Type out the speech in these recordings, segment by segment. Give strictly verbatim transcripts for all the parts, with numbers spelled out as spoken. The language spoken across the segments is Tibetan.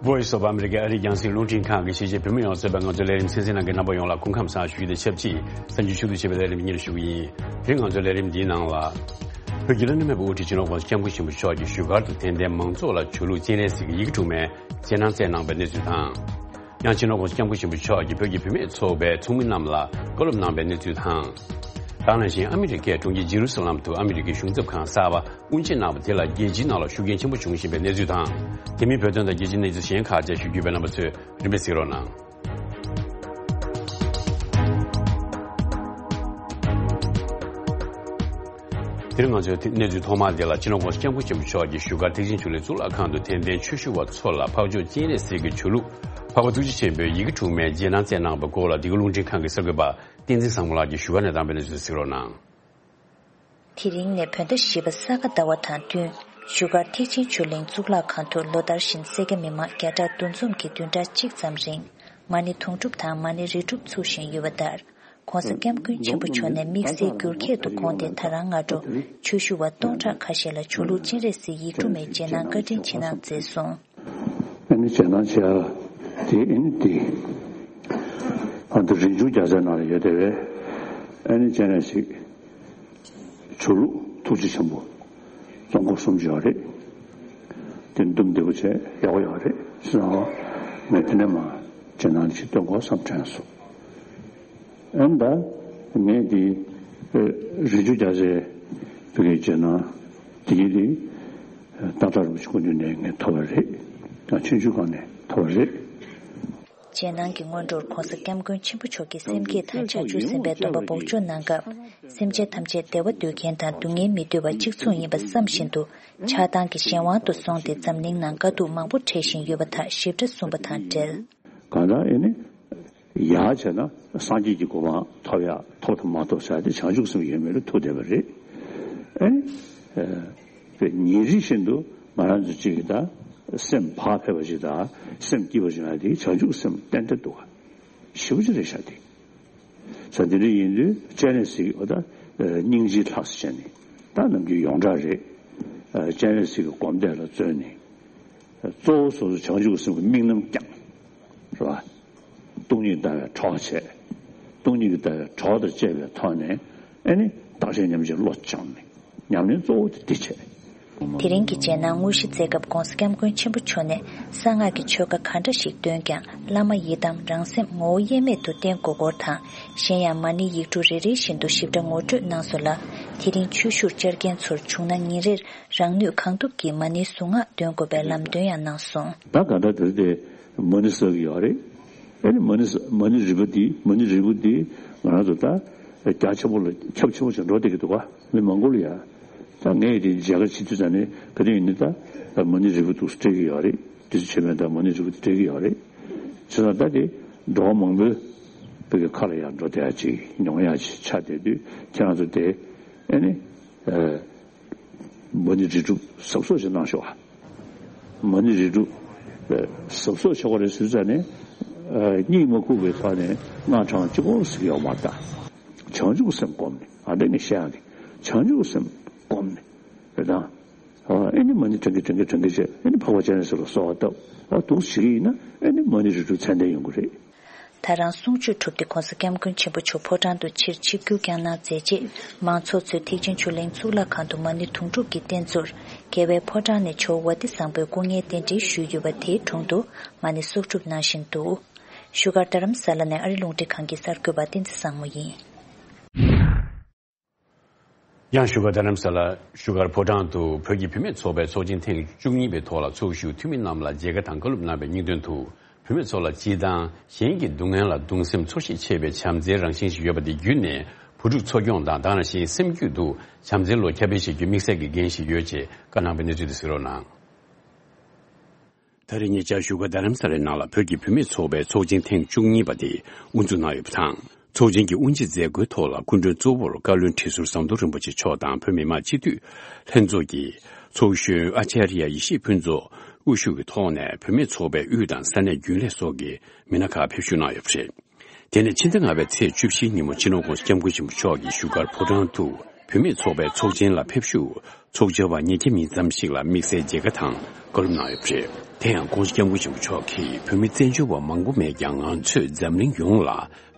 Voice of America ཨ་རིའི་རྒྱང་སྲིང་རླུང་འཕྲིན་ཁང་གི་གཞིས་བྱེས་བོད་མི་ཡོངས་གཙོས་པའི་ང་ཚོའི་ལས་རིམ་གསན་གཟིགས་གནང་མཁན་རྣམ་པ་ཡོངས་ལ་སྐུ་ཁམས་བཟང་ཞུ་རྒྱུ་དང་ཆབས་ཅིག་གསར་འགྱུར་ཤུགས་ཆེ་བའི་ལས་རིམ་སྙན་ཞུ་གི་ཡིན། དེ་རིང་ང་ཚོའི་ལས་རིམ་འདིའི་ནང་ལ། བོད་ཀྱི་བླ་ན་མེད་པའི་དབུ་ཁྲིད་སྤྱི་ནོར་༸གོང་ས་༸སྐྱབས་མགོན་ཆེན་པོ་མཆོག་གིས་བཞུགས་སྒར་དུ་དད་ལྡན་མང་ཚོགས་ལ་ཆོས་ལུགས་སྤྱན་རས་གཟིགས་ཀྱི་ཡི་གེ་དྲུག་མའི་རྗེས་གནང་བསྩལ་གནང་བའི་གནས་ཚུལ་དང་། ཡང་སྤྱི་ནོར་༸གོང་ས་༸སྐྱབས་མགོན་ཆེན་པོ་མཆོག་གིས་བོད་ཀྱི་བུད་མེད་ཚོགས་པའི་ཚོགས་མི་རྣམས་ལ་བཀའ་སློབ་གནང་བའི་གནས་ཚུལ་དང་། ད་ག་ནང་བཞིན་ཨ་མི་རི་ཀའི་གྲོང་ཁྱེར་ཇེ་རུ་སཱ་ལམ་དུ་ཨ་མི་རི་ཀའི་གཞུང་ཚབ་ཁང་གསར་པ་དབུ་འབྱེད་གནང་བ་དེ་ལ་རྒྱལ་སྤྱིའི་ནང་ལ་ཤུགས་རྐྱེན་ཆེན་པོ་བྱུང་བཞིན་པའི་གནས་ཚུལ་དང་། དེ་མིན་བོད་དོན་དང་རྒྱལ་སྤྱིའི་གནས་ཚུལ་གཞན་ཁག་བཅས་ཞུ་རྒྱུ་ཡོད་པའི་རྣམ་པ་ཚོས་རིམ་པས་གཟིགས་རོགས་གནང་། དེ་རིང་ང་ཚོའི་གནས་ཚུལ་ཐོག་མ་དེ་ལ་སྤྱི་ནོར་༸གོང་ས་༸སྐྱབས་མགོན་ཆེན་པོ་མཆོག་གིས་བཞུགས་སྒར་ཐེག་ཆེན་ཆོས་གླིང་གཙུག་ལག་ཁང་དུ་དད་ལྡན་ཆོས་ཞུ་བ་ཚོ་ལ་འཕགས་མཆོག་སྤྱན་རས་གཟིགས་ཀྱི་ཆོས་ལུགས་འཕགས་པ་ཐུགས་རྗེ་ཆེན་པོའི་ཡི་གེ་དྲུག་མའི་རྗེས་གནང་བསྩལ་གནང་བའི་སྐོར་ལ་འདི་ག་རླུང་འཕྲིན་ཁང་གི་གསར་འགོད་པ་བསྟན་འཛིན་བཟང་མོ་ལགས་ཀྱིས་བཞུགས་སྒར་ནས་བཏང་བའི་གནས་ཚུལ་གཟིགས་རོགས་གནང་། དེ་རིང་ནས་བོད་ཟླ་བཞི་པ་ས་ག་ཟླ་བ་དང་བསྟུན། བཞུགས་སྒར་ཐེག་ཆེན་ཆོས་གླིང་གཙུག་ལག་ཁང་དུ་ལོ་ལྟར་བཞིན་སེར་སྐྱ་མི་མང་བརྒྱ་ཕྲག་བདུན་འཛོམས་ཀྱིས་བདུན་ཕྲག་གཅིག་ཙམ་རིང་མ་ཎི་དུང་སྒྲུབ་དང་མ་ཎི་རི་སྒྲུབ་ཚུགས་བཞིན་ཡོད་པ་ལྟར། ༸གོང་ས་༸སྐྱབས་མགོན་ཆེན་པོ་མཆོག་ནས་དམིགས་བསལ་འགྱུར་ཁྱད་དུ་དགོངས་ཏེ་ད་རང་སྔ་དྲོ་ཆོས་ཞུ་བ་སྟོང་ཕྲག་ཁ་ཤས་ལ་ཆོས་ལུགས་སྤྱན་རས་གཟིགས་ཡིག་དྲུག་མའི་རྗེས་གནང་བཀའ་དྲིན་ཆེ་གནང་མཛད་སོང་། ཨ་ནི་རྗེས་གནང་བྱས་ཨ་དེ་ཨ་ནི་དེ་ཨ་ད་རིག་འཛིན་རྒྱལ་མཚན་ནང་ལ་ཡོད་དེ་བས། ཨ་ནི་སྤྱན་རས་གཟིགས་ཆོས་ལུགས་ཐུགས་རྗེ་ཆེན་པོ་རྫོང་ཁོག་གསུམ་ཡོད་རེད། དེ་འདུམ་བདེ་པོ་བྱས་ཡག་པོ་ཡོད་རེད་ཟེར་ནའོ། ངས་དེ་ནས་མ་རྗེས་གནང་ཞིག་སྟོན་དགོས་བསམ་དྲན་སོང་། ཨ་ནི་ད་ངས་དེ་རིག་འཛིན་རྒྱལ་མཚན་བོད་ཀྱི་རྗེས་གནང་དེ་གི་དེ་སྟག་བྲག་རིན་པོ་ཆེ་སྐུ་མདུན་ནས་ངས་ཐོབ་པ་རེད། ཡང་ཆུང་ཆུང་སྒང་ནས་ཐོབ་པ་རེད། རྗེས་གནང་གི་སྔོན་འགྲོར་༸གོང་ས་༸སྐྱབས་མགོན་ཆེན་པོ་མཆོག་གིས་སེམས་བསྐྱེད་དང་བྱང་ཆུབ་སེམས་དཔའི་སྡོམ་པ་འབོགས་ཆོག་གནང་སྐབས། སེམས་ཅན་ཐམས་ཅད་བདེ་བ་འདོད་མཁན་དང་སྡུག་བསྔལ་མི་འདོད་པ་གཅིག་མཚུངས་ཡིན་པ་བསམ་བཞིན་དུ། ཆགས་སྡང་གི་གཞན་དབང་དུ་སོང་སྟེ་འཛམ་གླིང་ནང་དཀའ་སྡུག་མང་པོ་འཕྲད་བཞིན་ཡོད་པ་དག་ཞིབ་ཕྲ་གསུངས་པ་དང་འབྲེལ། གང་ལྟར་ཨེ་ནི། ཡར་བྱས་ན་སངས་རྒྱས་ཀྱི་གོ་འཕང་ཐོབ་ཡ་ཐོབ་དང་མ་ཐོབ་ཟེར་ཏེ་བྱང་ཆུབ་སེམས་ཡོད་མེད་ལ་ཐུག་བསྡད་པ་རེད། ཨེ་ནི། ཨེ། ཉིན་རེ་བཞིན་དུ་ང་རང་ཚོ་གཅིག་གི་ད་སེམས་བག་ཕེབས་པ་ཞིག་དང་སེམས་སྐྱིད་པ་ཞིག་ལ་དེ་བྱང་ཆུབ་སེམས་ཏན་ཏན་འདུག་ག་ཞེ་པོ་ཅིག་རེད་ཤག་དེ། ས་དེ་འདྲ་ཡིན་དུས་སྤྱན་རས་གཟིགས་འོ་ད་སྙིང་རྗེའི་ལྷ་ས་བྱས་ནས་ད་ནམ་རྒྱུན་ཡོངས་གྲགས་རེད། སྤྱན་རས་གཟིགས་ཀྱི་སྒོམ་བཟླས་ལ་བརྩོན་ནས་གཙོ་བོ་སོ་སོ་བྱང་ཆུབ་སེམས་ཀྱི་དམིགས་རྣམ་བསྐྱངས། རེད་བ། སྟོང་ཉིད་ལྟ་བའི་གྲོགས་བྱས། སྟོང་ཉིད་ཀྱི་ལྟ་བའི་གྲོགས་དང་བཅས་པའི་ཐོག་ནས་ཨེ་ནི་བརྟག་དཔྱད་ཉམས་ཀྱི་བློ་སྦྱངས་ནས་ཉམས་ལེན་གཙོ་བོ་དེ་འདི་བྱས། དེ་རིང་གི་རྗེས་གནང་དངོས་གཞི་མཛད་སྐབས་༸གོང་ས་༸སྐྱབས་མགོན་ཆེན་པོ་མཆོག་ནས་གསང་སྔགས་ཀྱི་ཆོས་བཀའ་ག་འདྲ་ཞིག་འདོན་ཀྱང་བླ་མ་ཡི་དམ་རང་སེམས་ངོ་བོ་དབྱེར་མེད་དུ་བསྟེན་དགོས་སྐོར་དང་གཞན་ཡང་མ་ཎི་ཡིག་དྲུག་རེ་རེ་བཞིན་དུ་ཞིབ་ཕྲ་ངོ་སྤྲོད་གནང་སོང་ལ། དེ་རིང་ཆོས་ཞུར་བཅར་མཁན་ཚོར་བྱུང་ན་ཉིན་རེར་རང་ནུས་གང་ཐུབ་ཀྱིས་མ་ཎིའི་གཟུངས་སྔགས་འདོན་དགོས་པའི་ལམ་སྟོན་ཡང་གནང་སོང་། ད་ག་འདྲ་དེ་དེ་མ་ཎི་གསོག་གི་ཡོད་རེད། ཨེ་ནི་མ་ཎི་ས་མ་ཎི་རིལ་བུ་འདི་མ་ཎི་རིལ་བུ་འདི་ང་རང་ཚོ་ད་རྒྱ་ཆེན་པོ་ལ་ཁྱབ་ཆེན་པོ་ཞིག་འགྲོ་བསྡད་ཀྱི་འདུག་ག་མི་མང་པོ་ལ་ཡ། ད་ངས་དེ་མཇལ་ཁ་བྱེད་དུས་ཙམ་ནས་ག་དུས་ཡིན་ནའི་ད་ད་མ་ཎི་རིལ་བུ་འདུག་སྤྲད་ཀྱི་ཡོད་རེད། དུས་ཚོད་ཆེ་མེད་ད་མ་ཎི་རིལ་བུ་འདི་སྤྲད་ཀྱི་ཡོད་རེད། བྱས་ཙང་ད་དེ་འགྲོ་བ་མང་པོའི་བོད་ཀྱི་ཁ་ལ་ཡང་འགྲོ་བསྡད་ཡ་ཅིག་མྱོང་ཡ་ཅིག་ཆགས་བསྡད་དུས་ཁྱེད་རང་ཚོ་དེ་ཨེ་ནི། མ་ཎི་རིལ་སྒྲུབ་གཟབ་གཟབ་ཞིག་གནང་ཤོག་ཨ། མ་ཎི་རིལ་སྒྲུབ་གཟབ་གཟབ་བྱེད་དགོས་རེད་ཟེར་ཙང་ནས། གཉིད་མ་ཁུག་པའི་ཐོག་ནས་སྔགས་བགྲང་གཅིག་པོ་ཟེར་གྱི་ཡོད་མ་རེད་ད། བྱང་ཆུབ་སེམས་བསྒོམས་ནས་ཨ་འདྲ་ངས་བཤད་ཡག་གི་བྱང་ཆུབ་སེམས་བསྒོམས་ནས་རེད་ད། ཨེ་ནི་མ་ཎི་བགྲང་གིན་བགྲང་གིན་བགྲང་གིན་བྱས་ཨེ་ནི་འཕགས་པ་སྤྱན་རས་གཟིགས་ལ་གསོལ་བ་བཏབ་ཨ་འདུག་བྱེད་ཀྱི་ཡིན་ན་ཨེ་ནི་མ་ཎི་རིལ་སྒྲུབ་ཚད་ལྡན་ཡོང་གི་རེད། ད་རང་གསུང་ཆོས་གྲུབ་སྟེ་༸གོང་ས་༸སྐྱབས་མགོན་ཆེན་པོ་མཆོག་ཕོ་བྲང་དུ་ཕྱིར་ཆིབས་བསྒྱུར་བསྐྱངས་གནང་མཛད་རྗེས་མང་ཚོགས་ཚོས་ཐེག་ཆེན་ཆོས་གླིང་གཙུག་ལག་ཁང་དུ་མ་ཎི་དུང་སྒྲུབ་ཀྱི་རྟེན་གཙོར་རྒྱལ་བའི་ཕོ་བྲང་ནས་ཇོ་བོ་ཝ་ཏི་བཟང་པོའི་སྐུ་བརྙན་རྟེན་འབྲེལ་ཞུས་ཡོད་པ་དེའི་དྲུང་དུ་མ་ཎི་གསོག་སྒྲུབ་གནང་བཞིན་འདུག་བཞུགས་སྒར་རྡ་རམ་ས་ལ་ནས་ཨ་རི་རླུང་འཕྲིན་ཁང་གི་གསར་འགོད་པ་བསྟན་འཛིན་བཟང་མོ་ཡིན། ཡང་བཞུགས་སྒར་རྡ་རམ་ས་ལ་བཞུགས་སྒར་ཕོ་བྲང་དུ་བོད་ཀྱི་བུད་མེད་ཚོགས་པའི་ཚོགས་ཆེན་ཐེངས་བཅུ་གཉིས་པའི་ཐོག་ལ་ཚོགས་ཞུགས་འཐུས་མི་རྣམས་ལ་མཇལ་ཁ་དང་བཀའ་སློབ་གནང་བའི་སྙིང་དོན་དུ། བུད་མེད་ཚོ་ལ་སྤྱི་དང་གཞན་གྱི་སྡུག་བསྔལ་ལ་གདུང་སེམས་ཚོར་ཤེས་ཆེ་བའི་བྱམས་བརྩེའི་རང་བཞིན་ཞིག་ཡོད་པ་དེ་བརྒྱུད་ནས་བུ་ཕྲུག་འཚོ་སྐྱོང་དང་དེ་ནང་བཞིན་སེམས་རྒྱུད་དུ་བྱམས་བརྩེའི་བློ་ཁྱབ་སྤེལ་བྱེད་རྒྱུའི་དམིགས་བསལ་གྱི་འགན་ཞིག་ཡོད་ཅེས་བཀའ་གནང་བའི་གནས་ཚུལ་དེ་གཟིགས་རོགས་གནང་། ད་རེས་ཉེ་ཆར་བཞུགས་སྒར་རྡ་རམ་ས་ལའི་ནང་ལ་བོད་ཀྱི་བུད་མེད་ཚོགས་པའི་ཚོགས་ཆེན་ཐེངས་བཅུ་གཉིས་པ་དེ་དབུ་འཛུགས་གནང་ཡོད་པ་དང་། ཚོགས་ཆེན་གྱི་དབུ་འབྱེད་མཛད་སྒོའི་ཐོག་ལ་སྐུ་མགྲོན་གཙོ་བོར་བཀའ་བློན་ཁྲི་ཟུར་ཟམ་གདོང་རིན་པོ་ཆེ་མཆོག་དང་བོད་མི་མང་སྤྱི་འཐུས་ལྷན་ཚོགས་ཀྱི་ཚོགས་གཞོན་ཨ་ཅཱརྱ་ཡེ་ཤེས་ཕུན་ཚོགས་དབུ་བཞུགས་ཀྱི་ཐོག་ནས་བུད་མེད་ཚོགས་པའི་དབུས་དང་ས་གནས་རྒྱུན་ལས་སོགས་ཀྱི་མི་སྣ་ཁག་ཕེབས་བཞུགས་གནང་ཡོད་པ་རེད། དེ་ནས་ཕྱི་ཟླ་ལྔ་པའི་ཚེས་བཅུ་བཞིའི་ཉིན་མོ་སྤྱི་ནོར་༸གོང་ས་༸སྐྱབས་མགོན་ཆེན་པོ་མཆོག་གིས་བཞུགས་སྒར་ཕོ་བྲང་དུ་བུད་མེད་ཚོགས་པའི་ཚོགས་ཆེན་ལ་ཕེབས་བཞུགས་ཚོགས་བཅར་བ་ཉིས་བརྒྱ་མིན་ཙམ་ཞིག་ལ་དམིགས་བསལ་མཇལ་ཁ་དང་བཀའ་སློབ་གནང་ཡོད་པ་རེད། དེ་ཡང་༸གོང་ས་༸སྐྱབས་མགོན་ཆེན་པོ་མཆོག་གིས་བོད་མི་བཙན་བྱོལ་བ་མང་པོ་མེད་ཀྱང་། ང་ཚོས་འཛམ་གླིང་ཡོངས་ལ་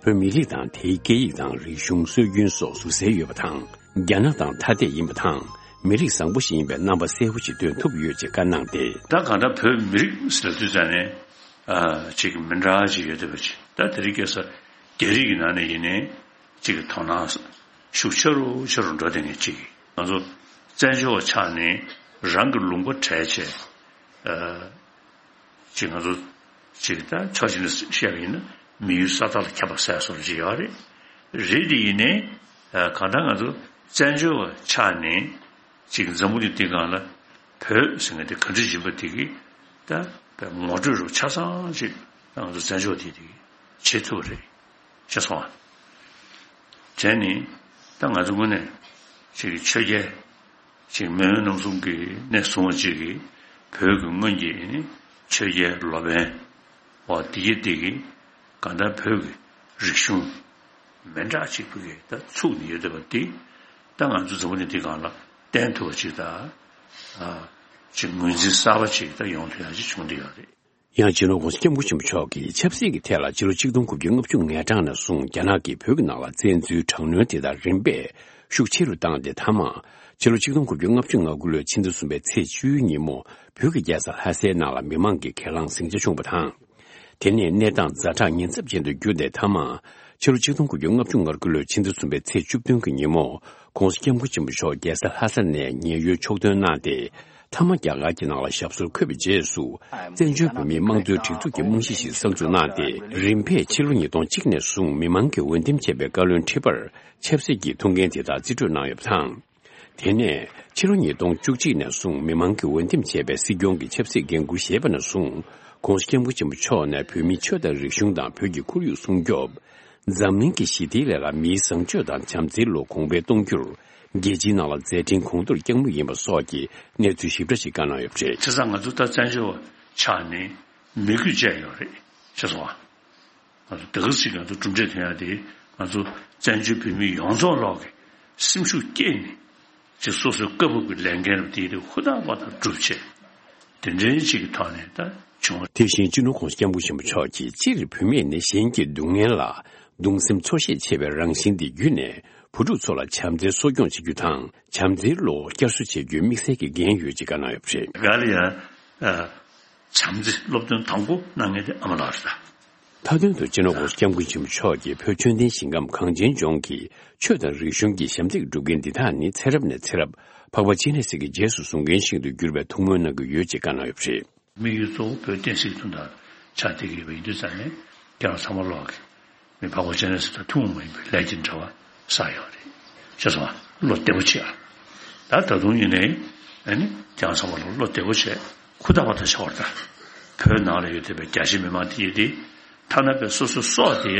བོད་མི་རིགས་དང་དེའི་སྐད་ཡིག་དང་རིག་གཞུང་སྲོལ་རྒྱུན་སོགས་ཟུར་གསལ་ཡོད་པ་དང་། རྒྱ་ནག་དང་ཐ་དད་ཡིན་པ་དང་། མི་རིགས་བཟང་པོ་ཞིག་ཡིན་པའི་རྣམ་པ་གསལ་པོ་ཞིག་སྟོན་ཐུབ་ཡོད་ཅེས་བཀའ་གནང་སྟེ། ད་གང་ལྟར་བོད་མི་རིགས་ཟེར་དུས་ཙང་ནས་ཨ་ཅིག་མི་འདྲ་ཅིག་ཡོད་བསྡད་པ་ཅིག་ད་དེ་རིང་ཁ་སང་རྒྱ་རིགས་ཀྱི་ནང་ནས་ཡིན་ནའི་ཅིག་དོ་སྣང་ཤུགས་ཆེ་རུ་ཆེ་རུ་འགྲོ་བསྡད་མཁན་ཅིག་ང་ཚོ་བཙན་བྱོལ་བ་ཆགས་ནས་རང་གི་ལུང་པ་བྲལ་བྱས། ཨ་ཅིག་ང་ཚོ་ཅིག་ད་ཕྱོགས་གཅིག་ནས་བཤད་པ་ཡིན་ན་མི་ཡུལ་ས་ཐག་ལ་ཁྱབ་པ་ཟེར་སོགས་ཅིག་ཡོད་རེད། རེད་དེ་ཡིན་ནའི་ཨ་གང་ལྟར་ང་ཚོ་བཙན་བྱོལ་བ་ཆགས་ནས་ཅིག་འཛམ་བུ་གླིང་འདིའི་སྒང་ལ་བོད་ཟེར་མཁན་དེ་ག་འདྲ་ཡིན་པ་དེ་གི་ད་ངོ་སྤྲོད་རུ་ཆ་ཚང་ཅིག་ད་ང་ཚོ་བཙན་བྱོལ་དེ་དེ་གི་བྱེད་ཐུབ་པ་རེད། ཤེས་སོང་ཨ། དེ་ནི་ད་ང་ཚོ་དངོས་གནས་ཅིག་ཆོས་རྒྱལ་ཅིག་མེས་དབོན་རྣམ་གསུམ་གྱི་གནས་བཟུང་བ་ཅིག་གིས་བོད་ཀྱི་སྔོན་གྱི་ནི་ཆོས་རྒྱལ་ལོ་པཎ་བ་འདི་གི་འདི་གི་གང་ལྟར་བོད་ཀྱི་རིག་གཞུང་མི་འདྲ་ཅིག་བོད་ཀྱི་ད་ཚུགས་ནས་ཡོད་བསྡད་པ་འདི་ད་ང་ཚོ་འཛམ་བུ་གླིང་འདི་སྒང་ལ་བསྟན་ཐུབ་པ་ཅིག་ད་ཨ་ཅིག་ངོས་འཛིན་གསར་པ་ཅིག་ད་ཡོང་ཐུབ་ཡག་ཅིག་བྱུང་བསྡད་ཡོད་རེད། ཡང་སྤྱི་ནོར་༸གོང་ས་༸སྐྱབས་མགོན་ཆེན་པོ་མཆོག་གིས་ཆབ་སྲིད་ཀྱི་ཐད་ལ་ཕྱི་ལོ་ཆིག་སྟོང་དགུ་བརྒྱ་ལྔ་བཅུ་ང་གྲངས་ནས་བཟུང་རྒྱ་ནག་གིས་བོད་ཀྱི་ནང་ལ་བཙན་འཛུལ་དྲག་གནོན་དེ་དག་རིམ་པས་ཤུགས་ཆེ་རུ་བཏང་སྟེ། མཐའ་མ་ཕྱི་ལོ་ཆིག་སྟོང་དགུ་བརྒྱ་ལྔ་བཅུ་ང་དགུ་ལོའི་ཕྱི་ཟླ་གསུམ་པའི་ཚེས་བཅུའི་ཉིན་མོ་བོད་ཀྱི་རྒྱལ་ས་ལྷ་སའི་ནང་ལ་མི་མང་གིས་ཁས་བླངས་ཟིང་ཆ་བྱུང་བ་དང་། དེ་ནས་གནས་སྟངས་ཛ་དྲག་ཉེན་ཚབས་ཅན་དུ་གྱུར་ཏེ། མཐའ་མ་ཕྱི་ལོ་ཆིག་སྟོང་དགུ་བརྒྱ་ལྔ་བཅུ་ང་དགུ་ལོའི་ཕྱི་ཟླ་གསུམ་པའི་ཚེས་བཅུ་བདུན་གྱི་ཉིན་མོ་༸གོང་ས་༸སྐྱབས་མགོན་ཆེན་པོ་མཆོག་རྒྱལ་ས་ལྷ་ས་ནས་ཉེན་གཡོལ་ཕྱོགས་ཐོན་གནང་སྟེ། མཐའ་མ་རྒྱ་གར་གྱི་ནང་ལ་ཞབས་སོར་འཁོད་པའི་རྗེས་སུ། བཙན་བྱོལ་བོད་མིའི་དམངས་གཙོའི་སྒྲིག་འཛུགས་ཀྱི་རྨང་གཞི་ཞིག་གསར་འཛུགས་གནང་སྟེ། རིམ་པས་ཕྱི་ལོ་ཉིས་སྟོང་གཅིག་ནས་བཟུང་མི་མང་གིས་འོས་འདེམས་བྱས་པའི་བཀའ་བློན་ཁྲི་པར་ཆབ་སྲིད་ཀྱི་ཐུགས་འགན་དེ་དག་རྩིས་སྤྲོད་གནང་ཡོད་པ་དང་། དེ་ནས་ཕྱི་ལོ་ཉིས་སྟོང་བཅུ་གཅིག་ནས་བཟུང་མི་མང་གིས་འོས་འདེམས་བྱས་པའི་སྲིད་སྐྱོང་གི་ཆབ་སྲིད་འགན་འཁུར་བཞེས་པ་ནས་བཟུང་༸གོང་ས་༸སྐྱབས་མགོན་ཆེན་པོ་མཆོག་ནས་བོད་མིའི་ཆོས་དང་རིག་གཞུང་དང་བོད་ཀྱི་ཁོར་ཡུག་སྲུང་སྐྱོབ། འཛམ་གླིང་གི་ཞི་བདེའི་སླད་ལ་མིའི་བཟང་སྤྱོད་དང་བྱམས་བརྩེའི་བློ་གོང་འཕེལ་གཏོང་རྒྱུར། རྒྱལ་སྤྱིའི་ནང་ལ་མཛད་འཕྲིན་གོང་མཐོར་བསྐྱངས་མུས་ཡིན་པ་སོགས་ཀྱི་གནས་ཚུལ་ཞིབ་ཕྲ་ཞིག་བཀའ་གནང་ཡོད་པ་རེད། བྱས་ཙང་ང་ཚོ་ད་བཙན་བྱོལ་བ་ཆགས་ནས་མི་རྒྱུ་བཅས་ཡོད་རེད། ཤེས་སོང་ཨ། ང་ཚོ་དེ་ག་ཅིག་ང་ཚོ་གྲུབ་འབྲས་ཐོན་ཡག་དེ་ང་ཚོ་བཙན་བྱོལ་བོད་མི་ཡོངས་རྫོགས་ལོག་གི་སེམས་ཤུགས་བསྐྱེད་ནས་ཅིག་སོ་སོའི་བཀའ་བབས་ཀྱི་ལས་འགན་རུ་དེ་དེ་ཧུར་ཐག་པ་དང་སྒྲུབ་བྱས། དེ་འདྲའི་ཅིག་གི་ཐོག་ནས་ད་བྱུང་བ། དེ་བཞིན་སྤྱི་ནོར་༸གོང་ས་༸སྐྱབས་མགོན་ཆེན་པོ་མཆོག་གིས་སྤྱིར་བུད་མེད་ནི་གཞན་གྱི་སྡུག་བསྔལ་ལ་གདུང་སེམས་འཚོ་ཤེས་ཆེ་བའི་རང་བཞིན་དེ་བརྒྱུད་ནས་བུ་ཕྲུག་ཚོ་ལ་བྱམས་བརྩེ་གསོ་སྐྱོང་བྱེད་རྒྱུ་དང་བྱམས་བརྩེའི་བློ་བསྐྱར་གསོ་བྱེད་རྒྱུའི་དམིགས་བསལ་གྱི་འགན་ཡོད་ཅེས་བཀའ་གནང་ཡོད་པ་རེད། ག་ལ་ཡང་ཨ་བྱམས་བརྩེ་སློབ་སྟོན་དང་པོ་གནང་མཁན་དེ་ཨ་མ་ལགས་རེད་ད། མཐའ་དོན་དུ་སྤྱི་ནོར་༸གོང་ས་༸སྐྱབས་མགོན་ཆེན་པོ་མཆོག་གིས་བོད་ཆོས་ལྡན་ཞིང་ཁམས་གངས་ཅན་ལྗོངས་ཀྱི་ཆོས་དང་རིག་གཞུང་གི་ཞབས་འདེགས་སྒྲུབ་མཁན་འདི་དག་ནི་ཚེ་རབས་ནས་ཚེ་རབས་འཕགས་པ་སྤྱན་རས་གཟིགས་ཀྱི་རྗེས་སུ་བཟུང་མཁན་ཞིག་ཏུ་གྱུར་པའི་ཐུགས་སྨོན་གནང་གི་ཡོད་ཅེས་བཀའ་གནང་ཡོད་པ་རེད། དམིགས་ཡུལ་གཙོ་བོ་བོད་བསྟན་སྲིད་མཐུན་སྒྲིལ་ཆགས་བསྡད་ཀྱི་ཡོད་པ་ཡིན་དུས་ཙང་ནས་ཁྱེད་རང་ཚང་མ་ལོག་གི་མི་འཕགས་པ་སྤྱན་རས་གཟིགས་དང་ཐུན་མོང་མ་ཡིན་པའི་ལས་ཀྱི་འབྲེལ་བ་བསགས་ཡོད་རེད། ཤེས་སོང་ཨ། བློ་བདེ་པོ་བྱེད་ཨ། ད་ད་དུང་ཡིན་ནའི་ཨ་ནི་ཁྱེད་རང་ཚང་མ་ལོག་བློ་བདེ་པོ་བྱེད། ཧུར་ཐག་པ་དང་བྱ་བར་ལྟ། བོད་ནང་ལ་ཡོད་བསྡད་པའི་རྒྱ་ཆེ་མི་མང་དེ་ཡིན་ཏེ། ཐ་ན་པའི་སོ་སོའི་སྲོག་དེ་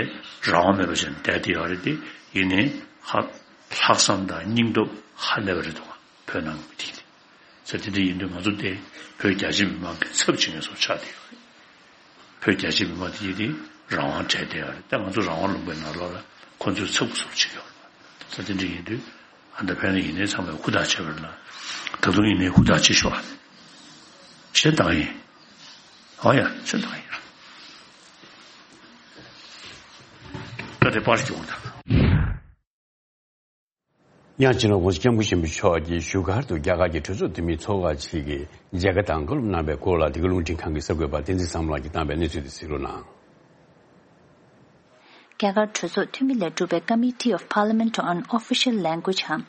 རང་དབང་མེད་པ་བྱས་ནས་བསྡད་དེ་ཡོད་རེད་དེ། ཡིན་ནའི་ཧ་ལྷག་བསམ་དང་སྙིང་སྟོབས་ཧ་ལས་པ་རེད་འདུག་བོད་ནང་གི་མི་དེ་ཡིན་ཏེ། ས་དེ་འདྲ་ཡིན་དུས་ང་ཚོ་དེ་བོད་རྒྱ་ཆེ་མི་མང་གི་ཚབ་བྱེད་མཁན་ཚོ་ཆགས་བསྡད་ཡོད་རེད། བོད་རྒྱ་ཆེ་མི་མང་དེ་ཡིན་ཏེ་རང་དབང་བྲལ་བསྡད་ཡོད་རེད། ད་ང་ཚོ་རང་དབང་ལུང་པའི་ནང་ལོགས་ལ་ཁོ་ཚོས་ཚབ་ཀྱི་ཚུལ་བྱེད་ཀྱི་ཡོད་རེད། ས་དེ་འདྲ་ཡིན་དུས་ཨ་ད་ཕན་ནི་ཡིན་ནའི་ཚང་མས་ཧུར་ཐག་བྱེད་པ་རེད་ལ། ད་དུང་ཡིན་ནའི་ཧུར་ཐག་བྱེད་ཤོག་ཨ། བྱེད་སྟངས་ཡིན། ཨོ་ཡ་བྱེད་སྟངས་ཡིན། ད་དེ་པར་སྐྱོང་དང་། ཡང་སྤྱི་ནོར་༸གོང་ས་༸སྐྱབས་མགོན་ཆེན་པོ་མཆོག་གིས་བཞུགས་སྒར་དུ་རྒྱ་གར་གྱི་གྲོས་ཚོགས་འཐུས་མི་ཚོགས་ཁག་ཅིག་གིས་མཇལ་ཁ་དང་བཀའ་སློབ་གནང་བའི་སྐོར་ལ་འདི་ག་རླུང་འཕྲིན་ཁང་གི་གསར་འགོད་པ་བསྟན་འཛིན་བཟང་མོ་ལགས་ཀྱིས་བཏང་བའི་གནས་ཚུལ་དེ་གཟིགས་རོགས་གནང་། རྒྱ་གར་གྲོས་ཚོགས་འཐུས་མི་ལས་གྲུབ་པའི་Committee of Parliament on Official Language འམ་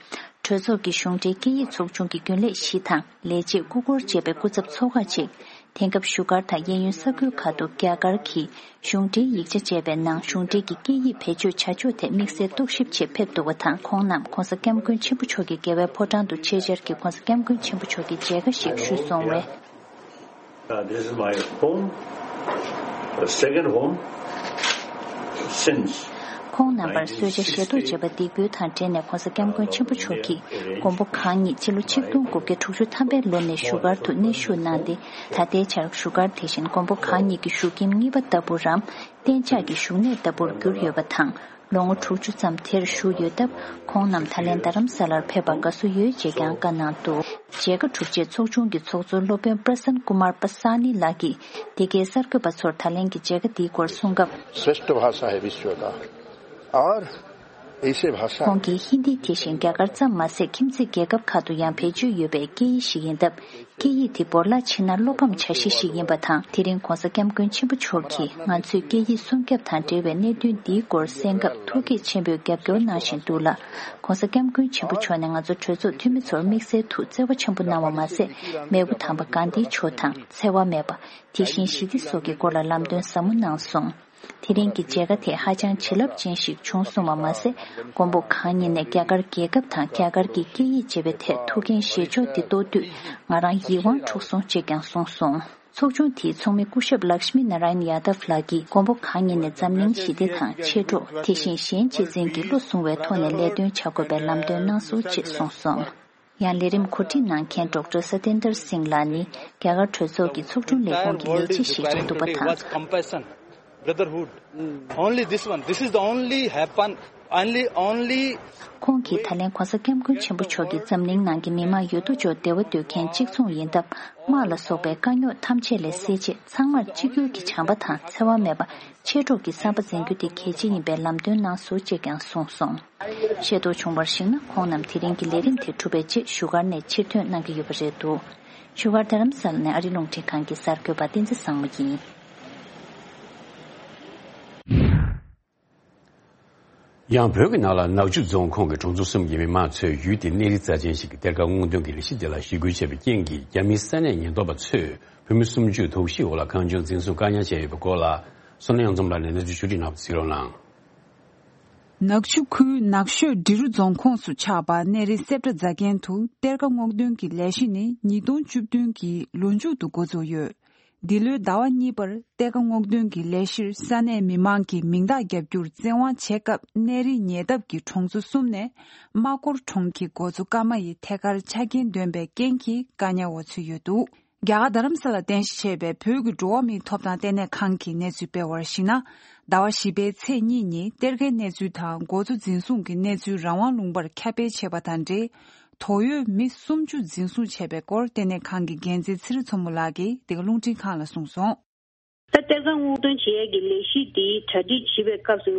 གྲོས་ཚོགས་ཀྱི་གཞུང་འབྲེལ་སྐད་ཡིག་ཚོགས་ཆུང་གི་རྒྱུན་ལས་བཞི་དང་ལས་བྱེད་སྐུ་འཁོར་བཅས་པའི་སྐུ་ཚབ་ཚོགས་ཁག་ཅིག་དེང་སྐབས་བཞུགས་སྒར་དང་གཡས་གཡོན་ས་ཁུལ་ཁག་ཏུ་རྒྱ་གར་གྱི་གཞུང་འབྲེལ་ཡིག་ཆ་སྤྱད་པའི་ནང་གཞུང་འབྲེལ་གྱི་སྐད་ཡིག་བེད་སྤྱོད་བྱ་ཕྱོགས་ཐད་དམིགས་བསལ་རྟོག་ཞིབ་ཆེད་ཕེབས་འདུག་པ་དང་། ཁོང་རྣམས་༸གོང་ས་༸སྐྱབས་མགོན་ཆེན་པོ་མཆོག་གི་རྒྱལ་བའི་ཕོ་བྲང་དུ་ཆེད་བཅར་གྱིས་༸གོང་ས་༸སྐྱབས་མགོན་ཆེན་པོ་མཆོག་གི་མཇལ་ཁ་ཞིག་ཞུས་སོང་བས། Uh, this is my home, the second home since ཁོང་རྣམ་པར་གསོལ་ཇ་བཞེས་ཐོག་བྱས་པ་འདི་གུ་དང་འབྲེལ་ནས་༸གོང་ས་༸སྐྱབས་མགོན་ཆེན་པོ་མཆོག་གིས་མགོན་པོ་གང་ཉིད་སྤྱི་ལོ་ཆིག་སྟོང་དགུ་བརྒྱ་དྲུག་ཅུ་ཐམ་པའི་ལོ་ནས་བཞུགས་སྒར་དུ་གནས་བཞུགས་གནང་སྟེ། ད་ལྟའི་ཆར་བཞུགས་སྒར་དེ་བཞིན་མགོན་པོ་གང་ཉིད་ཀྱི་བཞུགས་ཁྱིམ་གཉིས་པ་ལྟ་བུ་རམ། གཏན་འཇགས་ཀྱི་བཞུགས་གནས་ལྟ་བུར་གྱུར་ཡོད་པ་དང་། ལོ་ངོ་དྲུག་ཅུ་ཙམ་དེར་བཞུགས་ཡོད་སྟབས། ཁོང་རྣམས་ད་ལན་རྡ་རམ་ས་ལར་ཕེབས་པར་དགའ་བསུ་ཡོད་ཅེས་ཀྱང་བཀའ་གནང་འདུག་མཇལ་ཁ་གྲུབ་རྗེས་ཚོགས་ཆུང་གི་ཚོགས་གཙོ་སློབ་དཔོན་པྲ་སན་ཀུ་མར་པ་ས་ནི་ལགས་ཀྱིས་འདི་གའི་གསར་འགོད་པ་ཚོར་ད་ལན་གྱི་མཇལ་ཁ་འདིའི་སྐོར་གསུངས་སྐབས། श्रेष्ठ भाषा है विश्व का। और ऐसे भाषा། ཁོང་གིས་ཧིན་དི་དེ་བཞིན་རྒྱ་གར་ཙམ་མ་ཟད། ཁྱིམ་མཚེས་རྒྱལ་ཁབ་ཁག་ཏུ་ཡང་བེད་སྤྱོད་ཡོད་པའི་སྐད་ཡིག་ཞིག་ཡིན་སྟབས། སྐད་ཡིག་དེ་བོར་བརླག་ཕྱིན་ན་བློ་ཕམ་བྱ་གཞི་ཞིག་ཡིན་པ་དང་། དེ་རིང་༧གོང་ས་༧སྐྱབས་མགོན་ཆེན་པོ་མཆོག་གིས་ང་ཚོས་སྐད་ཡིག་སྲུང་སྐྱོབ་དང་འབྲེལ་བའི་གནད་དོན་འདིའི་སྐོར་གསན་སྐབས་ཐུགས་བསྐྱེད་ཆེན་པོས་རྒྱབ་སྐྱོར་གནང་བཞིན་འདུག་ལ། ༧གོང་ས་༧སྐྱབས་མགོན་ཆེན་པོ་མཆོག་ནས་ང་ཚོ་གྲོས་ཚོགས་འཐུས་མི་ཚོར་དམིགས་བསལ་ཐུགས་བརྩེ་བ་ཆེན་པོ་གནང་བ་མ་ཟད། མེས་པོ་དམ་པ་གྷན་དྷི་མཆོག་དང་འཚེ་བ་མེད་པ། དེ་བཞིན་ཞི་བདེ་སོགས་ཀྱི་སྐོར་ལ་ལམ་སྟོན་ཟབ་མོ་གནང་སོང་། དེ་རིང་གི་མཇལ་ཁ་དེ་ཧ་ཅང་བྱིན་རླབས་ཅན་ཞིག་བྱུང་སོང་བ་མ་ཟད། མགོན་པོ་གང་ཉིད་ནས་རྒྱ་གར་རྒྱལ་ཁབ་དང་རྒྱ་གར་གྱི་སྐད་ཡིག་ཅེས་པའི་ཐད་ཐུགས་འགན་བཞེས་ཕྱོགས་འདི་རྟོགས་དུས། ང་རང་ཡིད་དབང་འཕྲོག་སོང་ཅེས་ཀྱང་གསུངས་སོང་། ཚོགས་ཆུང་དེའི་ཚོགས་མི་སྐུ་ཞབས་ལག་ཤི་མི་ན་ར་ཡན་ཡ་དབ་ལགས་ཀྱིས་མགོན་པོ་གང་ཉིད་ནས་འཛམ་གླིང་ཞི་བདེ་དང་མཆེད་གྲོགས། དེ་བཞིན་གཞན་གཅེས་འཛིན་གྱི་བློ་བཟུང་བའི་ཐོག་ནས་ལས་དོན་བྱ་དགོས་པའི་ལམ་སྟོན་གནང་སོང་ཅེས་གསུངས་སོང་། ཡང་ལས་རིམ་གོ་སྒྲིག་གནང་མཁན་ཌོག་ཊར་སཏེན་དར་སིང་ལགས་ནི་རྒྱ་གར་གྲོས་ཚོགས་ཀྱི་ཚོགས་དྲུང་ལས་ཁུངས་ཀྱི་ལས་བྱེད་ཞིག་རེད་འདུག་པ་དང་། Brotherhood. Only this one. This is the only happen. Only, only. ཁོང་གིས་ད་ལན་༧གོང་ས་༧སྐྱབས་མགོན་ཆེན་པོ་མཆོག་གིས་འཛམ་གླིང་ནང་གི་མི་དམངས་ཡོད་དོ་ཅོག་བདེ་བ་འདོད་མཁན་གཅིག་མཚུངས་ཡིན་སྟབས། དམག་ལ་སོགས་པའི་དཀའ་རྙོག་ཐམས་ཅད་ལས་སེལ་ཆེད་ཚང་མར་གཅིག་གྱུར་གྱི་བྱམས་པ་དང་འཚེ་བ་མེད་པ། མཆེད་གྲོགས་ཀྱི་བསམ་པ་འཛིན་རྒྱུ་དེ་གལ་ཆེ་ཡིན་པའི་ལམ་སྟོན་གནང་སོང་ཅེས་ཀྱང་གསུངས་སོང་། ཤེས་རྟོགས་བྱུང་བར་གཞིགས་ན། ཁོང་རྣམས་དེ་རིང་གི་ལས་རིམ་དེ་གྲུབ་པའི་རྗེས་བཞུགས་སྒར་ནས་ཕྱིར་ཐོན་གནང་གི་ཡོད་པ་རེད་འདུག་བཞུགས་སྒར་རྡ་རམ་ས་ལ་ནས་ཨ་རི་རླུང་འཕྲིན་ཁང་གི་གསར་འགོད་པ་བསྟན་འཛིན་བཟང་མོ་ཡིན། ཡང་བོད་ཀྱི་ནང་ལ་ནག་ཆུ་རྫོང་ཁོངས་ཀྱི་གྲོང་ཚོ་གསུམ་གྱི་མི་མང་ཚོས་ཡུལ་དེའི་གནས་རི་རྩ་ཆེན་ཞིག་གི་གཏེར་ཁ་སྔོག་འདོན་གྱི་ལས་གཞི་དེ་ལ་ཞི་རྒོལ་བྱས་པའི་རྐྱེན་གྱིས། རྒྱ་མིའི་ས་གནས་ཉེན་རྟོག་པ་ཚོས་བོད་མི་སུམ་ཅུ་དོགས་གཞིའི་འོག་ལ་གང་བྱུང་འཛིན་བཟུང་བཀག་ཉར་བྱས་ཡོད་པའི་སྐོར་ལ། བསོད་ནམས་ཡང་འཛོམས་ལགས་ནས་གནས་ཚུལ་ཞིབ་ཕྲ་གནང་བ་གཟིགས་རོགས་གནང་། ནག་ཆུ་ཁུལ་ནགས་ཤོད་འབྲི་རུ་རྫོང་ཁོངས་སུ་ཆགས་པ་གནས་རི་སེབ་ཏྲ་རྫ་མཁན་དུ་གཏེར་ཁ་སྔོག་འདོན་གྱི་ལས་གཞི་ནི་ཉིས་སྟོང་བཅུ་བདུན་གྱི་ལོ་མཇུག་ཏུ་འགོ་འཛུགས་ཡོད། འདི་ལོའི་ཟླ་བ་གཉིས་པར་གཏེར་ཁ་སྔོག་འདོན་གྱི་ལས་གཞིར་ས་གནས་མི་མང་གིས་མིང་རྟགས་རྒྱབ་རྒྱུར་བཙན་དབང་བྱས་སྐབས། གནས་རི་ཉེ་འདབས་ཀྱི་གྲོང་ཚོ་གསུམ་ནས་རྨ་སྐོར་གྲོང་གི་འགོ་གཙོ་ཀརྨ་ཡི་ཐད་ཀར་ཆ་རྐྱེན་འདོན་པའི་རྐྱེན་གྱིས་བཀག་ཉར་འོག་ཚུད་ཡོད་འདུག་རྒྱ་གར་རྡ་རམ་ས་ལ་རྟེན་གཞི་བྱས་པའི་བོད་ཀྱི་འགྲོ་བ་མིའི་ཐོབ་ཐང་ལྟེ་གནས་ཁང་གིས་གནས་ཚུལ་སྤེལ་བར་གཞིགས་ན། ཟླ་བ་བཞི་པའི་ཚེས་གཉིས་ཉིན་གཏེར་ཁའི་གནས་ཚུལ་དང་འགོ་གཙོ་འཛིན་བཟུང་གི་གནས་ཚུལ་རང་དབང་ལུང་པར་ཁྱབ་སྤེལ་བྱས་པ་དང་འབྲེལ། དོགས་ཡོད་མི་སུམ་ཅུ་འཛིན་བཟུང་བྱས་པའི་སྐོར་ལྟེ་གནས་ཁང་གི་འགན་འཛིན་ཚེ་རིང་མཚོ་མོ་ལགས་ཀྱིས་འདི་ག་རླུང་འཕྲིན་ཁང་ལ་གསུངས་སོང་། ད་གཏེར་ཁ་སྔོག་འདོན་བྱེད་ཡས་ཀྱི་ལས་གཞི་འདི་གྲ་སྒྲིག་བྱེད་པའི་སྐབས་སུ།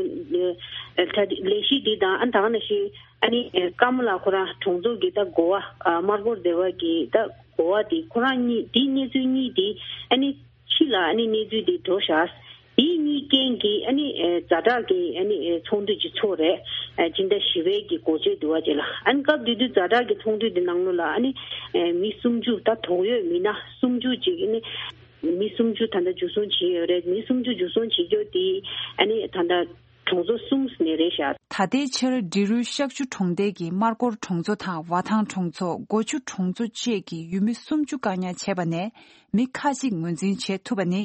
ཨ་གྲ་སྒྲིག་ལས་གཞི་འདི་དང་། ཨ་ད་ག་ནང་བཞིན་ཨ་ནི་ཀརྨ་ལགས་ཁོ་རང་གྲོང་ཚོ་གི་ད་འགོ་བ། ཨ་སྨར་སྐོར་སྡེ་བ་གི་ད་འགོ་བ་འདི་ཁོ་རང་གཉིས། འདི་གནས་ཚུལ་གཉིས་འདི་ཨ་ནི་ཕྱི་ལ་ཨ་ནི་གནས་ཚུལ་འདི་འགྲོ་བཞག་འདི་གཉིས་རྐྱེན་གྱིས་ཨ་ནི་ཨེ་ཛ་དྲག་གི་ཨ་ནི་ཨེ་ཚོགས་འདུ་ཅིག་ཚོགས་རེད། ཨ་སྤྱི་ཟླ་བཞི་པའི་གི་འགོ་སྤྱོད་དུ་བ་ཅིག་ལ། ཨ་ནི་སྐབས་དེ་དུས་ཛ་དྲག་གི་ཚོགས་འདུ་འདི་ནང་ལོགས་ལ་ཨ་ནི་ཨེ་མི་སུམ་ཅུ། ད་དོགས་ཡོད་མི་སྣ་སུམ་ཅུ་ཅིག་ཨ་ནི་མི་སུམ་ཅུ་ད་ལྟ་འཇུ་བཟུང་བྱས་ཡོད་རེད། མི་སུམ་ཅུ་འཇུ་བཟུང་བྱེད་རྒྱུ་དེ་ཨ་ནི་ད་ལྟ་གྲོང་ཚོ་གསུམ་ནས་རེད་ཤག་ད་ལྟའི་ཆར་འབྲི་རུའི་ཤག་ཆུ་གྲོང་རྡལ་གྱི་སྨར་སྐོར་གྲོང་ཚོ་དང་བ་ཐང་གྲོང་ཚོ། སྒོ་ཆུ་གྲོང་ཚོ་བཅས་ཀྱི་ཡུལ་མི་སུམ་ཅུ་བཀག་ཉར་བྱས་པ་ནས་མི་ཁག་ཅིག་ངོས་འཛིན་བྱེད་ཐུབ་པ་ནི།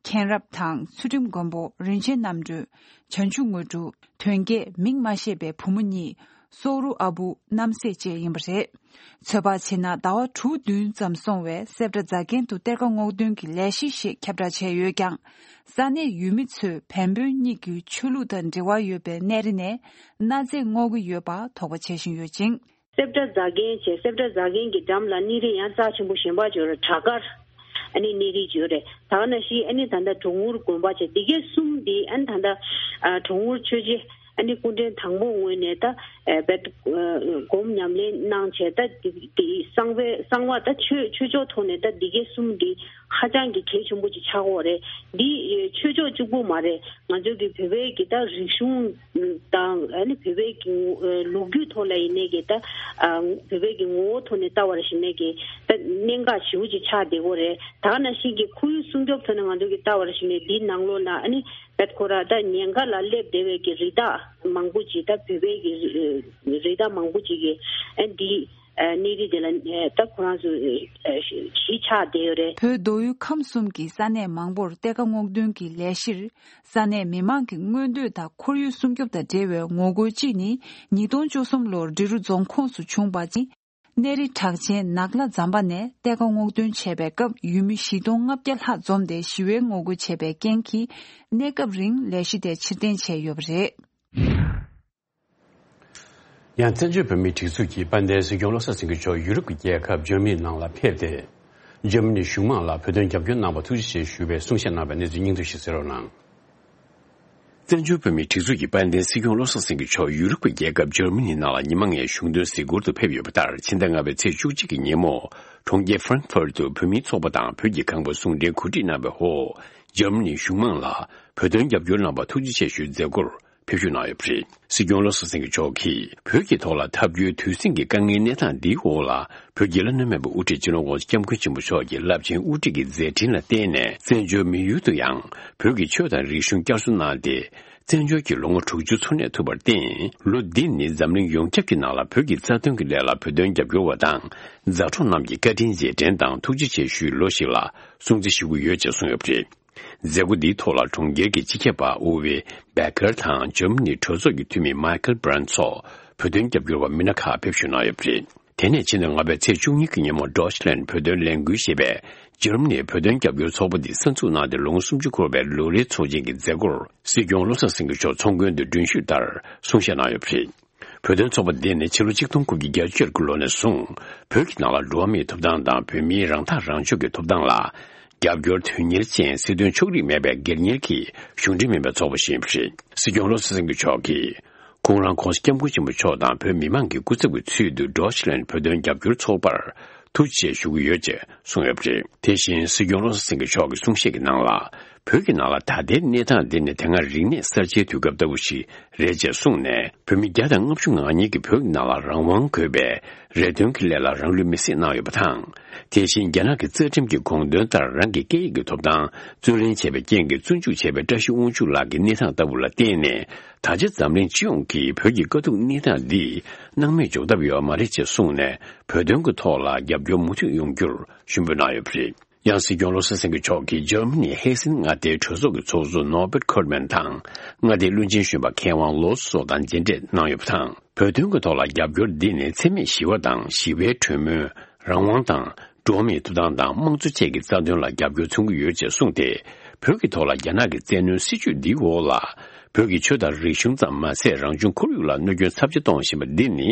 མཁྱེན་རབ་དང་། ཚུལ་ཁྲིམས་མགོན་པོ། རིན་ཆེན་རྣམ་གྲོལ། བྱང་ཆུབ་དངོས་གྲུབ། དོན་རྒྱས། མིང་མ་ཤེས་པའི་བུ་མོ་གཉིས། སོག་རུ་ཨ་བུ། རྣམ་སྲས་བཅས་ཡིན་པ་རེད། ཚོད་དཔག་བྱས་ན་ཟླ་བ་དྲུག་བདུན་ཙམ་སོང་བའི་སེབ་ཏྲ་རྫ་མཁན་དུ་གཏེར་ཁ་སྔོག་འདོན་གྱི་ལས་གཞི་ཞེས་ཁྱབ་བསྒྲགས་བྱས་ཡོད་ཀྱང་། ས་གནས་ཡུལ་མི་ཚོས་བན་བོན་གཉིས་ཀྱི་ཆོས་ལུགས་དང་འབྲེལ་བ་ཡོད་པའི་གནས་རི་ནས་གནའ་རྫས་སྔོག་གི་ཡོད་པ་དོགས་པ་བྱེད་བཞིན་ཡོད་ཅིང་། སེབ་ཏྲ་རྫ་མཁན་བྱས། སེབ་ཏྲ་རྫ་མཁན་གྱི་འགྲམ་ལ་གནས་རི་ཡང་རྩ་ཆེན་པོ་གཞན་པ་ཅིག་ཡོད་རེད། བྲག་དཀར། ཨ་ནི་གནས་རི་ཅིག་ཡོད་རེད། ད་ག་ནང་བཞིན་ཨ་ནི་ད་ལྟ་གྲོང་ཨུར་དགོན་པ་བྱས། འདི་གའི་གསུམ་འདི་ཨ་ནི་ད་ལྟ་ཨ་གྲོང་ཨུར་ཆོས་རྗེ་ཨ་ནི་སྐུ་ཕྲེང་དང་པོ་ངོས་ནས་ད་ཨ་བེད་ཨ་སྒོམ་ཉམས་ལེན་གནང་བྱས། ད་འདི་འདི་གསང་བའི་གསང་བ་ད་ཆོས་ཆོས་ཕྱོགས་ཐོག་ནས་ད་འདི་གའི་གསུམ་འདི་ཧ་ཅང་གི་གལ་ཆེན་པོ་ཅིག་ཆགས་ཀྱི་ཡོད་རེད། འདི་ཨ་ཆོས་ཕྱོགས་གཅིག་པུ་མ་རེད། ང་ཚོ་གི་བོད་པའི་གི་ད་རིག་གཞུང་དང་། ཨ་ནི་བོད་པའི་གི་ངོ་ཨ་ལོ་རྒྱུས་ཐོག་ལ་ཡིན་ནའི་གི་ད་ཨ་བོད་པའི་གི་ངོ་བོ་ཐོག་ནས་ལྟ་བར་ཞིག་ནས་གི་ད་གནད་འགག་ཞེ་པོ་ཅིག་ཆགས་བསྡད་ཀྱི་ཡོད་རེད། ད་ག་ནང་བཞིན་གི་ཁོར་ཡུག་སྲུང་སྐྱོབ་ཐོག་ནས་ང་ཚོ་གི་ལྟ་བར་ཞིག་ནས་འདིའི་ནང་ལོགས་ལ་ཨ་ནི་བེད་ཁོ་ར་ད་ཉེན་ཁ་ལ་སླེབས་བསྡད་པའི་གི་རི་དྭགས་མང་པོ་ཅིག་ད་བོད་པའི་གི་རི་དྭགས་མང་པོ་ཅིག་གི་ཨ་འདི་ཨ་གནས་རི་དེ་ལ་ཨ་ད་ཁོ་རང་ཚོ་ཨ་གཞིས་ཆགས་བསྡད་ཡོད་རེད། བོད་མདོ་དབུས་ཁམས་གསུམ་གྱི་ས་གནས་མང་པོར་གཏེར་ཁ་སྔོག་འདོན་གྱི་ལས་གཞིར། ས་གནས་མི་མང་གི་མངོན་འདོད་དང་ཁོར་ཡུག་སྲུང་སྐྱོབ་དང་འབྲེལ་བའི་ངོ་རྒོལ་གཅིག་ནི་ཉིས་སྟོང་བཅུ་གསུམ་ལོར་འབྲི་རུ་རྫོང་ཁོངས་སུ་བྱུང་བ་ཅིག་གནས་རི་གྲགས་ཅན་ནག་ལྷ་ཛམ་པ་ནས་གཏེར་ཁ་སྔོག་འདོན་བྱས་པའི་སྐབས། ཡུལ་མི་བཞི་སྟོང་ལྔ་བརྒྱ་ལྷག་འཛོམས་ཏེ་ཞི་བའི་ངོ་རྒོལ་བྱས་པའི་རྐྱེན་གྱིས། གནས་སྐབས་རིང་ལས་གཞི་དེ་ཕྱིར་འཐེན་བྱས་ཡོད་པ་རེད། ཡང་བཙན་བྱོལ་བོད་མིའི་སྒྲིག་འཛུགས་ཀྱི་དཔལ་ལྡན་སྲིད་སྐྱོང་བློ་བཟང་སེང་གེ་མཆོག་ཡུ་རོབ་ཀྱི་རྒྱལ་ཁབ་འཇར་མ་ནི་ནང་ལ་ཕེབས་ཏེ། འཇར་མ་ནི་གཞུང་མང་ལ་བོད་དོན་རྒྱབ་སྐྱོར་གནང་བར་ཐུགས་རྗེ་ཆེ་ཞུ་བའི་གསུང་བཤད་གནང་བའི་གནས་ཚུལ་སྙིང་བསྡུས་ཤིག་གསན་རོགས་གནང་། བཙན་བྱོལ་བོད་མིའི་སྒྲིག་འཛུགས་ཀྱི་དཔལ་ལྡན་སྲིད་སྐྱོང་བློ་བཟང་སེང་གེ་མཆོག་ཡུ་རོབ་ཀྱི་རྒྱལ་ཁབ་འཇར་མ་ནི་ནང་ལ་ཉི་མ་ལྔའི་གཞུང་དོན་གཟིགས་སྐོར་དུ་ཕེབས་ཡོད་པ་ལྟར། ཕྱི་ཟླ་ལྔ་པའི་ཚེས་བཅུ་གཅིག་གི་ཉིན་མོ། གྲོང་ཁྱེར་ཧྥ་རན་ཧྥུར་དུ་བོད་མིའི་ཚོགས་པ་དང་བོད་ཀྱི་ཁང་པ་ཟུང་འབྲེལ་གོ་སྒྲིག་གནང་བའི་འོག་འཇར་མ་ནིའི་གཞུང་མང་ལ་བོད་དོན་རྒྱབ་སྐྱོར་གནང་བར་ཐུགས་རྗེ་ཆེ་ཞུའི་མཛད་སྒོར་ཕེབས་ཞུགས་གནང་ཡོད་པ་རེད། སྲིད་སྐྱོང་བློ་བཟང་སེང་གེ་མཆོག་གིས་བོད་ཀྱི་ཐོག་ལ་འཐབ་རྒྱུའི་དུས་ཟིང་གི་དཀའ་ངལ་གནས་སྟངས་འདིའི་འོག་ལ། བོད་ཀྱི་བླ་ན་མེད་པའི་དབུ་ཁྲིད་སྤྱི་ནོར་༸གོང་ས་༸སྐྱབས་མགོན་ཆེན་པོ་མཆོག་གི་རླབས་ཆེན་དབུ་ཁྲིད་ཀྱི་མཛད་འཕྲིན་ལ་བརྟེན་ནས། བཙན་བྱོལ་མི་ཡུལ་དུ་ཡང་བོད་ཀྱི་ཆོས་དང་རིག་གཞུང་བསྐྱར་གསོ་གནང་སྟེ། བཙན་བྱོལ་གྱི་ལོ་ངོ་དྲུག་ཅུ་འཚོ་གནས་ཐུབ་པར་བརྟེན། ལོ་འདི་ནི་འཛམ་གླིང་ཡོངས་ཁྱབ་ཀྱི་ནང་ལ་བོད་ཀྱི་རྩ་དོན་གྱི་ལས་ལ་བོད་དོན་རྒྱབ་སྐྱོར་བ་དང་། མཛའ་གྲོགས་རྣམས་ཀྱི་བཀའ་དྲིན་རྗེས་དྲན་དང་ཐུགས་རྗེ་ཆེ་ཞུའི་ལོ་ཞིག་ལ་སྲུང་བརྩི་ཞུ་གི་ཡོད་ཅེས་གསུངས་ཡོད་པ་རེད། མཛད་སྒོ་འདིའི་ཐོག་ལ་གྲོང་ཁྱེར་གྱི་སྤྱི་ཁྱབ་པ་ཨུ་ཝེ་བྷེ་ཀར་དང་འཇར་མ་ནི་གྲོས་ཚོགས་ཀྱི་འཐུས་མི་མའི་ཀལ་བྷི་རན་སོགས་བོད་དོན་རྒྱབ་སྐྱོར་བ་མི་སྣ་ཁག་ཕེབས་ཞུགས་གནང་ཡོད་པ་རེད། དེ་ནས་ཕྱི་ཟླ་ལྔ་པའི་ཚེས་བཅུ་གཉིས་ཀྱི་ཉིན་མོ། ཌོ་ཆི་ལན་བོད་དོན་ལས་འགུལ་ཞེས་པས་འཇར་མ་ནིའི་བོད་དོན་རྒྱབ་སྐྱོར་ཚོགས་པ་འདི་གསར་འཛུགས་གནང་སྟེ་ལོ་ངོ་སུམ་ཅུ་འཁོར་བའི་ལོ་རེའི་ཚོགས་ཆེན་གྱི་མཛད་སྒོར་སྲིད་སྐྱོང་བློ་བཟང་སེང་གེ་མཆོག་ཚོགས་མགོན་དུ་མགྲོན་ཞུས་ལྟར་གསུང་བཤད་གནང་ཡོད་པ་རེད། བོད་དོན་ཚོགས་པ་འདི་ནི་ཕྱི་ལོ་ཆིག་སྟོང་དགུ་བརྒྱ་བརྒྱད་ཅུ་གྱ་དགུ་ལོ་ནས་བཟུང་བོད་ཀྱི་ནང་ལ་འགྲོ་བ་མིའི་ཐོབ་ཐང་དང་བོད་མིའི་རང་ཐག་རང་གཅོད་ཀྱི་ཐོབ་ཐང་ལ་རྒྱབ་སྐྱོར་དོན་གཉེར་ཅན་སྲིད་དོན་ཕྱོགས་རིས་མེད་པའི་སྒེར་གཉེར་གྱི་གཞུང་འབྲེལ་མིན་པའི་ཚོགས་པ་ཞིག་ཡིན་པ་རེད། སྲིད་སྐྱོང་བློ་བཟང་སེང་གེ་མཆོག་གིས་ཁོང་རང་༸གོང་ས་༸སྐྱབས་མགོན་ཆེན་པོ་མཆོག་དང་བོད་མི་མང་གི་སྐུ་ཚབ་ཀྱི་ཚུལ་དུ་ཌོ་ཆི་ལན་བོད་དོན་རྒྱབ་སྐྱོར་ཚོགས་པར་ཐུགས་རྗེ་ཆེ་ཞུ་གི་ཡོད་ཅེས་གསུངས་ཡོད་པ་རེད། དེ་བཞིན་སྲིད་སྐྱོང་བློ་བཟང་སེང་གེ་མཆོག་གི་གསུང་བཤད་ཀྱི་ནང་ལ། བོད་ཀྱི་ནང་ལ་ད་ལྟའི་གནས་སྟངས་འདི་ནི་དེ་སྔ་རིག་གནས་གསར་བརྗེའི་དུས་སྐབས་ལྟ་བུ་ཞིག་རེད་ཅེས་གསུངས་ནས། བོད་མི་བརྒྱ་དང་ལྔ་བཅུ་ང་གཉིས་ཀྱིས་བོད་ཀྱི་ནང་ལ་རང་དབང་དགོས་པའི་རེ་འདུན་གྱི་སླད་ལ་རང་ལུས་མེར་སྲེག་གནང་ཡོད་པ་དང་། དེ་བཞིན་རྒྱ་ནག་གི་རྩ་ཁྲིམས་ཀྱི་དགོངས་དོན་ལྟར་རང་གི་སྐད་ཡིག་གི་ཐོབ་ཐང་རྩོད་ལེན་བྱས་པའི་རྐྱེན་གྱིས་བཙོན་འཇུག་བྱས་པའི་བཀྲ་ཤིས་དབང་ཕྱུག་ལགས་ཀྱི་གནས་སྟངས་ལྟ་བུ་ལ་བརྟེན་ནས། ད་ཆ་འཛམ་གླིང་སྤྱི་ཡོངས་ཀྱིས་བོད་ཀྱི་དཀའ་སྡུག་གནས་སྟངས་འདི་སྣང་མེད་འཇོག་ཐབས་ཡོད་མ་རེད་ཅེས་གསུངས་ནས། བོད་དོན་གྱི་ཐོག་ལ་རྒྱབ་སྐྱོར་མུ་མཐུད་ཡོང་རྒྱུར་ཞུ་འབོད་གནང་ཡོད་པ་རེད། ཡང་སྲིད་སྐྱོང་བློ་བཟང་སེང་གེ་མཆོག་གིས་འཇར་མ་ནི་ཧེ་སེན་མངའ་སྡེའི་གྲོས་ཚོགས་ཀྱི་ཚོགས་གཙོ་ནོར་བེར་ཁོར་མན་དང་། མངའ་སྡེའི་བློན་ཆེན་གཞོན་པ་མཁས་དབང་ལོ་སོགས་དང་མཇལ་འཕྲད་གནང་ཡོད་པ་དང་། བོད་དོན་གྱི་ཐོག་ལ་རྒྱབ་སྐྱོར་འདི་ནི་འཚེ་མེད་ཞི་བ་དང་ཞི་བའི་གྲོས་མོལ། རང་དབང་དང་། འགྲོ་བ་མིའི་ཐོབ་ཐང་དང་དམངས་གཙོ་བཅས་ཀྱི་རྩ་དོན་ལ་རྒྱབ་སྐྱོར་མཚོན་གྱི་ཡོད་ཅེས་གསུངས་ཏེ། བོད་ཀྱི་ཐོག་ལ་རྒྱ་ནག་གི་བཙན་གནོན་སྲིད་བྱུས་འདིའི་འོག་ལ། བོད་ཀྱི་ཆོས་དང་རིག་གཞུང་ཙམ་མ་ཟད། རང་བྱུང་ཁོར་ཡུག་ལ་གནོད་སྐྱོན་ཚབས་ཆེ་གཏོང་བཞིན་པ་འདི་ནི།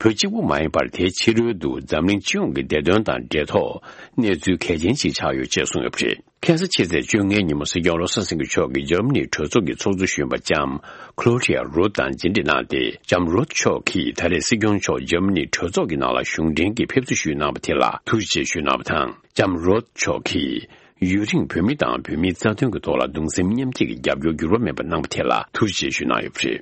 བོད་གཅིག་པུ་མ་ཡིན་པར། དེའི་ཕྱི་རོལ་དུ་འཛམ་གླིང་སྤྱི་ཡོངས་ཀྱི་བདེ་དོན་དང་འབྲེལ་ཐོགས་གནས་ཚུལ་གལ་ཆེན་ཞིག་ཆགས་ཡོད་ཅེས་གསུངས་ཡོད་པ་རེད། ཁ་སང་ཕྱི་ཚེས་བཅོ་ལྔའི་ཉིན་མོ། སྲིད་སྐྱོང་བློ་བཟང་སེང་གེ་མཆོག་གིས་འཇར་མ་ནིའི་གྲོས་ཚོགས་ཀྱི་ཚོགས་གཙོ་གཞོན་པ་ལྕམ་ཁློ་ཌི་ཡ་རོད་དང་མཇལ་འཕྲད་གནང་སྟེ། ལྕམ་རོད་མཆོག་གིས་ད་རེས་སྲིད་སྐྱོང་མཆོག་འཇར་མ་ནིའི་གྲོས་ཚོགས་ཀྱི་ནང་ལ་གཞུང་འབྲེལ་གྱི་ཕེབས་བསུ་ཞུས་གནང་བ་དེ་ལ་ཐུགས་རྗེ་ཆེ་ཞུས་གནང་བ་དང་། ལྕམ་རོད་མཆོག་གིས་ཡུན་རིང་བོད་མི་དང་བོད་མིའི་རྩ་དོན་གྱི་ཐོག་ལ་གདུང་སེམས་མཉམ་སྐྱེད་ཀྱི་རྒྱབ་སྐྱོར་འགྱུར་བ་མེད་པ་གནང་བ་དེ་ལ་ཐུགས་རྗེ་ཆེ་ཞུས་གནང་ཡོད་པ་རེད།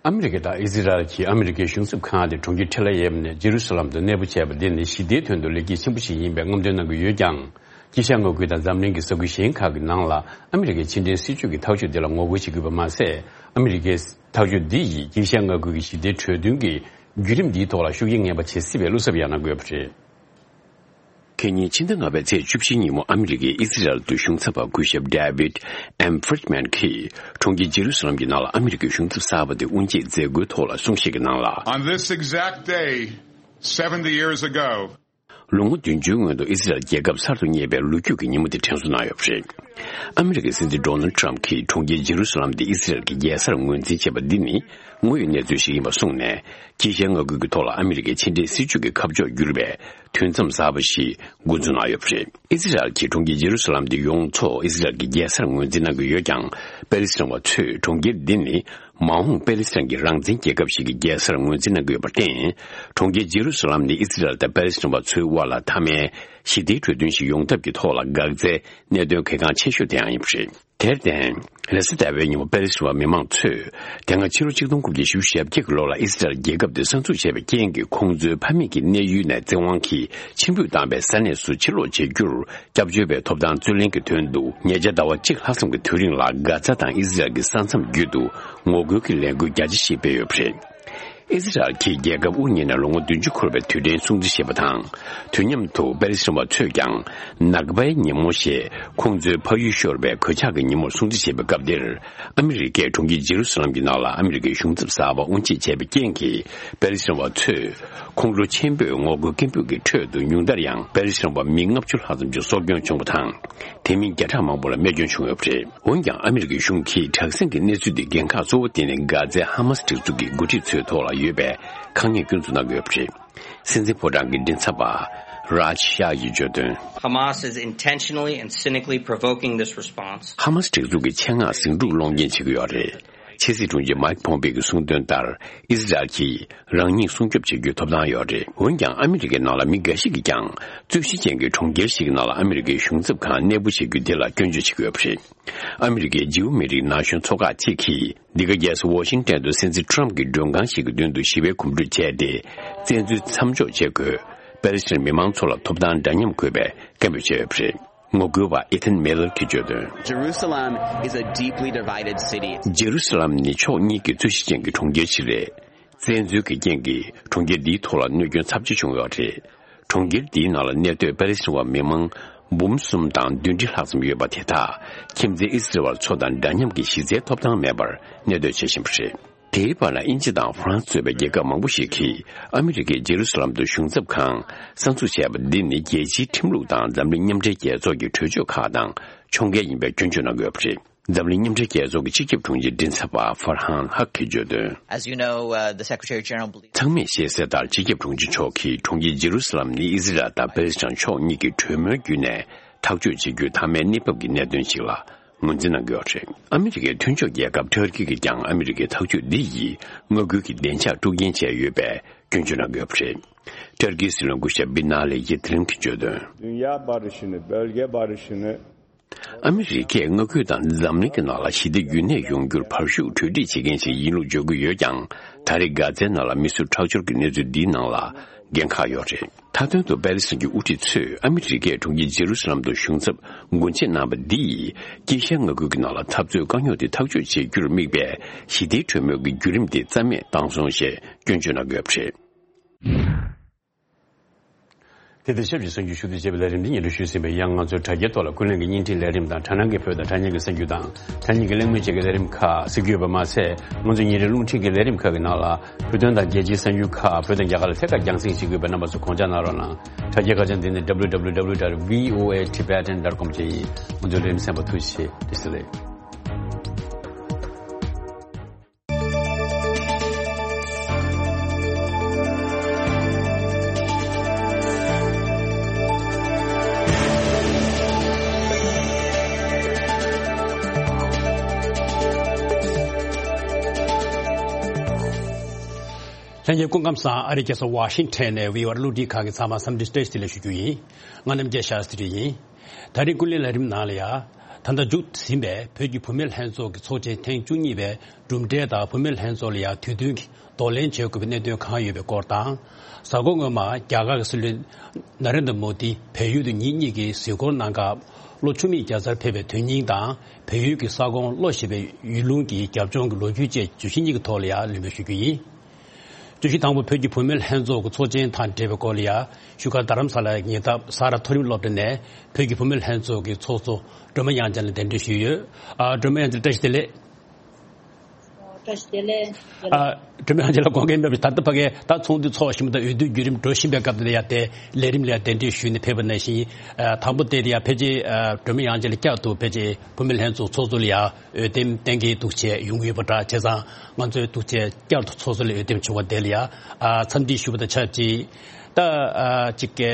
ཨ་མི་རི་ཀ་དང་ཨི་ཟི་རལ་གྱིས་ཨ་མི་རི་ཀའི་གཞུང་ཚབ་ཁང་དེ་གྲོང་ཁྱེར་ཐེལ་ཨ་ཡེབ་ནས་ཇེ་རུ་སཱ་ལམ་དུ་གནས་སྤོ་བྱས་པ་འདི་ནི་ཞི་བདེའི་དོན་དུ་ལེགས་སྐྱེས་ཆེན་པོ་ཞིག་ཡིན་པའི་རྔམ་སྟོན་གནང་གི་ཡོད་ཀྱང་། དཀྱིལ་ཤར་མངའ་ཁུལ་དང་འཛམ་གླིང་གི་ས་ཁུལ་གཞན་ཁག་གི་ནང་ལ་ཨ་མི་རི་ཀའི་ཕྱི་འབྲེལ་སྲིད་ཇུས་ཀྱི་ཐག་གཅོད་འདི་ལ་ངོ་རྒོལ་བྱེད་དགོས་པ་མ་ཟད། ཨ་མི་རི་ཀའི་ཐག་གཅོད་འདི་ཡིས་དཀྱིལ་ཤར་མངའ་ཁུལ་གྱི་ཞི་བདེའི་གྲོས་མཐུན་གྱི་བརྒྱུད་རིམ་འདིའི་ཐོག་ལ་ཤུགས་རྐྱེན་ངན་པ་ཇི་སྲིད་བས་བློ་འཚབ་ཡང་གནང་གི་ཡོད་པ་རེད། ཁེ་ཉིན་ཕྱི་ཟླ་ལྔ་པའི་ཚེས་བཅུ་བཞིའི་ཉིན་མོ། ཨ་མི་རི་ཀའི་ཨི་སི་རལ་དུ་གཞུང་ཚབ་པ་སྐུ་ཞབས་David M Friedman གྱིས་གྲོང་ཁྱེར་ཇེ་རུ་སཱ་ལམ་གྱི་ནང་ལ་ཨ་མི་རི་ཀའི་གཞུང་ཚབ་གསར་པ་དེ་དབུ་འབྱེད་མཛད་སྒོའི་ཐོག་ལ་གསུང་བཤད་ཀྱི་ནང་ལ། On this exact day, seventy years ago, ལོ་ངོ་བདུན་ཅུའི་སྔོན་དུ་ཨི་སི་རལ་རྒྱལ་ཁབ་གསར་དུ་རྙེད་པའི་ལོ་རྒྱུས་ཀྱི་ཉིན་མོ་དེ་དྲན་གསོ་གནང་ཡོད་པ་རེད། ཨ་མི་རི་ཀའི་སྲིད་འཛིན་Donald Trump གྱིས་གྲོང་ཁྱེར་ཇེ་རུ་སཱ་ལམ་དེ་ཨི་སི་རལ་གྱི་རྒྱལ་སར་ངོས་འཛིན་བྱས་པ་འདི་ནི་དངོས་ཡོད་གནས་ཚུལ་ཞིག་ཡིན་པ་གསུངས་ནས། དཀྱིལ་ཤར་མངའ་ཁུལ་གྱི་ཐོག་ལ་ཨ་མི་རི་ཀའི་ཕྱི་འབྲེལ་སྲིད་ཇུས་ཀྱི་ཁ་ཕྱོགས་བསྒྱུར་བའི་དུས་མཚམས་གསར་པ་ཞིག་འགོ་འཛུགས་གནང་ཡོད་པ་རེད། ཨི་སི་རལ་གྱིས་གྲོང་ཁྱེར་ཇེ་རུ་སཱ་ལམ་དེ་ཡོངས་རྫོགས་ཨི་སི་རལ་གྱི་རྒྱལ་སར་ངོས་འཛིན་གནང་གི་ཡོད་ཀྱང་། པེ་ལི་སི་ཐན་པ་ཚོས་གྲོང་ཁྱེར་འདི་ནི་མ་འོངས་པེ་ལི་སི་ཐན་གྱི་རང་བཙན་རྒྱལ་ཁབ་ཞིག་གི་རྒྱལ་སར་ངོས་འཛིན་གནང་གི་ཡོད་པར་བརྟེན། གྲོང་ཁྱེར་ཇེ་རུ་སཱ་ལམ་ནི་ཨི་སི་རལ་དང་པེ་ལི་སི་ཐན་པ་ཚོའི་དབར་ལ་མཐའ་མའི་ཞི་བདེའི་གྲོས་མཐུན་ཞིག་ཡོང་ཐབས་ཀྱི་ཐོག་ལ་འགག་རྩའི་གནད་དོན་གལ་འགངས་ཆེ་ཤོས་དེ་ཡང་ཡིན་པ་རེད། དེར་བརྟེན། རེས་གཟའ་ཟླ་བའི་ཉིན་མོ་པེ་ལི་སི་ཐན་པ་མི་མང་ཚོས་དེ་སྔ་ཕྱི་ལོ་ཆིག་སྟོང་དགུ་བརྒྱ་བཞི་བཅུ་ཞེ་བརྒྱད་ཀྱི་ལོ་ལ་ཨི་སི་རལ་རྒྱལ་ཁབ་དེ་གསར་འཛུགས་བྱས་པའི་རྐྱེན་གྱིས། ཁོང་ཚོའི་ཕ་མེས་ཀྱི་གནས་ཡུལ་ནས་བཙན་དབང་གིས་ཕྱིར་འབུད་བཏང་བའི་ས་གནས་སུ་ཕྱིར་ལོག་བྱེད་རྒྱུར་སྐྱབས་བཅོལ་བའི་ཐོབ་ཐང་རྩོད་ལེན་གྱི་དོན་དུ། ཉེ་ཆར་ཟླ་བ་གཅིག་ལྷག་ཙམ་གྱི་དུས་རིང་ལ་གྷ་ཛ་དང་ཨི་སི་རལ་གྱི་ས་མཚམས་བརྒྱུད་དུ་ངོ་རྒོལ་གྱི་ལས་འགུལ་རྒྱ་ཆེ་ཞིག་སྤེལ་ཡོད་པ་རེད། ཨི་ཟི་རལ་གྱིས་རྒྱལ་ཁབ་དབུ་བརྙེས་ནས་ལོ་ངོ་བདུན་ཅུ་འཁོར་བའི་དུས་དྲན་སྲུང་བརྩི་བྱེད་པ་དང་། དུས་མཉམ་དུ་པེ་ལི་སི་ཐན་པ་ཚོས་ཀྱང་ནག་པའི་ཉིན་མོ་ཞེས་ཁོང་ཚོའི་ཕ་ཡུལ་ཤོར་བའི་གོད་ཆག་གི་ཉིན་མོར་སྲུང་བརྩི་བྱེད་པའི་སྐབས་འདིར། ཨ་མི་རི་ཀས་གྲོང་ཁྱེར་ཇེ་རུ་སཱ་ལམ་གྱི་ནང་ལ་ཨ་མི་རི་ཀའི་གཞུང་ཚབ་གསར་པ་དབུ་འབྱེད་བྱས་པའི་རྐྱེན་གྱིས། པེ་ལི་སི་ཐན་པ་ཚོས་ཁོང་ཁྲོ་ཆེན་པོས་ངོ་རྒོལ་སྐད་འབོད་ཀྱི་ཁྲོད་དུ་ཉུང་མཐར་ཡང་པེ་ལི་སི་ཐན་པ་མི་ལྔ་བཅུ་ལྷག་ཙམ་གྱི་སྲོག་སྐྱོན་བྱུང་བ་དང་། དེ་མིན་བརྒྱ་ཕྲག་མང་པོ་ལ་རྨས་སྐྱོན་བྱུང་ཡོད་པ་རེད། འོན་ཀྱང་ཨ་མི་རི་ཀའི་གཞུང་གིས་དྲག་ཟིང་གི་གནས་ཚུལ་འདི་འགན་ཁག་གཙོ་བོ་དེ་ནི་གྷ་ཛའི་ཧ་མ་སི་སྒྲིག་འཛུགས་ཀྱི་འགོ་ཁྲིད་ཚོའི་ཐོག་ལ་ཡོད་པའི་དཀའ་ངལ་སྐྱོན་འཛུགས་གནང་གི་ཡོད་པ་རེད། སྲིད་འཛིན་ཕོ་བྲང་གི་མགྲིན་ཚབ་པ་རཱཇ་ཤཱ་ཡིས་བརྗོད་དོན། Hamas is intentionally and cynically provoking this response. ཧ་མ་སི་སྒྲིག་འཛུགས་ཀྱིས་ཆེད་མངགས་ཟིང་འཁྲུག་སློང་རྐྱེན་བྱེད་ཀྱི་ཡོད་རེད། ཕྱི་སྲིད་དྲུང་ཆེ་མཱིག་ཕོམ་པེ་གིས་གསུངས་དོན་ལྟར། ཨི་ཟི་རལ་གྱིས་རང་ཉིད་སྲུང་སྐྱོབ་བྱེད་རྒྱུའི་ཐོབ་ཐང་ཡོད་རེད། འོན་ཀྱང་ཨ་མི་རི་ཀའི་ནང་ལ་མི་འགའ་ཞིག་གིས་ཀྱང་རྩོད་གཞི་ཅན་གྱི་གྲོང་ཁྱེར་ཞིག་ནང་ལ་ཨ་མི་རི་ཀའི་གཞུང་ཚབ་ཁང་གནས་སྤོ་བྱེད་རྒྱུ་དེ་ལ་སྐྱོན་བརྗོད་བྱེད་ཀྱི་ཡོད་པ་རེད། ཨ་མི་རི་ཀའི་ཇིའུ་མི་རིགས་ན་གཞོན་ཚོགས་ཁག་ཅིག་གིས། འདི་ག་རྒྱལ་ས་ཝོ་ཤིང་ཏན་དུ་སྲིད་འཛིན་ཁྲོམ་གྱི་མགྲོན་ཁང་ཞིག་གི་མདུན་དུ་ཞི་བའི་གོམ་བགྲོད་བྱས་ཏེ། བཙན་འཛུལ་མཚམས་འཇོག་བྱེད་དགོས། པེ་ལི་སི་ཐན་མི་མང་ཚོ་ལ་ཐོབ་ཐང་འདྲ་མཉམ་དགོས་པའི་སྐད་འབོད་བྱས་ཡོད་པ་རེད། ངོ་རྒོལ་བ་ཨི་ཐན་མེ་ལར་གྱིས་བརྗོད་དོན། Jerusalem is a deeply divided city. ཇེ་རུ་སཱ་ལམ་ནི་ཕྱོགས་གཉིས་ཀྱི་རྩོད་གཞི་ཅན་གྱི་གྲོང་ཁྱེར་ཞིག་རེད། བཙན་འཛུལ་གྱི་རྐྱེན་གྱིས་གྲོང་ཁྱེར་འདིའི་ཐོག་ལ་གནོད་སྐྱོན་ཚབས་ཆེ་བྱུང་ཡོད་རེད། གྲོང་ཁྱེར་འདིའི་ནང་ལ་གནས་སྡོད་པེ་ལི་སི་ཐན་པ་མི་མང་འབུམ་གསུམ་དང་བདུན་ཁྲི་ལྷག་ཙམ་ཡོད་པ་དེ་དག་ཁྱིམ་མཚེས་ཨི་སི་རེལ་ཚོ་དང་འདྲ་མཉམ་གྱི་གཞི་རྩའི་ཐོབ་ཐང་མེད་པར་གནས་སྡོད་བྱེད་བཞིན་པ་རེད། དེའི་བར་ལ་དབྱིན་ཇི་དང་ཧྥ་རན་སི་གཙོས་པའི་རྒྱལ་ཁབ་མང་པོ་ཞིག་གིས་ཨ་མི་རི་ཀས་ཇེ་རུ་སཱ་ལམ་དུ་གཞུང་ཚབ་ཁང་གསར་འཛུགས་བྱས་པ་འདི་ནི་རྒྱལ་སྤྱིའི་ཁྲིམས་ལུགས་དང་འཛམ་གླིང་མཉམ་འབྲེལ་རྒྱལ་ཚོགས་ཀྱི་གྲོས་ཆོད་ཁག་དང་ཕྱོགས་འགལ་ཡིན་པའི་སྐྱོན་བརྗོད་གནང་གི་ཡོད་པ་རེད། འཛམ་གླིང་མཉམ་འབྲེལ་རྒྱལ་ཚོགས་ཀྱི་སྤྱི་ཁྱབ་དྲུང་ཆེ་མགྲིན་ཚབ་པ་ཧྥར་ཧན་ཧག་གིས་བརྗོད་དོན། As you know, uh, the Secretary General believes ཚང་མས་ཤེས་གསལ་ལྟར། སྤྱི་ཁྱབ་དྲུང་ཆེ་མཆོག་གིས་གྲོང་ཁྱེར་ཇེ་རུ་སཱ་ལམ་ནི་ཨི་ཟི་རལ་དང་པེ་ལི་སི་ཐན་ཕྱོགས་གཉིས་ཀྱི་གྲོས་མོལ་བརྒྱུད་ནས་ཐག་གཅོད་བྱེད་རྒྱུའི་མཐའ་མའི་གནས་བབ་ཀྱི་གནད་དོན་ཞིག་ལ་ངོས་འཛིན་གནང་གི་ཡོད་རེད། ཨ་མི་རི་ཀའི་མཐུན་ཕྱོགས་རྒྱལ་ཁབ་ཊར་ཀི་གིས་ཀྱང་ཨ་མི་རི་ཀའི་ཐག་གཅོད་འདི་ཡིས་མངའ་ཁུལ་གྱི་བདེ་འཇགས་དཀྲུག་རྐྱེན་བྱས་ཡོད་པའི་སྐྱོན་བརྗོད་གནང་གི་ཡོད་པ་རེད། ཊར་ཀིའི་སྲིད་བློན་སྐུ་ཞབས་བི་ན་ལི་ཡིད་རིམ་གྱིས་བརྗོད་དོན། Dünya barışını, bölge barışını ཨ་མི་རི་ཀས་མངའ་ཁུལ་དང་འཛམ་གླིང་གི་ནང་ལ་ཞི་བདེ་རྒྱུན་གནས་ཡོང་རྒྱུར་བར་ཤུགས་གྲོས་འགྲིག་བྱེད་མཁན་ཞིག་ཡིན་ལུགས་བརྗོད་ཀྱི་ཡོད་ཀྱང་། ད་རེས་གྷ་ཛའི་ནང་ལ་མི་གསོད་ཁྲག་སྦྱོར་གྱི་གནས་ཚུལ་འདིའི་ནང་ལ་འགན་ཁག་ཡོད་རེད། མཐའ་དོན་དུ་པེ་ལི་སི་ཐན་གྱི་དབུ་ཁྲིད་ཚོས་ཨ་མི་རི་ཀས་གྲོང་ཁྱེར་ཇེ་རུ་སཱ་ལམ་དུ་གཞུང་ཚབ་སྒོ་འབྱེད་གནང་བ་འདིས། དཀྱིལ་ཤར་མངའ་ཁུལ་གྱི་ནང་ལ་འཐབ་རྩོད་དཀའ་རྙོག་དེ་ཐག་གཅོད་བྱེད་རྒྱུར་དམིགས་པའི་ཞི་བདེའི་གྲོས་མོལ་གྱི་བརྒྱུད་རིམ་དེ་རྩ་མེད་བཏང་སོང་ཞེས་སྐྱོན་བརྗོད་གནང་གི་ཡོད་པ་རེད། དེ་དང་ཆབས་ཅིག་གསར་འགྱུར་ཞུ་གཏུག་བྱེད་པའི་ལས་རིམ་འདི་སྙན་སྒྲོན་ཞུས་ཟིན་པས། ཡང་ང་ཚོའི་དྲ་རྒྱའི་ཐོག་ལ་ཀུན་གླེང་གི་བརྙན་འཕྲིན་ལས་རིམ་དང་། དྲ་སྣང་གི་བོད་དང་དྲ་བརྙན་གྱི་གསར་འགྱུར་དང་། དྲ་བརྙན་གྱི་གླེང་མོལ་བཅས་ཀྱི་ལས་རིམ་ཁག་གཟིགས་རྒྱུ་ཡོད་པ་མ་ཟད། ང་ཚོའི་ཉིན་རེའི་རླུང་འཕྲིན་གྱི་ལས་རིམ་ཁག་གི་ནང་ལ། བོད་དོན་དང་རྒྱལ་སྤྱིའི་གསར་འགྱུར་ཁག་བོད་དང་རྒྱ་གར་ལ་ཐད་ཀར་རྒྱང་སྲིང་བྱེད་དགོས་པའི་རྣམ་པ་ཚོ་དགོངས་འཇགས་གནང་རོགས་གནང་། དྲ་རྒྱའི་ཁ་བྱང་འདི་ནི་W W W dot V O A Tibetan dot com བཅས་ཡིན། ང་ཚོའི་ལས་རིམ་གསན་པར་ཐུགས་རྗེ་ཆེ། བཀྲ་ཤིས་བདེ་ལེགས། ལྷན་རྒྱས་སྐུ་ཁམས་བཟང་། ཨ་རིའི་རྒྱལ་ས་ཝ་ཤིང་ཊོན་ནས་བྷི་ཨོ་ཨེ་རླུང་འཕྲིན་ཁང་གི་ཚང་མ་འཚམས་འདྲི་བཀྲ་ཤིས་བདེ་ལེགས་ཞུ་རྒྱུ་ཡིན། ང་རྣམ་རྒྱལ་ཤཱ་སྟྲི་ཡིན། ད་རིང་ཀུན་གླེང་ལས་རིམ་ནང་ལ་ཡ། ད་ལྟ་མཇུག་ཟིན་པའི་བོད་ཀྱི་བུད་མེད་ལྷན་ཚོགས་ཀྱི་ཚོགས་ཆེན་ཐེངས་བཅུ་གཉིས་པའི་གྲུབ་འབྲས་དང་། བུད་མེད་ལྷན་ཚོགས་ལ་ཡ་དུས་མཐུན་གྱི་གདོང་ལེན་བྱེད་དགོས་པའི་གནད་དོན་གང་ཡོད་པའི་སྐོར་དང་། གཟའ་འཁོར་སྔོན་མ་རྒྱ་གར་གྱི་སྲིད་བློན་ན་རེན་དྲ་མོ་དི་བལ་ཡུལ་དུ་ཉིན་གཉིས་ཀྱི་གཟིགས་སྐོར་གནང་སྐབས། ལོ་བཅུ་མེད་རྒྱལ་སར་ཕེབས་པའི་དོན་སྙིང་དང་། བལ་ཡུལ་གྱི་ས་ཁོངས་བློ་ཞེས་པའི་ཡུལ་ལུང་གི་རྒྱབ་ལྗོངས་ཀྱི་ལོ་རྒྱུས་བཅས་བརྗོད་གཞི་གཉིས་ཀྱི་ཐོག་ལ་ཡ་ལན་འབུལ་ཞུ་རྒྱུ་ཡིན། བརྗོད་གཞི་དང་པོ་བོད་ཀྱི་བུད་མེད་ལྷན་ཚོགས་ཀྱི་ཚོགས་ཆེན་དང་འབྲེལ་བའི་སྐོར་ལ་ཡ། བཞུགས་སྒར་རྡ་རམ་ས་ལའི་ཉེ་འདབས་ས་ར་མཐོ་རིམ་སློབ་གྲྭ་ནས་བོད་ཀྱི་བུད་མེད་ལྷན་ཚོགས་ཀྱི་ཚོགས་གཙོ་སྒྲོལ་མ་དབྱངས་ཅན་ལགས་གདན་འདྲེན་ཞུས་ཡོད། ཨ། སྒྲོལ་མ་དབྱངས་ཅན་ལགས་བཀྲ་ཤིས་བདེ་ལེགས། བཀྲ་ཤིས་བདེ་ལེགས། ཨ། སྒྲོལ་མ་དབྱངས་ཅན་ལགས་དགོངས་འགལ་མེད་པ་ཞིག་ད་ལྟ་ཕ་གིར་ད་ཚོགས་འདུ་ཚོགས་བཞིན་པ་དང་འོས་བསྡུ་བརྒྱུད་རིམ་འགྲོ་བཞིན་པའི་སྐབས་དེ་ལ་ཡ། དེ་ལས་རིམ་ལ་ཡ་གདན་འདྲེན་ཞུས་ནས་ཕེབས་པ་ནང་བཞིན། ཨ། དང་པོ་དེ་ལ་ཡ་ཕལ་ཆེར། ཨ། སྒྲོལ་མ་དབྱངས་ཅན་ལགས་བསྐྱར་དུ་ཕལ་ཆེར་བུད་མེད་ལྷན་ཚོགས་ཚོགས་གཙོ་ལ་ཡ་འོས་འདེམས་གཏན་འཁེལ་འདུག་བྱས་ཡོང་གི་ཡོད་པ་འདྲ། བྱས་ཙང་ང་ཚོས་འདུག་བྱས་བསྐྱར་དུ་ཚོགས་གཙོ་ལ་འོས་འདེམས་བྱུང་བ་དེ་ལ་ཡ། ཨ། འཚམས་འདྲི་ཞུ་བ་དང་ཆབས་ཅིག་ད། ཨ། ཅིག་གི་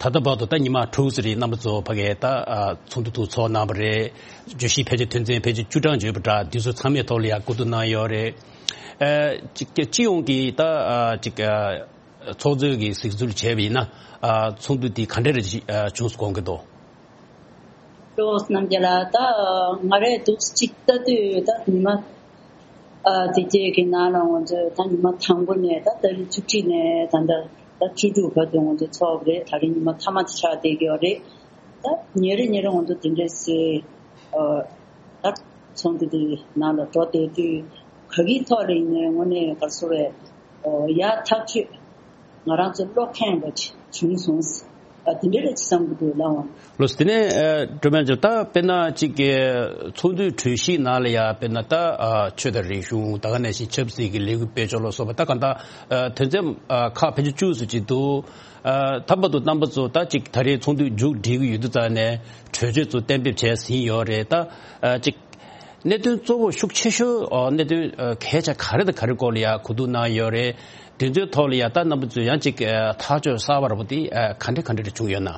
ད་ལྟ་བར་དུ་ད་ཉི་མ་དྲུག་ཙམ་རིང་རྣམ་པ་ཚོ་ཕ་གིར་ད། ཨ། ཚོགས་འདུ་དུ་ཚོགས་གནང་བ་རེད། བརྗོད་གཞི་ཕལ་ཆེར་དོན་ཚན་ཕལ་ཆེར་བཅུ་གྲངས་ཡོད་པ་འདྲ། འདི་ཚོ་ཚང་མའི་ཐོག་ལ་ཡ་བསྐུར་བསྡུ་གནང་ཡོད་རེད། ཨ། ཅིག་གི་སྤྱི་ཡོངས་ཀྱི་ད། ཨ། ཅིག་གི་ཚོགས་གཙོས་ཀྱི་གཟིགས་ཚུལ་བྱས་པ་ཡིན་ན། ཨ། ཚོགས་འདུ་འདི་ག་འདྲ་རེ་བྱུང་སོང་དགོངས་ཀྱི་འདུག་སྤྲོ་བོ་རྣམ་རྒྱལ་ལགས། ད་ང་རས་འདུག་ཅིག་ལྟ་དུས་ད་ཉི་མ། ཨ། དེ་རྗེས་ཀྱི་ནང་ལ་ང་ཚོས་ད་ཉི་མ་དང་པོ་ནས་ད་ཏ་རིག་བཅུ་གཅིག་ནས་ད་ལྟ་ད་བཅུ་དྲུག་བར་དུ་ང་ཚོ་ཚོགས་པ་རེད། ད་རིང་ཉི་མ་མཐའ་མ་དེ་ཆགས་བསྡད་ཀྱི་ཡོད་རེད། ད་ཉིན་རེ་ཉིན་རེ་ང་ཚོ་དེ་འདྲས་སེ། ཨ། ད་ཚོགས་འདུ་དེ་ནང་ལ་འགྲོ་བསྡད་དུས་ག་གི་ཐོག་ལ་ཡིན་ནའི་དངོས་གནས་ག་རེ་ཟེར་བས། ཡ་ཐག་ཆོད་ང་རང་ཚོ་བློ་ཁེངས་པ་ཅིག་བྱུང་སོང་། ཨ་དེ་འདྲ་རེད་ཅེས་བསམ་གྱི་འདུག་ལགས་འོང་། ལགས་སོ། དེ་ནས་ཨ་སྒྲོལ་མ་ལགས་ད་དཔེར་ན་ཅིག་གི་ཚོགས་འདུའི་གྲོས་གཞི་ནང་ལ་ཡ་དཔེར་ན་ད་ཨ་ཆོས་དང་རིག་གཞུང་ད་ག་ནང་བཞིན་ཆབ་སྲིད་ཀྱི་ལས་འགུལ་སྤེལ་ཕྱོགས་ལ་སོགས་པ་ད་གང་ལྟར་ཨ་དོན་ཚན་ཨ་ཁག་ཕལ་ཆེར་བཅུ་ཙམ་ཅིག་འདུག་ཨ་ད་བར་དུ་རྣམ་པ་ཚོ་ད་ཅིག་ད་རེས་ཚོགས་འདུ་མཇུག་སྒྲིལ་གྱི་ཡོད་དུས་ཙང་ནས་གྲོས་ཆོད་ཚོ་གཏན་འབེབས་བྱས་ཟིན་ཡོད་རེད། ད་ཨ་ཅིག་གནད་དོན་གཙོ་བོ་ཤུགས་ཆེ་ཤོས་ཨ་གནད་དོན་ཨ་གལ་ཆེ་ག་རེ་དང་ག་རེ་སྐོར་ལ་ཡ་གོ་བསྡུར་གནང་ཡོད་རེད། དེ་ཚོའི་ཐོག་ལ་ཡ་ད་རྣམ་པ་ཚོས་ཡང་ཅིག་ཨ་ཐག་གཅོད་གསར་པ་ར་བོ་དེ་ཨ་ག་འདྲ་ག་འདྲ་རེ་བྱུང་ཡོད་ན།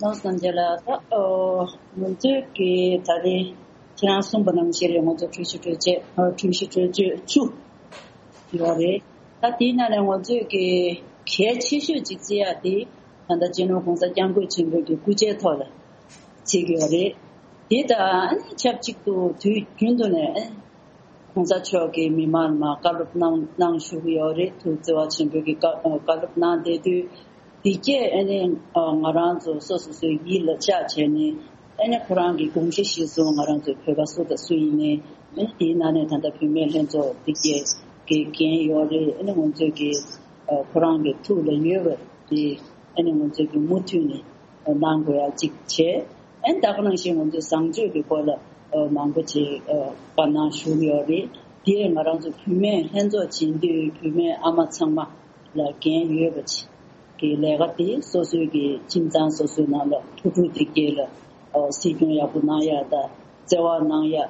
ནོར་སངས་རྒྱས་ལགས། ད་ཨོ་ང་ཚོས་ཀྱི་ད་རེས་ཁྱེད་རང་གསུངས་པ་ནང་བཞིན་རེད། ང་ཚོ་གྲོས་གཞི་གྲོས་ཆོད་ཨ་གྲོས་གཞི་གྲོས་ཆོད་བཅུ་ཡོད་རེད། ད་དེའི་ནང་ནས་ང་ཚོས་ཀྱི་གལ་ཆེ་ཤོས་ཅིག་བརྩི་ཡ་དེ་ད་ལྟ་སྤྱི་ནོར་༸གོང་ས་༸སྐྱབས་མགོན་ཆེན་པོའི་གི་སྐུ་ཕྱྭའི་ཐོག་ལ་བརྩི་གི་ཡོད་རེད། དེ་དང་ཨ་ནི་ཆབས་ཅིག་ཏུ་དུས་རྒྱུན་དུ་ནས་ཨ་༸གོང་ས་མཆོག་གིས་མི་མང་ལ་མར་བཀའ་སློབ་གནང་གནང་བཞུགས་ཀྱི་ཡོད་རེད། ཐུགས་བརྩེ་བ་ཆེན་པོས་ཀྱི་བཀའ་བཀའ་སློབ་གནང་བསྡད་དུས། དེ་སྐད་ཨ་ནི་ང་རང་ཚོ་སོ་སོ་སོའི་ཡིད་ལ་བཅགས་བྱས་ནས་ཨ་ནི་ཁོ་རང་གི་དགོངས་གཞི་གཞིར་བཟུང་ང་རང་ཚོའི་བོད་པ་སུ་དང་སུ་ཡིན་ནའི་ཨ་ནི་དེའི་ནང་ནས་ད་ལྟ་བུད་མེད་ལྷན་ཚོགས་དེ་སྐད་ཀྱི་འགན་ཡོད་རེད། ཨ་ནི་ང་ཚོས་ཀྱི་ཁོ་རང་གི་ཐུགས་ལ་ཡོད་པ་དེ་ཨ་ནི་ང་ཚོས་ཀྱི་མུ་མཐུད་ནས་གནང་དགོས་ཡ་གཅིག་བྱས། ཨ་ནི་ད་ག་ནང་བཞིན་ང་ཚོས་བཟང་སྤྱོད་ཀྱི་སྐོར་ལ་མང་པོ་ཅིག་བཀའ་གནང་ཞུས་ཡོད་རེད། དེ་ང་རང་ཚོ་བུད་མེད་ལྷན་ཚོགས་བྱེད་དུས་བུད་མེད་ཨ་མ་ཚང་མ་ལ་འགན་ཡོད་པ་ཅིག་གི་ལས་ཀ་དེ་སོ་སོའི་གི་ཁྱིམ་ཚང་སོ་སོའི་ནང་ལ་ཕྲུ་གུ་དེ་སྐྱེས་ལ་ཨོ་སྲིད་སྐྱོང་ཡག་པོ་གནང་ཡ་དང་བརྩེ་བ་གནང་ཡ། ཨ་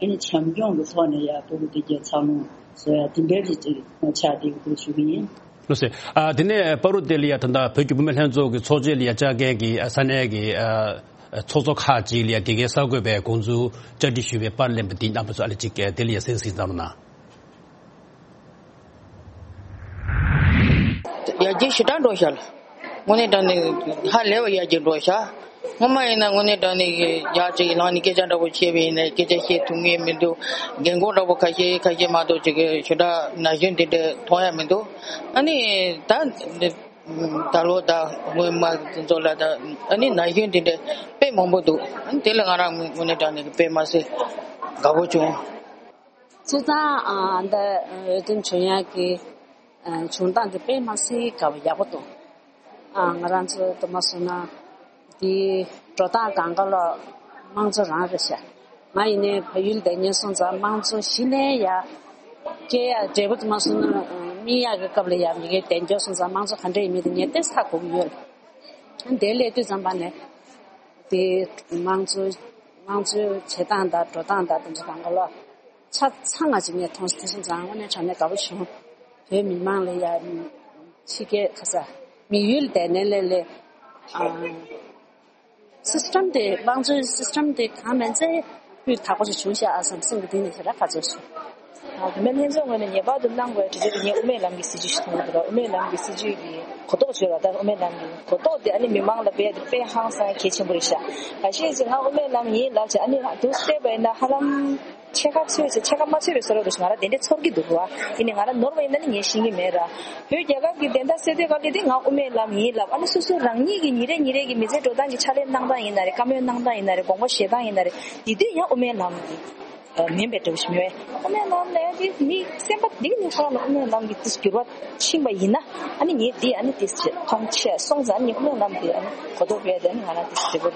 ནི་བྱམས་སྐྱོང་གི་ཐོག་ནས་ཡ་ཕྲུ་གུ་དེ་སྐྱེས་འཚར་ལོངས་བཟོ་ཡ་དེ་འདྲའི་རིགས་ཅིག་ཆགས་བསྡད་ཡོད་ཞུ་གི་ཡིན། ལགས་སོ། ཨ་དེ་ནས་བར་དུ་དེ་ལ་ཡ་ད་ལྟ་བོད་ཀྱི་བུད་མེད་ལྷན་ཚོགས་ཀྱི་ཚོགས་ཆེན་ལ་ཡ་བཅར་མཁན་གྱི་ཨ་ས་གནས་ཀྱི་ཨ་ཚོགས་གཙོ་ཁག་ཅིག་ལ་ཡ་དགེ་རྒན་གསར་འགོད་པའི་དགོངས་ཚུལ་བཅར་འདྲི་ཞུས་པའི་པར་ལེན་པ་འདི་རྣམ་པ་ཚོ་ཨ་ལེ་ཅིག་དེ་ལ་ཡ་གསན་གཟིགས་གནང་རོགས་གནང་། ཡར་རྒྱས་ཞེ་དྲག་འགྲོ་ཤག་ལ། དངོས་གནས་དྲང་གནས་ཧ་ལས་པ་ཡར་རྒྱས་འགྲོ་ཤག་སྔོན་མ་ཡིན་ན་དངོས་གནས་དྲང་གནས་ཡར་ཅིག་ལངས་ནས་སྐད་ཆ་འདྲ་པོ་བཤད་པ་ཡིན་ན་སྐད་ཆ་བཤད་ཐུབ་ངེས་མི་འདུག་རྒན་གོག་འདྲ་པོ་ཁ་ཤས་ཁ་ཤས་མ་གཏོགས་ཅིག་ཞེ་དྲག་ན་གཞོན་དེ་འདྲ་མཐོང་ཡ་མི་འདུག་ཨ་ནི་ད་ད་ལོ་ད་སྔོན་མ་དེ་ཚོ་ལ་ད་ཨ་ནི་ན་གཞོན་དེ་འདྲ་དཔེ་མང་པོ་འདུག་ཨ་ནི་དེ་ལ་ང་རང་དངོས་གནས་དྲང་གནས་དཔེ་མ་སྲིད་དགའ་པོ་བྱུང་། སྤྱིར་བཏང་ཨ་འདི་འོས་འདེམས་བྱུང་ཡག་གི་ཨ་བྱུང་སྟངས་འདི་དཔེ་མ་སྲིད་དགའ་པོ་ཡག་པོ་འདུག་ཨ་ང་རང་ཚོ་དུ་མ་སོང་ན་འདི་འགྲོ་སྟངས་སྒང་ག་ལ་དམངས་གཙོ་རང་རེད་ཤག་ང་ཡིན་ནའི་བལ་ཡུལ་བསྡད་མཁན་སོང་ཙང་དམངས་གཙོ་གཞི་ནས་ཡ་སྐྱེ་ཡ་འབྲས་བུ་དུ་མ་སོང་ན་ཨ་སྨིན་ཡག་གི་སྐབས་ལ་ཡ་མི་གའི་བསྡད་མཁན་སོང་ཙང་དམངས་གཙོ་ག་འདྲ་ཡིན་མིན་དེ་ངས་ཏོག་ཙམ་ཧ་གོ་གི་ཡོད་རེད། ཨ་འདི་སླེབས་དུས་ཙམ་པ་ནས་དེ་དམངས་གཙོ་དམངས་གཙོའི་བྱེད་སྟངས་དང་འགྲོ་སྟངས་དང་དེ་ཚོ་སྒང་ག་ལ། ཆ་ཚང་ང་ཅིག་ངས་མཐོང་སོང་། དེ་སོང་ཙང་དངོས་གནས་དྲང་གནས་དགའ་པོ་བྱུང་། བོད་མི་མང་ལ་ཡ་ཕྱི་རྒྱལ་ཁ་ས་དམིགས་ཡུལ་དེ་ནས་ལས་ལས་ཨ་སི་སི་ཊམ་དེ་དམངས་གཙོའི་སི་སི་ཊམ་དེ་གང་མིན་ཚེ་སྤུས་དག་པོ་ཞིག་བྱུང་ཤག་ཨ་བསམ་སེམས་ཀྱི་གཏིང་ནས་ཞེ་དྲག་དགའ་ཚོར་སོང་། ཨ་བུད་མེད་ལྷན་ཚོགས་ངོས་ནས་ངེས་པར་དུ་གནང་དགོས་དྲི་རྒྱུ་དེ་ངས་དབུ་མའི་ལམ་གྱི་སྲིད་བྱུས་ཤིག་མཐོང་གི་འདུག་དབུ་མའི་ལམ་གྱི་སྲིད་བྱུས་ཀྱི་གོ་རྟོགས་བྱོས་ལ་ད་དབུ་མའི་ལམ་གྱི་གོ་རྟོགས་དེ་ཨ་ནི་མི་མང་ལ་སྤེལ་ཡ་དེ་དཔེ་ཧང་སང་གལ་ཆེན་པོ་རེད་ཤག་ཁ་ཤས་ཅིག་ང་དབུ་མའི་ལམ་ཡིན་ལབ་བྱས་ཨ་ནི་ང་དུ་བལྟས་པ་ཡིན་ན་ཧ་ལམ། ཕྱེད་ཀ་ཚོད་ཅིག་ཕྱེད་ཀ་མ་ཚོད་པའི་བཟོ་འདྲ་འདུག་ང་རང་དེ་འདྲ་ཚོར་གྱི་འདུག་བ། ཡིན་ནའི་ང་རང་ནོར་བ་ཡིན་ན་ནི་ངས་ཤེས་ཀྱི་མེད་ར། བོད་རྒྱལ་ཁབ་ཀྱི་བདེན་མཐའ་གསལ་དོད་ག་ལེ་དེ་ང་དབུ་མའི་ལམ་ཡིན་ལབ། ཨ་ནི་སོ་སོ་རང་ཉིད་ཀྱི་ཉིན་རེ་ཉིན་རེ་གི་མི་ཚེ་འགྲོ་སྟངས་ཀྱི་ཕྱག་ལས་གནང་སྟངས་ཡིན་ན་རེད། བཀའ་མོལ་གནང་སྟངས་ཡིན་ན་རེད། དགོངས་པ་བཞེས་སྟངས་ཡིན་ན་རེད། དེ་དུས་ཡང་དབུ་མའི་ལམ་གྱི་མིན་པའི་འདྲ་བོ་ཞིག་མི་བས། དབུ་མའི་ལམ་ལ་ཡང་དེ་མི་སེམས་པ་འདི་ནས་ཁོ་རང་ལ་དབུ་མའི་ལམ་གྱི་དེ་འགྱུར་བ་ཕྱིན་པ་ཡིན་ན་ཨ་ནི་ངས་འདི་ཨ་ནི་དེ་མཐོང་ཆེ་སོང་ཙང་ཨ་ནི་དབུ་མའི་ལམ་དེ་ཨ་ནི་གོ་རྟོགས་སྤེལ་ཏེ་ཨ་ནི་ང་རང་དེ་འདྲ་བོ།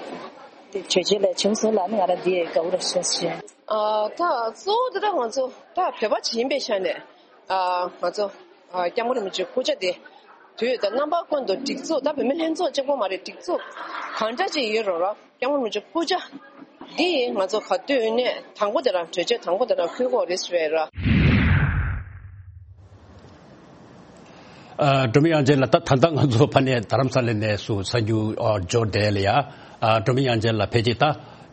དེ་གྲོས་ཆོད་ལ་བྱུང་སོང་ལ་ནི་ང་རང་འདི་དགའ་བོ་ར་ཤོད་ཤེས། ཨ་ད་གཙོ་བོ་དེ་ད་ང་ཚོ་ད་བོད་པ་ཅིག་ཡིན་པའི་ཆ་ནས་ཨ་ང་ཚོ་ཨ་སྐྱབས་མགོན་རིན་པོ་ཆེའི་སྐུ་ཕྱྭ་དེ་དུས་དང་རྣམ་པ་ཀུན་ཏུ་སྒྲིག་འཛུགས་ད་བོད་མི་ལྷན་ཚོགས་གཅིག་པོ་མ་རེད། སྒྲིག་འཛུགས་གང་འདྲ་ཅིག་ཡོད་རུང་ར་སྐྱབས་མགོན་རིན་པོ་ཆེའི་སྐུ་ཕྱྭ་འདི་ང་ཚོ་ག་དུས་ནས་དང་པོ་དེ་རང་གྲོས་ཆོད་དང་པོ་དེ་རང་འཁུར་དགོས་རེད་ཟེར་བས་ར། ཨ་སྒྲོལ་མ་དབྱངས་ཅན་ལགས། ད་ད་ལྟ་ང་ཚོ་ཕ་ནས་རྡ་རམ་ས་ལ་ནས་སུ་གསར་འགྱུར་ཨ་འབྱོར་བསྡད་ལ་ཡ། ཨ་སྒྲོལ་མ་དབྱངས་ཅན་ལགས་ཕལ་ཆེར་ད་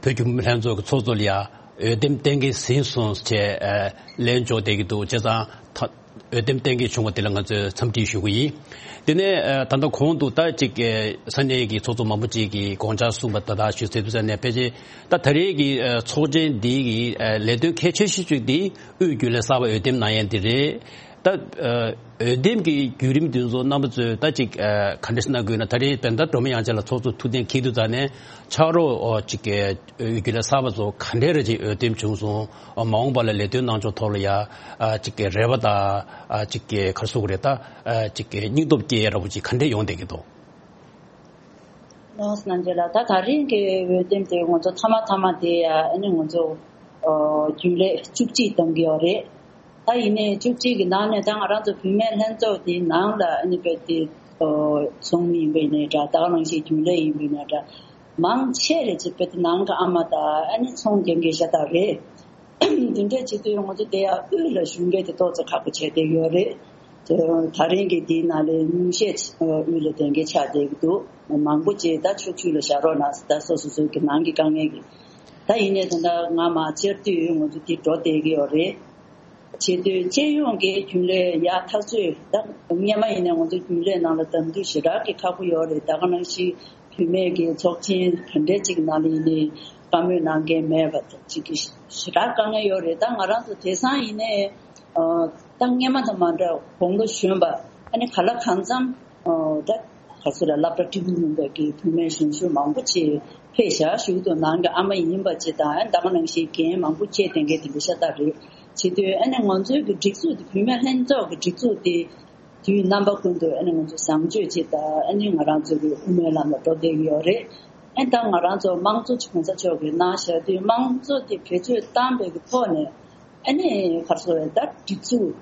བོད་ཀྱི་བུད་མེད་ལྷན་ཚོགས་ཀྱི་ཚོགས་གཙོ་ལ་ཡ་འོས་འདེམས་གཏན་འཁེལ་ཟིན་སོང་ཅེས་ཨ་ལན་འབྱོར་བསྡད་ཀྱི་འདུག་བྱས་ཙང་ད་འོས་འདེམས་གཏན་འཁེལ་བྱུང་བ་དེ་ལ་ང་ཚོས་འཚམས་འདྲི་ཞུ་གི་ཡིན། དེ་ནས་ཨ་ད་ལྟ་གོང་དུ་ད་ཅིག་ཨ་ས་གནས་ཀྱི་ཚོགས་གཙོ་མང་པོ་ཅིག་གིས་དགོངས་འཆར་གསུངས་པ་ད་ལྟ་ཞུས་ཚར་དུས་ཙམ་ནས་ཕལ་ཆེར་ད་ད་རེས་ཀྱི་ཨ་ཚོགས་ཆེན་འདི་གི་ཨ་ལས་དོན་གལ་ཆེ་ཤོས་ཅིག་འདི་དབུས་རྒྱུན་ལས་གསར་པ་འོས་འདེམས་གནང་ཡས་འདི་རེད། ད་ཨ་འོས་འདེམས་ཀྱི་བརྒྱུད་རིམ་དེ་ཚོ་རྣམ་པ་ཚོས་ད་ཅིག་ཨ་ག་འདྲ་ཞིག་གནང་དགོས་ན། ད་རེས་བོད་ཟླ་སྒྲོལ་མ་དབྱངས་ཅན་ལགས་ཚོགས་གཙོ་ཐུགས་གཏན་འཁེལ་དུས་ཙང་ནས་ཕྱག་རོགས་ཨོ་ཅིག་གི་འོས་བསྡུ་ལས་གསར་པ་ཚོ་ག་འདྲས་རེ་ཅིག་འོས་འདེམས་བྱུང་སོང་། ཨ་མ་འོངས་པ་ལ་ལས་དོན་གནང་ཕྱོགས་ཐོག་ལ་ཡ་ཨ་ཅིག་གི་རེ་བ་དང་ཨ་ཅིག་གི་ག་རེ་ཟེར་དགོས་རེད། ད་ཨ་ཅིག་གི་སྙིང་སྟོབས་སྐྱེ་ཡ་འདྲ་པོ་ཅིག་ག་འདྲས་ཡོང་བསྡད་ཀྱི་འདུག་ལགས་སོ། རྣམ་རྒྱལ་ལགས། ད་ད་རིང་གི་འོས་འདེམས་དེ་ང་ཚོ་མཐའ་མ་མཐའ་མ་དེ་ཡ་ཨ་ནི་ང་ཚོ་ཨོ་རྒྱུན་ལས་བཅུ་གཅིག་བདམས་ཀྱི་ཡོད་རེད། ད་ཡིན་ནའི་བཅུ་གཅིག་གི་ནང་ནས་ད་ང་རང་ཚོ་བུད་མེད་ལྷན་ཚོགས་དེའི་ནང་ལ་ཨ་ནི་དཔེ་དེ་ཨོ་ཚོགས་མི་ཡིན་པ་ཡིན་ནའི་འདྲ། ད་ག་ནང་བཞིན་རྒྱུན་ལས་ཡིན་པ་ཡིན་ནའི་འདྲ། མང་ཆེ་རེ་ཅིག་དཔེ་དེ་ནང་གི་ཨ་མ་དང་ཨ་ནི་ཚོང་རྒྱག་མཁན་ཤ་སྟག་རེད། འདི་འདྲ་བྱེད་དུས་ང་ཚོ་དེ་ཡང་དབུས་ལ་ཞུགས་མཁན་དེ་ཏོག་ཙམ་ཁག་པོ་བྱས་བསྡད་ཡོད་རེད། དེ་ད་རིང་གི་དེའི་ནང་ལ་ཉུང་ཤས་དབུས་ལ་བསྡད་མཁན་ཆགས་བསྡད་ཀྱི་འདུག་མང་པོ་ཅིག་ད་ཕྱོགས་བཅུ་ལ་བཞག་རོགས་གནང་ཟེར། ད་སོ་སོ་སོའི་གི་ནང་གི་དཀའ་ངལ་གྱིས། ད་ཡིན་ནའི་ད་ལྟ་སྔ་མ་བཅར་དུས་ང་ཚོ་དེ་འགྲོ་བསྡད་ཀྱི་ཡོད་རེད། བྱེད་དུས་སྤྱི་ཡོངས་ཀྱི་རྒྱུན་ལས་ཡག་ཐག་ཆོད། ད་སྔོན་མ་ཡིན་ནའི་ང་ཚོ་རྒྱུན་ལས་ནང་ལ་བདམས་དུས་ཞེ་དྲག་གི་ཁག་པོ་ཡོད་རེད། ད་ག་ནང་བཞིན་བུད་མེད་ཀྱི་ཚོགས་ཆེན་ག་འདྲས་ཅིག་ནང་ལ་ཡིན་ནའི་བཀའ་མོལ་གནང་མཁན་མེད་པ་ཅིག་གི་ཞེ་དྲག་དཀའ་ངལ་ཡོད་རེད། ད་ང་རང་ཚོ་དེང་སང་ཡིན་ནའི་ཨ་ད་སྔོན་མ་དང་མ་འདྲ་དགུང་ལོ་གཞོན་པ་ཨ་ནི་ག་ལ་གང་འཚམ་ཨ་ད་ག་ཚོད་ལ་སློབ་གྲྭ་འགྲིམ་མྱོང་བའི་གི་བུད་མེད་གཞོན་གཞོན་མང་པོ་ཅིག་ཕེབས་ཤག་ཞུ་གི་འདུག་ནང་གི་ཨ་མ་ཡིན་པ་ཅིག་དང་ཨ་ནི་ད་ག་ནང་བཞིན་འགན་མང་པོ་བཅས་ལྡན་མཁན་དེ་འདྲ་ཤ་སྟག་རེད། བྱེད་དུས་ཨ་ནི་ང་ཚོའི་གི་སྒྲིག་འཛུགས་དེ་བུད་མེད་ལྷན་ཚོགས་ཀྱི་སྒྲིག་འཛུགས་དེ་དུས་རྣམ་པ་ཀུན་ཏུ་ཨ་ནི་ང་ཚོ་བཟང་སྤྱོད་ཅིག་དང་ཨ་ནི་ང་རང་ཚོ་གི་དབུ་མའི་ལམ་ལ་འགྲོ་བསྡད་ཀྱི་ཡོད་རེད། ཨ་ནི་ད་ང་རང་ཚོ་དམངས་གཙོ་གོང་ས་མཆོག་གིས་གནང་བཞག་དུས་དམངས་གཙོ་དེ་བེད་སྤྱོད་བཏང་བའི་གི་ཐོག་ནས་ཨ་ནི་ག་རེ་ཟེར་ད་སྒྲིག་འཛུགས་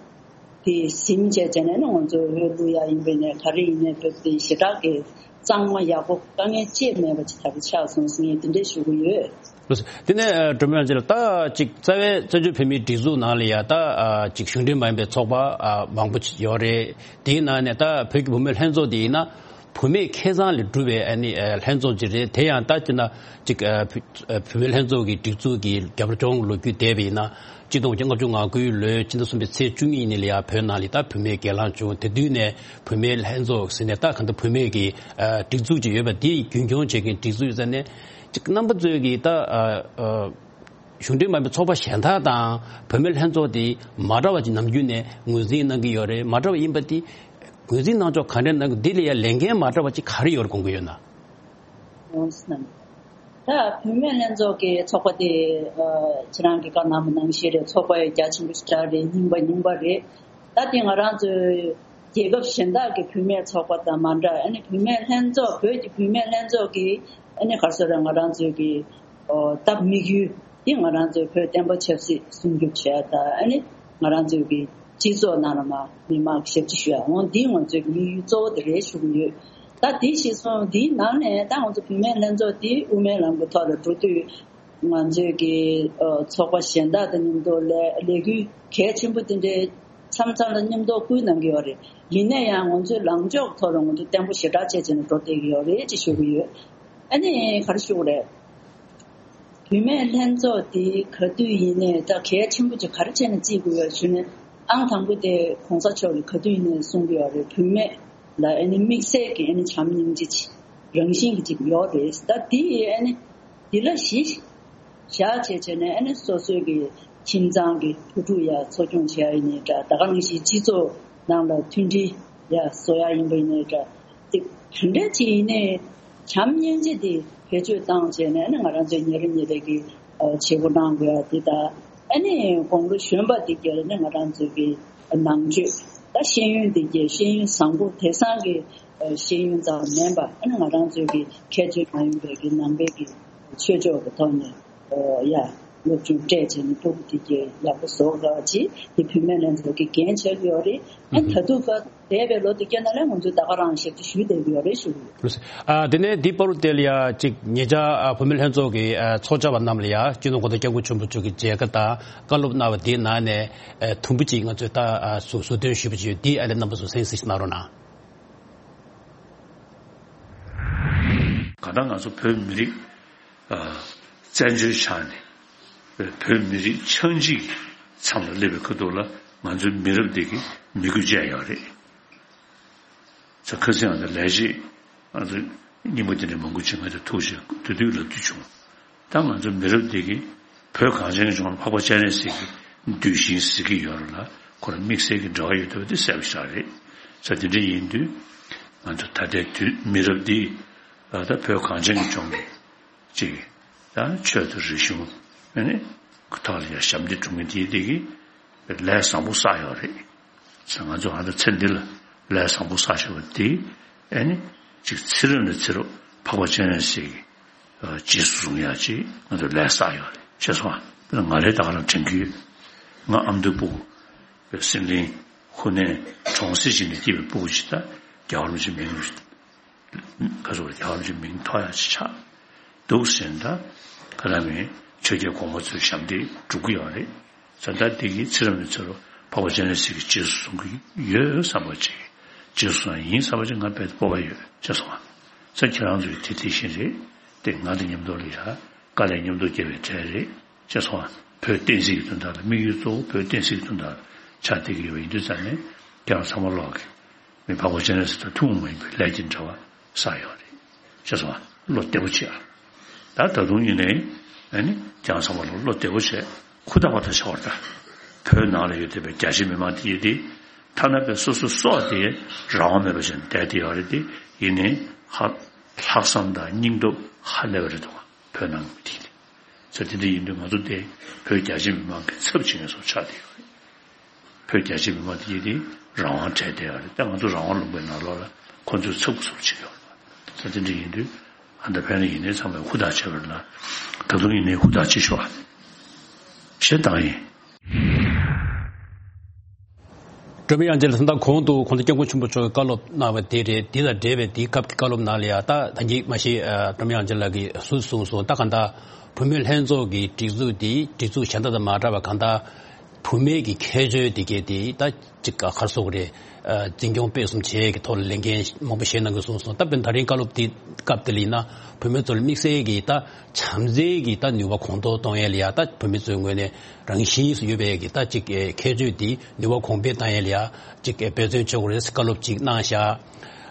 དེ་ཟིན་བྱས་བྱས་ནས་ཨ་ནི་ང་ཚོ་འོས་བླུག་ཡ་ཡིན་པས་ནས་ག་རེ་ཡིན་ནའི་བོད་དེ་ཞེ་དྲག་གི་གཙང་མ་ཡག་པོ་དཀའ་ངལ་ཅི་མེད་པ་ཅིག་ད་གི་ཆགས་སོང་ཟེར་ངས་དེ་འདྲས་ཞུ་གི་ཡོད། ལགས་སོ། དེ་ནས་ཨ་སྒྲོལ་མ་དབྱངས་ཅན་ལགས། ད་ཅིག་རྩ་བའི་བཙན་བྱོལ་བོད་མིའི་སྒྲིག་འཛུགས་ནང་ལ་ཡ་ད་ཨ་ཅིག་གཞུང་འབྲེལ་མ་ཡིན་པའི་ཚོགས་པ་ཨ་མང་པོ་ཅིག་ཡོད་རེད། དེའི་ནང་ནས་ད་བོད་ཀྱི་བུད་མེད་ལྷན་ཚོགས་དེ་ཡིན་ན་བུད་མེད་ཁེ་བཟང་ལས་གྲུབ་པའི་ཨ་ནི་ཨ་ལྷན་ཚོགས་ཅིག་རེད། དེ་ཡང་ད་ཅིག་ན་ཅིག་ཨ་བུ་ཨ་བུད་མེད་ལྷན་ཚོགས་ཀྱི་སྒྲིག་འཛུགས་ཀྱི་རྒྱབ་ལྗོངས་ལོ་རྒྱུས་བལྟས་པ་ཡིན་ན་གཅིག་སྟོང་དགུ་བརྒྱ་ལྔ་བཅུ་ང་དགུའི་ལོའི་ཕྱི་ཟླ་གསུམ་པའི་ཚེས་བཅུ་གཉིས་ཉིན་ལ་ཡ་བོད་ནང་ལ་ད་བུད་མེད་སྒེར་ལངས་བྱུང་། དེ་དུས་ནས་བུད་མེད་ལྷན་ཚོགས་ཟེར་ནས་ད་གང་ལྟར་བུད་མེད་ཀྱི་ཨ་སྒྲིག་འཛུགས་ཅིག་ཡོད་པ་དེ་རྒྱུན་འཁྱོངས་བྱེད་མཁན་སྒྲིག་འཛུགས་ཡིན་ཙང་ནས། ཅིག་རྣམ་པ་ཚོས་ཀྱིས་ད་ཨ་ཨ་གཞུང་འབྲེལ་མ་ཡིན་པའི་ཚོགས་པ་གཞན་དག་དང་བུད་མེད་ལྷན་ཚོགས་དེ་མ་འདྲ་བ་ཅིག་ནམ་རྒྱུན་ནས་ངོས་འཛིན་གནང་གི་ཡོད་རེད། མ་འདྲ་བ་ཡིན་པ་དེ་ངོས་འཛིན་གནང་ཕྱོགས་ག་འདྲ་གནང་གི། འདི་ལ་ཡང་ལས་འགན་མ་འདྲ་བ་ཅིག་ག་རེ་ཡོད་རེད་དགོངས་ཀྱི་ཡོད་ན། ད་བུད་མེད་ལྷན་ཚོགས་ཀྱི་ཚོགས་པ་དེ་ཨ་ཁྱེད་རང་གིས་བཀའ་གནང་བ་ནང་བཞིན་རེད། ཚོགས་པ་རྒྱ་ཆེན་པོ་ཞེ་དྲག་རེད། རྙིང་པ་རྙིང་པ་རེད། ད་དེ་ང་རང་ཚོའི་རྒྱལ་ཁབ་གཞན་དག་གི་བུད་མེད་ཚོགས་པ་དང་མ་འདྲ། ཨ་ནི་བུད་མེད་ལྷན་ཚོགས་བོད་ཀྱི་བུད་མེད་ལྷན་ཚོགས་ཀྱི་ཨ་ནི་ག་རེ་ཟེར་ར་ང་རང་ཚོའི་གི་ཨོ་སྟབས་དམིགས་ཡུལ་འདི་ང་རང་ཚོའི་བོད་བསྟན་པ་ཆབ་སྲིད་སྲུང་སྐྱོབ་བྱས་དང་ཨ་ནི་ང་རང་ཚོའི་གི་སྤྱི་ཚོགས་ནང་ལ་མ་མི་མང་ཞབས་ཕྱི་ཞུ་ཡ་འོང་འདི་ང་ཚོའི་གི་དམིགས་ཡུལ་གཙོ་བོ་དེ་རེད་ཞུ་གི་ཡོད། ད་འདི་གཞིར་བཟུང་འདིའི་ནང་ནས་ད་ང་ཚོ་བུད་མེད་ལྷན་ཚོགས་འདི་དབུ་མའི་ལམ་གྱི་ཐོག་ལ་འགྲོ་དུས། ང་ཚོའི་གི་ཨ་ཚོགས་པ་གཞན་དག་དང་མཉམ་དུ་ལས་ལས་འགུལ་གལ་ཆེན་པོ་དེ་འདྲའི་མཚམས་མཚམས་ལ་མཉམ་དུ་སྐུལ་གནང་གི་ཡོད་རེད། ཡིན་ན་ཡང་ང་ཚོའི་ལངས་ཕྱོགས་ཐོག་ལ་ང་ཚོ་བརྟན་པོ་ཞེ་དྲག་བྱས་བྱས་ནས་འགྲོ་བསྡད་ཀྱི་ཡོད་རེད་ཅེས་ཞུ་གི་ཡོད། ཨ་ནི་ག་རེ་ཞུ་དགོས་རེད། བུད་མེད་ལྷན་ཚོགས་འདི་ག་དུས་ཡིན་ནའི་ད་གལ་ཆེན་པོ་ཅིག་ག་རེ་བྱས་ནས་བརྩི་དགོས་ཡོད་ཞུ་ན། ཨང་དང་པོ་དེ་གོང་ས་མཆོག་གིས་ག་དུས་ཡིན་ནའི་གསུང་གི་ཡོད་རེད། བུད་མེད་ལ་ཨ་ནི་དམིགས་བསལ་གྱི་ཨ་ནི་བྱམས་སྙིང་རྗེ་ཅིག་རང་བཞིན་གྱི་ཅིག་ཡོད་རེད། ད་འདི་ཨ་ནི་འདི་ལ་གཞི་བཞག་བྱས་བྱས་ནས་ཨ་ནི་སོ་སོའི་གི་ཁྱིམ་ཚང་གི་བུ་ཕྲུག་ཡ་འཚོ་སྐྱོང་བྱེད་ཡ་ཡིན་ནའི་འདྲ། ད་ག་ནང་བཞིན་སྤྱི་ཚོགས་ནང་ལ་མཐུན་སྒྲིལ་ཡ་བཟོ་ཡ་ཡིན་པ་ཡིན་ནའི་འདྲ། དེ་ག་འདྲ་ཅིག་ཡིན་ནའི་བྱམས་སྙིང་རྗེ་དེ་བེད་སྤྱོད་བཏང་བྱས་ནས་ཨ་ནི་ང་རང་ཚོའི་ཉེ་རབས་ཉེ་འབྲེལ་གྱི་ཨ་བྱེད་སྒོ་གནང་དགོས་ཡ་དེ་དང་། ཨ་ནི་དགུང་ལོ་གཞོན་པ་དེ་གས་ལ་ནི་ང་རང་ཚོའི་གི་ནང་ཆོས་ད་ཤེས་ཡོན་དེ་གས་ཤེས་ཡོན་བཟང་པོ་དེང་སང་གི་ཤེས་ཡོན་ཙམ་མིན་པ་ཨ་ནི་ང་རང་ཚོའི་གི་ཁྱད་ཆོས་མ་ཡིན་པའི་གི་ནང་པའི་གི་ཆོས་ཕྱོགས་ཀྱི་ཐོག་ནས་ཡ་སློབ་སྦྱོང་སྤྲད་བྱས་ནས་སྤུ་གུ་དེ་གས་ཡག་པོ་བཟོ་དགོས་ཅིག་དེ་བུད་མེད་ལྷན་ཚོགས་ཀྱི་འགན་ཆགས་ཀྱི་ཡོད་རེད། ཨ་ནི་ད་དུང་ག་འདས་པའི་ལོ་དེ་ག་ནང་ལ་ང་ཚོས་ད་ག་རང་ཞབས་ཕྱི་ཞུས་བསྡད་ཀྱི་ཡོད་རེད་ཞུ་གི་ཡོད། ཨ་དེ་ནས་འདི་བར་དུ་དེ་ལ་ཡ་གཅིག་ཉེ་ཆར་ཨ་བུད་མེད་ལྷན་ཚོགས་ཀྱི་ཨ་ཚོགས་བཅར་བ་རྣམས་ལ་ཡ་སྤྱི་ནོར་གོང་ས་སྐྱབས་མགོན་ཆེན་པོ་མཆོག་གི་མཇལ་ཁ་དང་བཀའ་སློབ་གནང་བ་དེའི་ནང་ནས་ཨ་དུམ་བུ་གཅིག་ང་ཚོས་ད་ཨ་ཟུར་ཟུར་འདོན་ཞུས་པ་ཅིག་ཡོད། འདི་ཨ་ནི་རྣམ་པ་ཚོ་གསན་གཟིགས་གནང་རོགས་གནང་། གང་ལྟར་ང་ཚོ་བོད་མི་རིགས་ཨ་བཙན་བྱོལ་ཆགས་ནས་བོད་མི་རིགས་ཆགས་འཇིག་མཚམས་ལ་སླེབས་པའི་ཁ་ཐུག་ལ་ང་ཚོའི་མི་རབས་འདི་གི་མི་དགོས་ཅན་ཡོད་རེད། ཚ་ཁ་སང་ང་ཚོ་ལས་བྱེད་ང་ཚོ་རྙིང་པ་དེ་འདྲ་མང་པོ་ཅིག་ང་ཚོ་ཐུག་བྱས་དུས་དུས་ལབ་དུས་བྱུང་། ད་ང་ཚོ་མི་རབས་འདི་གི་བོད་གངས་ཅན་གྱི་ལྗོངས་ལ་འཕགས་པ་སྤྱན་རས་གཟིགས་ཀྱི་གདུལ་ཞིང་ཟེར་གྱི་ཡོད་རེད་ལ། ཁོ་རང་དམིགས་བསལ་གྱི་འབྲེལ་བ་ཡོད་བསྡད་པ་དེ་གསལ་པོ་ཞིག་རེད། ས་དེ་འདྲ་ཡིན་དུས་ང་ཚོ་ད་ལྟའི་དུས་མི་རབས་འདི་ད་བོད་གངས་ཅན་གྱི་ལྗོངས་ཀྱི་ཅིག་ད་ཆོས་དང་རིག་གཞུང་ཨ་ནི་ཐོག་ལ་ཡ་ཞབས་འདེགས་སྒྲུབ་མཁན་དེ་དེ་གི་ལས་བཟང་པོ་བསགས་ཡོད་རེད། ས་ང་ཚོ་ཨ་ད་ཚེ་འདི་ལ་ལས་བཟང་པོ་བསགས་བཞག་པ་དེ་ཨ་ནི་ཅིག་ཚེ་རབས་ནས་ཚེ་རབས་འཕགས་པ་སྤྱན་རས་གཟིགས་ཀྱི་རྗེས་སུ་བཟུང་ཡག་ཅིག་ང་ཚོ་ལས་བསགས་ཡོད་རེད། ཤེས་སོང་ཨ། དཔེར་ན་ང་རེ་ད་ག་རང་དྲན་གྱི་ཡོད། ང་ཨ་མདོའི་སྤུ་གུ་སེང་གླིང་ཧུ་ནན་གྲོང་གསེབ་ཅིག་ནས་སྐྱེས་པའི་སྤུ་གུ་ཅིག་ད་རྒྱལ་བ་རིན་པོ་ཆེའི་མིང་ག་ཚོད་རྒྱལ་བ་རིན་པོ་ཆེའི་མིང་ཐོགས་ཡག་ཅིག་ཆགས་འདུག་ཟེར་ན་ད་ག་ལ་མིན་ཆོས་རྒྱལ་གོང་མ་ཚོའི་ཞབས་འདེགས་སྒྲུབ་ཀྱི་ཡོད་རེད། ད་ལྟ་འདི་གི་ཚེ་རབས་ནས་ཚེ་རབས་འཕགས་པ་སྤྱན་རས་གཟིགས་ཀྱི་རྗེས་སུ་བཟུང་གི་ཡོད་བསམ་པ་ཅིག་རྗེས་སུ་བཟུང་ཡིན་བསམ་པ་ཅིག་ང་དཔེ་སྤོབས་པ་ཡོད་ཅེས་སོང་བ། ས་ཁྱེད་རང་ཚོས་དེ་དེ་བཞིན་རེད། དེ་ང་དང་མཉམ་དུ་ལ་ཡ་དཀའ་ལས་མཉམ་དུ་བརྒྱབ་པའི་གྲས་རེད་ཅེས་སོང་བ། བོད་བསྟན་སྲིད་ཀྱི་དོན་དག་ལ་དམིགས་ཡུལ་གཙོ་བོ་བོད་བསྟན་སྲིད་ཀྱི་དོན་དག་ལ་ཆགས་བསྡད་ཀྱི་ཡོད་པ་ཡིན་དུས་ཙང་ནས་ཁྱེད་རང་ཚང་མ་ལོག་གི་མི་འཕགས་པ་སྤྱན་རས་གཟིགས་དང་ཐུན་མོང་མ་ཡིན་པའི་ལས་ཀྱི་འབྲེལ་བ་བསགས་ཡོད་རེད། ཅེས་སོང་བ། བློ་བདེ་པོ་བྱེད་ཨ། ད་ད་དུང་ཡིན་ནའི་ཨ་ནི་ཁྱེད་རང་ཚང་མ་ལ་བློ་བདེ་པོ་བྱེད། ཧུར་ཐག་པ་ཐག་བྱ་བར་ད། བོད་ནང་ལ་ཡོད་བསྡད་པའི་རྒྱ་ཆེ་མི་མང་དེ་ཡིན་ཏེ། ཐ་ན་པའི་སོ་སོ་སྲོག་དེ་རང་དབང་མེད་པ་བྱས་ནས་བསྡད་དེ་ཡོད་རེད་དེ། ཡིན་ནའི་ཧ། ལྷག་བསམ་དང་སྙིང་སྟོབས་ཧ་ལས་པ་རེད་འདུག་བོད་ནང་གི་མི་དེ་ཡིན་ཏེ། ས་དེ་འདྲ་ཡིན་དུས་ང་ཚོ་དེ་བོད་རྒྱ་ཆེ་མི་མང་གི་ཚབ་བྱེད་མཁན་སོགས་ཆགས་བསྡད་ཡོད་རེད། བོད་རྒྱ་ཆེ་མི་མང་དེ་ཡིན་ཏེ་རང་དབང་བྲལ་བསྡད་ཡོད་རེད་དེ། ང་ཚོ་རང་དབང་ལུང་པའི་ནང་ལོགས་ལ་ཁོ་ཚོས་ཚབ་ཀྱི་ཚུལ་བྱེད་ཀྱི་ཡོད་རེད། ད་དེ་འདྲ་ཡིན་དུས་ཨ་ད་ཕན་ལ་ཡིན་ནའི་ཚང་མས་ཧུར་ཐག་བྱས་པ་རེད་ལ། ད་དུང་ཡིན་ནའི་ཧུར་ཐག་བྱེད་ཤོག་ཨ། ཞེས་དང་ཡིན། སྒྲོལ་མ་དབྱངས་ཅན་ལགས་ད་ལྟ་གོང་དུ་གོང་ས་སྐྱབས་མགོན་ཆེན་པོ་མཆོག་གིས་བཀའ་སློབ་གནང་བ་དེ་རེད། དེ་དང་འབྲེལ་བའི་དེའི་སྐབས་ཀྱི་བཀའ་སློབ་ནང་ལ་ཡང་ད་ད་གིན་མ་གཞི་སྒྲོལ་མ་དབྱངས་ཅན་ལགས་ཀྱིས་ཟུར་གསུངས་སོང་། ད་གང་ལྟར་བུད་མེད་ལྷན་ཚོགས་ཀྱི་སྒྲིག་འཛུགས་འདི་སྒྲིག་འཛུགས་གཞན་དག་དང་མ་འདྲ་བ་གང་ལྟར། བུད་མེད་ཀྱི་ཁྱད་ཆོས་དེ་གས་དེ་ད་ཅིག་ག་ག་རེ་ཟེར་དགོས་རེད། ཨ། འཛིན་སྐྱོང་སྤེལ་གསུམ་བྱེད་ཀྱི་ཐོག་ལ་ལས་འགན་མང་པོ་བཞེས་གནང་དགོས་གསུངས་སོང་། ད་དཔེར་ན་ད་རིང་བཀའ་སློབ་དེ་སྐབས་དེ་ལ་ཡིན་ན་བུད་མེད་ཚོ་ལ་དམིགས་བསལ་གྱི་ད་བྱམས་བརྩེ་གྱི་ད་ནུས་པ་གོང་མཐོར་གཏོང་ཡས་ལ་ཡ། ད་བུད་མེད་ཚོའི་ངོས་ནས་རང་བཞིན་སུ་ཡོད་པའི་གི་ད་ཅིག་ཁྱད་ཆོས་དེ་ནུས་པ་གོང་འཕེལ་བཏང་ཡས་ལ་ཡ་ཅིག་འབད་བརྩོན་བྱེད་དགོས་རེད་ཟེར་བཀའ་སློབ་ཅིག་གནང་བཞག་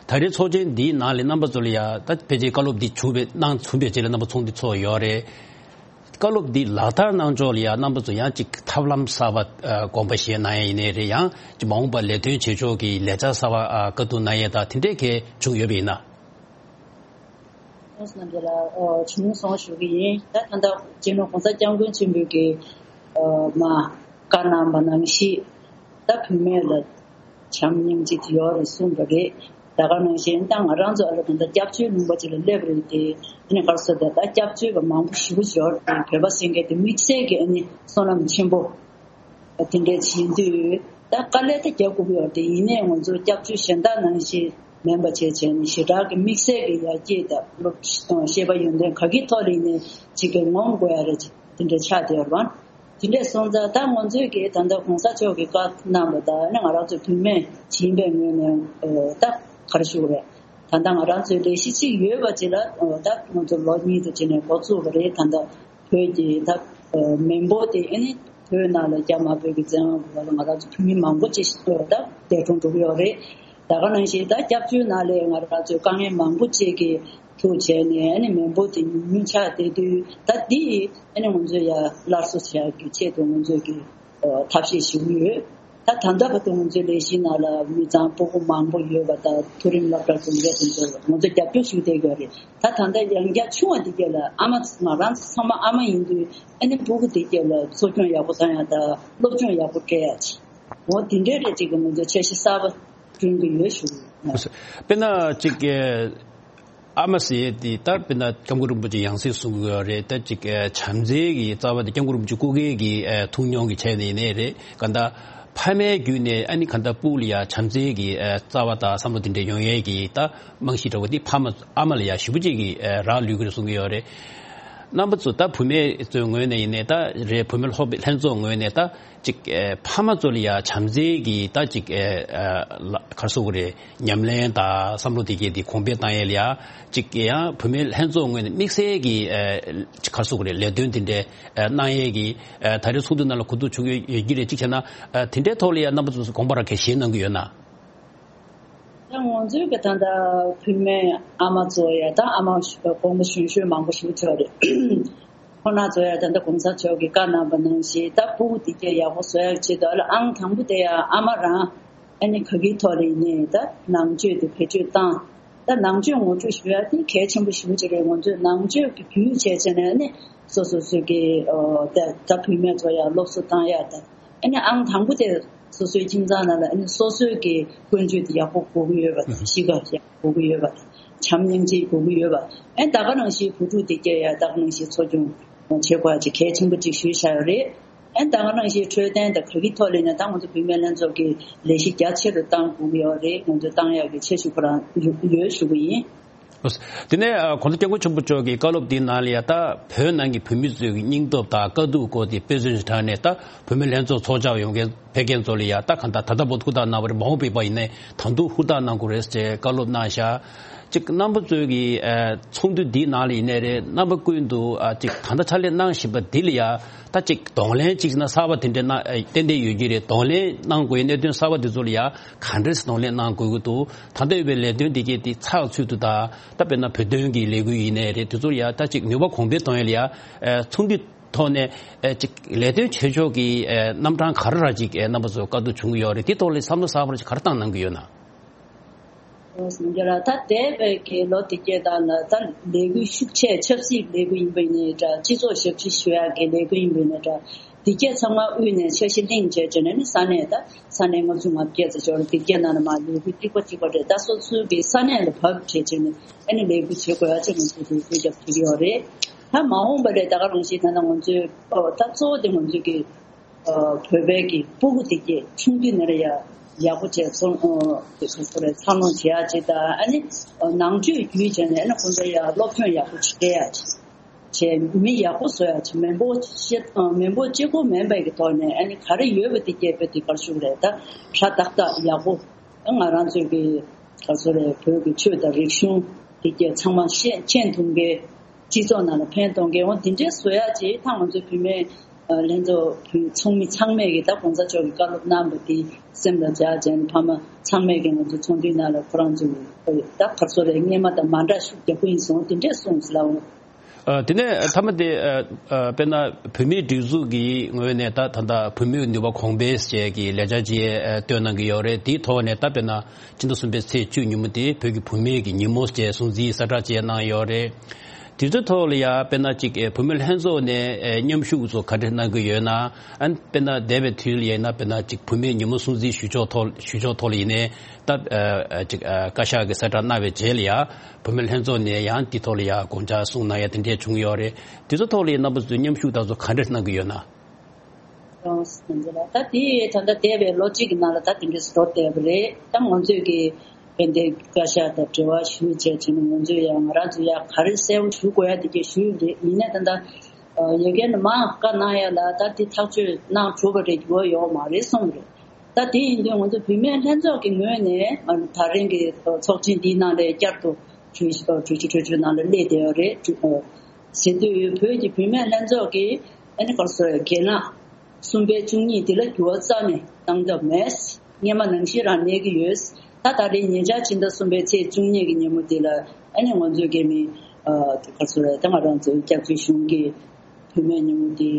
ད་རེས་ཚོགས་ཆེན་འདིའི་ནང་ལ་རྣམ་པ་ཚོ་ལ་ཡ་ད་ཕལ་ཆེར་བཀའ་སློབ་འདི་བྱུང་བའི་གནང་ཚུན་པའི་རྗེས་ལ་རྣམ་པ་ཚོགས་འདུ་ཚོགས་ཡོད་རེད། བཀའ་སློབ་འདི་ལག་བསྟར་གནང་ཕྱོགས་ལ་ཡང་རྣམ་པ་ཚོ་ཡང་ཅིག་ཐབས་ལམ་གསར་པ་ཨ་དགོངས་པ་བཞེས་གནང་ཡ་ཡིན་ནའི་རེད། ཡང་ཅིག་མ་འོངས་པར་ལས་དོན་བྱེད་ཕྱོགས་ཀྱི་ལས་འཆར་གསར་པ་ཨ་བཀའ་བསྡུར་གནང་ཡས་དང་དེ་འདྲས་གས་བྱུང་ཡོད་པ་ཡིན་ན། ཁོང་རྣམ་པ་ལ་ཨོ་བྱུང་སོང་ཞུ་གི་ཡིན། ད་ད་ལྟ་སྤྱི་ནོར་༸གོང་ས་༸སྐྱབས་མགོན་ཆེན་པོས་ཀྱི་ཨ་མ་བཀའ་གནང་བ་ནང་བཞིན། ད་བུད་མེད་ལ་བྱམས་སྙིང་རྗེ་དེ་ཡོད་རེད་གསུངས་པ་རེད། ད་ག་ནང་བཞིན་ད་ང་རང་ཚོ་ཨ་ལ་ད་ལྟ་སྐྱབས་བཅོལ་ལུང་པ་ཅིག་ལ་སླེབས་རེད་དེ། ཨ་ནི་ག་རེ་ཟེར། ད་ལྟ་སྐྱབས་བཅོལ་བ་མང་པོ་ཞེ་པོ་ཅིག་ཡོད་རེད། བོད་པ་ཟེར་མཁན་དེ་དམིགས་བསལ་གྱི་ཨ་ནི་བསོད་ནམས་ཆེན་པོ་དེ་འདྲས་བྱེད་དུས་ད་དཀའ་ལས་ད་རྒྱག་དགོས་ཀྱི་ཡོད་རེད་དེ། ཡིན་ནའི་ང་ཚོ་སྐྱབས་བཅོལ་གཞན་དག་ནང་བཞིན་མིན་པ་བྱས་བྱས་ནས་ཞེ་དྲག་གི་དམིགས་བསལ་གྱི་ཡར་རྒྱས་དང་སློབ་ཤེས་པ་ཡོན་ཏན་ག་གི་ཐོག་ལ་ཡིན་ནའི་ཅིག་གི་ངོམ་དགོས་ཡ་རེད། དེ་འདྲས་ཆགས་བསྡད་ཡོད་རེད་པ། དེ་འདྲས་སོང་ཙང་ད་ང་ཚོས་ཀྱིས་ད་ལྟ་གོང་ས་མཆོག་གིས་བཀའ་གནང་བ་ལྟར་ནི་ང་རང་ཚོ་བུད་མེད་ཡིན་པའི་ངོས་ནས་ཨ་ད་ག་རེ་ཞུ་དགོས་རེད། ད་ལྟ་ང་རང་ཚོའི་ལས་གཞི་གཅིག་ཡོད་པ་ཅིག་ལ་ཨ་ད་ང་ཚོ་ལོ་གཉིས་ཙམ་ཅིག་ནས་འགོ་བཙུགས་པ་རེད། ད་ལྟ་བོད་ཀྱི་ད་ཨ་མི་འབོར་དེ་ཨ་ནི་བོད་ནང་ལ་རྒྱ་དམར་པོའི་གི་བཙན་དབང་གི་འོག་ལ་ང་རང་ཚོ་བོད་མི་མང་པོ་ཅིག་ཨ་ད་འདས་གྲོངས་འགྲོ་གི་ཡོད་རེད། ད་ག་ནང་བཞིན་ད་སྐྱབས་བཅོལ་ནང་ལ་ང་རང་ཚོའི་དཀའ་ངལ་མང་པོ་ཅིག་གི་ཐུག་བྱས་ནས་ཨ་ནི་མི་འབོར་དེ་ཉུང་ཉུང་ཆགས་བསྡད་དུས། ད་འདི་ཨ་ནི་ང་ཚོས་ཡ་སླར་གསོ་བྱ་ཡག་གི་ཆེད་དུ་ང་ཚོས་ཀྱི་ཨ་ཐབས་ཤེས་ཞུ་གི་ཡོད། ད་ད་ལྟ་བར་དུ་ང་ཚོའི་ལས་གཞིའི་ནང་ལ་མི་ཚང་སྤུ་གུ་མང་པོ་ཡོད་པ་དང་། མཐོ་རིམ་སློབ་གྲྭ་འཛིན་མཁན་དེ་ཚོ་ང་ཚོ་རྒྱབ་སྐྱོར་ཞུ་བསྡད་ཡོད་རེད། ད་ད་ལྟ་ཡང་བསྐྱར་ཆུང་བ་འདི་གས་ལ་ཨ་མ་ང་རང་ཚོ་ཚང་མ་ཨ་མ་ཡིན་དུས་ཨ་ནི་སྤུ་གུ་འདི་གས་ལ་འཚོ་སྐྱོང་ཡག་པོ་བཏང་ཡག་དང་སློབ་སྦྱོང་ཡག་པོ་སྤྲད་ཡག་ཅིག་འོ་དེ་འདྲའི་རེད། ཅིག་གི་ང་ཚོ་འཆར་གཞི་གསར་པ་བསྐྲུན་གྱི་ཡོད་ཞུ། དཔེར་ན་ཅིག་ཨ་མ་ཟེར་ཡས་དེ་ད་དཔེར་ན་སྐྱབས་མགོན་རིན་པོ་ཆེ་ཡང་སེ་གསུང་གི་ཡོད་རེད། ད་ཅིག་བྱམས་བརྩེ་གི་རྩ་བ་དེ་སྐྱབས་མགོན་རིན་པོ་ཆེ་སྐུ་སྒེར་གྱི་ཐུགས་མྱོང་གི་ཆ་ནས་ཡིན་ནའི་རེད། གང་ལྟར་ཕ་མའི་བརྒྱུད་ནས་ཨ་ནི་གང་ལྟར་སྤུ་གུ་ལ་ཡ་བྱམས་བརྩེ་གི་རྩ་བ་དང་བསམ་བློ་དེ་འདྲ་ཡོང་ཡས་ཀྱི་ད་རྨང་གཞི་འདྲ་བོ་དེ་ཕ་མ་ཨ་མ་ལ་ཡ་ཞེ་པོ་ཅིག་གི་རག་ལུས་ཀྱི་རེད་གསུང་གི་ཡོད་རེད། རྣམ་པ་ཚོ་ད་བུད་མེད་ཚོའི་ངོས་ནས་ཡིན་ནའི་ད་རེད། བུད་མེད་སློབ་ཕྲུག་ལྷན་ཚོགས་ངོས་ནས་ད་ཅིག་ཨེ་ཕ་མ་ཚོ་ལ་ཡ་བྱམས་བརྩེ་གི་ད་ཅིག་ཨེ་ཨ་ལ་ག་རེ་ཟེར་དགོས་རེད། ཉམས་ལེན་དང་བསམ་བློ་དེ་གས་དེ་གོང་འཕེལ་བཏང་ཡས་ལ་ཡ་ཅིག་ཡང་བུད་མེད་ལྷན་ཚོགས་ངོས་ནས་དམིགས་བསལ་གྱི་ཨེ་ག་རེ་ཟེར་དགོས་རེད། ལས་དོན་དེ་འདྲའི་ཨེ་གནང་ཡས་ཀྱི་ཨེ་ད་རེས་ཚོགས་འདུ་ནང་ལ་གོ་བསྡུར་བྱུང་ཡོད་ཡོད་ཀྱི་རེད། གཅིག་བྱས་ན་ཨེ་དེ་འདྲའི་ཐོག་ལ་ཡ་རྣམ་པ་ཚོས་དགོངས་པ་རང་གས་བཞེས་གནང་གི་ཡོད་ན། ད་ང་ཚོའི་གི་ད་ལྟ་བུད་མེད་ཨ་མ་ཚོ་ཡ་ད་ཨ་མ་དགོངས་པ་གཞོན་གཞོན་མང་པོ་ཞིག་ཐོན་རེད། ཁོང་རྣམ་ཚོ་ཡང་ད་ལྟ་གོང་ས་མཆོག་གིས་བཀའ་གནང་པ་ནང་བཞིན་ད་ཕྲུ་གུ་དེ་གས་ཡག་པོ་བཟོ་ཡག་ཆེད་དུ་ཨ་ལ་ཨང་དང་པོ་དེ་ཡང་ཨ་མ་རང་ཨ་ནི་ག་གི་ཐོག་ལ་ཡིན་ནའི་ད་ནང་ཆོས་དེ་བེད་སྤྱོད་བཏང་། ད་ནང་ཆོས་ངོ་སྤྲོད་ཞུ་ཡག་དེ་གལ་ཆེན་པོ་ཞེ་པོ་ཅིག་རེད། ང་ཚོས་ནང་ཆོས་ཀྱི་རྒྱུས་བྱས་བྱས་ནས་ཨ་ནི་སོ་སོ་སོ་གི་ཨོ་ད་ད་བུད་མེད་ཚོ་ཡང་སློབ་གསོ་བཏང་ཡག་ད་ཨ་ནི་ཨང་དང་པོ་དེ་སོ་སོའི་ཁྱིམ་ཚང་ནང་ལ་ཨ་ནི་སོ་སོའི་གི་ཀུན་སྤྱོད་དེ་ཡག་པོ་དགོས་ཀྱི་ཡོད་པ་དང་གཤིས་ཀ་ཡག་དགོས་ཀྱི་ཡོད་པ་དང་བྱམས་སྙིང་རྗེ་དགོས་ཀྱི་ཡོད་པ། ཨ་ནི་ད་ག་ནང་བཞིན་བུ་ཕྲུག་དེ་གས་ཡང་ད་ག་ནང་བཞིན་འཚོ་སྐྱོང་བྱེད་དགོས་ཡག་ཅིག་གལ་ཆེན་པོ་ཅིག་ཞུས་བཞག་ཡོད་རེད། ཨ་ནི་ད་ག་ནང་བཞིན་འཕྲོད་བསྟེན་དང་ག་གི་ཐོག་ལ་ཡིན་ནའི་ད་ང་ཚོ་བུད་མེད་ལྷན་ཚོགས་ཀྱིས་ལས་གཞི་རྒྱ་ཆེ་རུ་གཏང་དགོས་ཀྱི་ཡོད་རེད། ང་ཚོས་གཏང་ཡག་གི་འཆར་གཞི་ཁོ་རང་ཡོད་ཡོད་ཞུ་གི་ཡིན། དེ་ནས་ཨ་༸གོང་ས་༸སྐྱབས་མགོན་ཆེན་པོ་མཆོག་གི་བཀའ་སློབ་འདིའི་ནང་ལ་ཡ་ད་བོད་ནང་གི་བོད་མི་ཚོའི་སྙིང་སྟོབས་དང་དཀའ་སྡུག་སྐོར་དེ་དཔེ་མཚོན་ཞིག་དྲངས་ནས། ད་བུད་མེད་ལྷན་ཚོགས་ཚོགས་བཅར་ཡོང་མཁན་ཕེབས་མཁན་ཚོ་ལ་ཡ་ད་གང་ལྟར་ད་ལྟ་བར་དུ་ཧུར་ཐག་གནང་བ་རེད། མ་འོངས་པའི་བར་ཡིན་ནའི་ད་དུང་ཧུར་ཐག་གནང་དགོས་རེད་ཅེས་བཀའ་སློབ་གནང་བཞག་ཅིག་རྣམ་པ་ཚོའི་གི་ཨ་ཚོགས་འདུ་འདིའི་ནང་ལ་ཡིན་ནའི་རེད། རྣམ་པ་ཀུན་ཏུ་ཨ་ཅིག་ད་ལྟ་ཕྱག་ལས་གནང་བཞིན་པ་འདི་ལ་ཡ་ད་ཅིག་གདོང་ལེན་ཅིག་ན་གསར་པ་དེ་འདྲ་གནང་ཨ་ཏན་ཏན་ཡོད་ཀྱི་རེད། གདོང་ལེན་གནང་དགོས་གནད་དོན་གསར་པ་དེ་ཚོ་ལ་ཡ་ག་འདྲས་གདོང་ལེན་གནང་དགོས་ཀྱི་འདུག་ད་ལྟ་ཡོད་པའི་ལས་དོན་འདི་གས་དེ་ཚགས་ཚུད་དུ་ད་ད་དཔེར་ན་བོད་དོན་གྱི་ལས་འགུལ་ཡིན་ནའི་རེད། དེ་ཚོ་ལ་ཡ་ད་ཅིག་ནུས་པ་གོང་འཕེལ་གཏོང་ཡ་ལ་ཡ་ཨ་ཚོགས་འདུ་ཐོག་ནས་ཨ་ཅིག་ལས་དོན་བྱེད་ཕྱོགས་ཀྱི་ཨ་རྣམ་གྲངས་ག་རེ་ར་ཅིག་ཨ་རྣམ་པ་ཚོ་བཀའ་བསྡུར་བྱུང་གི་ཡོད་རེད། དེ་ཐོག་ལ་བསམ་བློ་གསར་པ་ཅིག་ག་རེ་བཏང་གནང་གི་ཡོད་ན། ལགས་སོ་ལགས། ད་འདས་པའི་གི་ལོ་དེ་གས་དག་ལ་ད་ལས་འགུལ་ཤུགས་ཆེ་ཆབ་སྲིད་ལས་འགུལ་ཡིན་པ་ཡིན་ནའི་འདྲ། སྤྱི་ཚོགས་ཞབས་ཕྱི་ཞུ་ཡག་གི་ལས་འགུལ་ཡིན་པ་ཡིན་ནའི་འདྲ། དེ་གས་ཚང་མ་དབུས་ནས་འཆར་གཞི་གླེང་བྱས་བྱས་ནས་ནི་ས་གནས་ད་ས་གནས་ལྔ་བཅུ་ང་བརྒྱད་ཙམ་ཞིག་ཡོད་རེད། དེ་གས་ནང་ལ་མར་ལས་འགུལ་ཏིག་པ་ཏིག་པ་རེད། ད་སོ་སོའི་གི་ས་གནས་ལ་བབས་བྱས་བྱས་ནས་ཨ་ནི་ལས་འགུལ་བྱེད་དགོས་ཡག་ཅིག་ང་ཚོས་འགུལ་སྐྱོད་རྒྱག་ཐུབ་ཀྱི་ཡོད་རེད། ད་མ་འོངས་པ་ལ་ད་ག་རང་བཞིན་ད་ལྟ་ང་ཚོའི་ཨོ་ད་གཙོ་བོ་དེ་ང་ཚོའི་གི་ཨ་བོད་པའི་གི་སྤུ་གུ་དེ་གས་ཆུང་དུས་ནས་ར་ཡ་ཡག་པོ་བྱས་ཚོང་ཨ་དེ་ག་ཚོ་རེད། འཚར་ལོངས་བྱེད་ཡག་ཅིག་དང་ཨ་ནི་ཨ་ནང་ཆོས་བརྒྱུད་བྱས་ནས་ཨ་ནི་ཁོང་ཚོ་ཡ་སློབ་སྦྱོང་ཡག་པོ་བྱེད་ཡག་ཅིག་བྱས། མི་ཡག་པོ་བཟོ་ཡག་ཅིག་མི་འབོར་ཤེས་ཨ་མི་འབོར་གཅིག་པོ་མིན་པའི་གི་ཐོག་ནས་ཨ་ནི་ག་རེ་ཡོད་པ་དེ་གས་དཔེ་དེ་གར་ཞུགས་རེད། ད་ཧྲ་ཏག་ཏག་ཡག་པོ་ང་རང་ཚོའི་གི་ག་ཚོ་རེད། བོད་ཀྱི་ཆོས་དང་རིག་གཞུང་དེ་གས་ཚང་མ་ཤེས་མཁྱེན་ཐུབ་མཁན། སྤྱི་ཚོགས་ནང་ལ་ཕན་གཏོང་མཁན་འོ་དེ་འདྲའི་བཟོ་ཡག་ཅིག་ད་ང་ཚོའི་བུད་མེད་ཨ་ལྷན་ཚོགས་བུ་ཚོགས་མི་ཚང་མས་ཀྱི་ད་གོང་ས་མཆོག་གི་བཀའ་སློབ་གནང་བ་དེ་སེམས་ལ་འཇགས་བྱས་ནས་ཕ་མ་ཚང་མས་ཀྱི་ང་ཚོའི་ཚོགས་འདུའི་ནང་ལ་ཁོ་རང་ཚོའི་ད་ག་ཚོ་རེད། སྔས་མ་དང་མ་འདྲ་ཤུགས་རྒྱག་གི་ཡིན་སོང་དེ་འདྲས་གསུངས་ཟེར་ལབ་འོང་། ཨ་དེ་ནས་མཐའ་མ་དེ་ཨ་ཨ་དཔེར་ན་བུད་མེད་སྒྲིག་འཛུགས་ཀྱི་ངོས་ནས་ད་ད་ལྟ་བུད་མེད་ནུས་པ་གོང་འཕེལ་ཟེར་གྱི་ལས་འཆར་ཅིག་ཨ་བཏོན་གནང་གི་ཡོད་རེད། དེའི་ཐོག་ནས་ད་དཔེར་ན་ཕྱི་ཟླ་གསུམ་པའི་ཚེས་བཅུ་ཉིན་མོ་དེ་བོད་ཀྱི་བུད་མེད་ཀྱི་ཉིན་མོ་ཟེར་སྲུང་བརྩིའི་གསལ་བསྒྲགས་བཅས་གནང་ཡོད་རེད། དེ་ཚོའི་ཐོག་ལ་ཡ་དཔེར་ན་ཅིག་ཨེ་བུད་མེད་ལྷན་ཚོགས་ནས་ཨེ་མཉམ་ཞུགས་ཚོ་ག་འདྲ་གནང་གི་ཡོད་ན། ཨ་ནི་དཔེར་ན་འདས་པའི་དུས་ལ་ཡིན་ན་དཔེར་ན་ཅིག་བུད་མེད་ཉིན་མོ་སྲུང་བརྩི་ཞུ་ཕྱོགས་ཐོག་ཞུ་ཕྱོགས་ཐོག་ལ་ཡིན་ནའི་ད་ཨ་ཨ་ཅིག་ཨ་བཀའ་ཤག་གི་གསལ་བསྒྲགས་གནང་བའི་རྗེས་ལ་ཡ་བུད་མེད་ལྷན་ཚོགས་ནས་ཡང་དེ་ཐོག་ལ་ཡ་དགོངས་འཆར་གསུངས་གནང་ཡ་དེ་འདྲས་བྱུང་ཡོད་རེད། དེ་ཚོ་ཐོག་ལ་ཡ་རྣམ་པ་ཚོས་མཉམ་ཞུགས་དང་ཚོ་ག་འདྲ་གནང་གི་ཡོད་ན། ལགས་སོ་ལགས། ད་དེ་ད་ལྟ་འདས་པའི་ལོ་གཅིག་གི་ནང་ལ་ད་དེ་འདྲས་སུ་འགྲོ་བསྡད་པ་རེད། ད་ང་ཚོས་ཀྱི་དཔལ་ལྡན་བཀའ་ཤག་དང་འབྲེལ་བ་ཞུས་བྱས་བྱས་ནས་ང་ཚོས་ཡང་ང་རང་ཚོ་ཡང་ག་རེ་གསལ་པོ་ཞུ་དགོས་ཡ་དེ་གས་ཞུས་པ་རེད། ཡིན་ནའི་ད་ལྟ་ཡ་གི་ནས་མར་བཀའ་གནང་ཡ་ལ་ད་དེ་ཐག་གཅོད་གནང་གྲུབ་པ་རེད། འགྱུར་བ་ཡོད་མ་རེད་གསུངས་པ་རེད། ད་དེ་ཡིན་དུས་ང་ཚོ་བུད་མེད་ལྷན་ཚོགས་ཀྱི་ངོས་ནས་ད་རིང་གི་ཚོགས་ཆེན་འདིའི་ནང་ལ་བསྐྱར་དུ་གྲོས་གྲོས་ཆོད་གྲོས་ཆོད་ནང་ལ་སླེབས་བསྡད་ཡོད་རེད། ཟེར་དུས་བོད་ཀྱི་བུད་མེད་ལྷན་ཚོགས་ཀྱིས་ཨ་ནི་ག་རེ་ཟེར་རྒན་ལགས་གསུམ་པའི་བཅུ་གཉིས་འདི་ལ་འགྱུར་བ་རྩ་ནས་བཏང་ཐབས་མེད། སྔས་མ་ནང་བཞིན་རང་གནས་ཀྱི་ཡོད། ད་ད་རེས་ཉེ་ཆར་ཕྱི་ཟླ་གསུམ་པའི་ཚེས་བཅུ་གཉིས་ཀྱི་ཉིན་མོ་འདི་ལ་ཨ་ནི་ང་ཚོའི་རྒན་མི་ཨ་ག་རེ་ཟེར་ད་ང་རང་ཚོའི་སྐྱབས་བཅོལ་གཞུང་གི་བུད་མེད་ཉིན་མོ་འདི་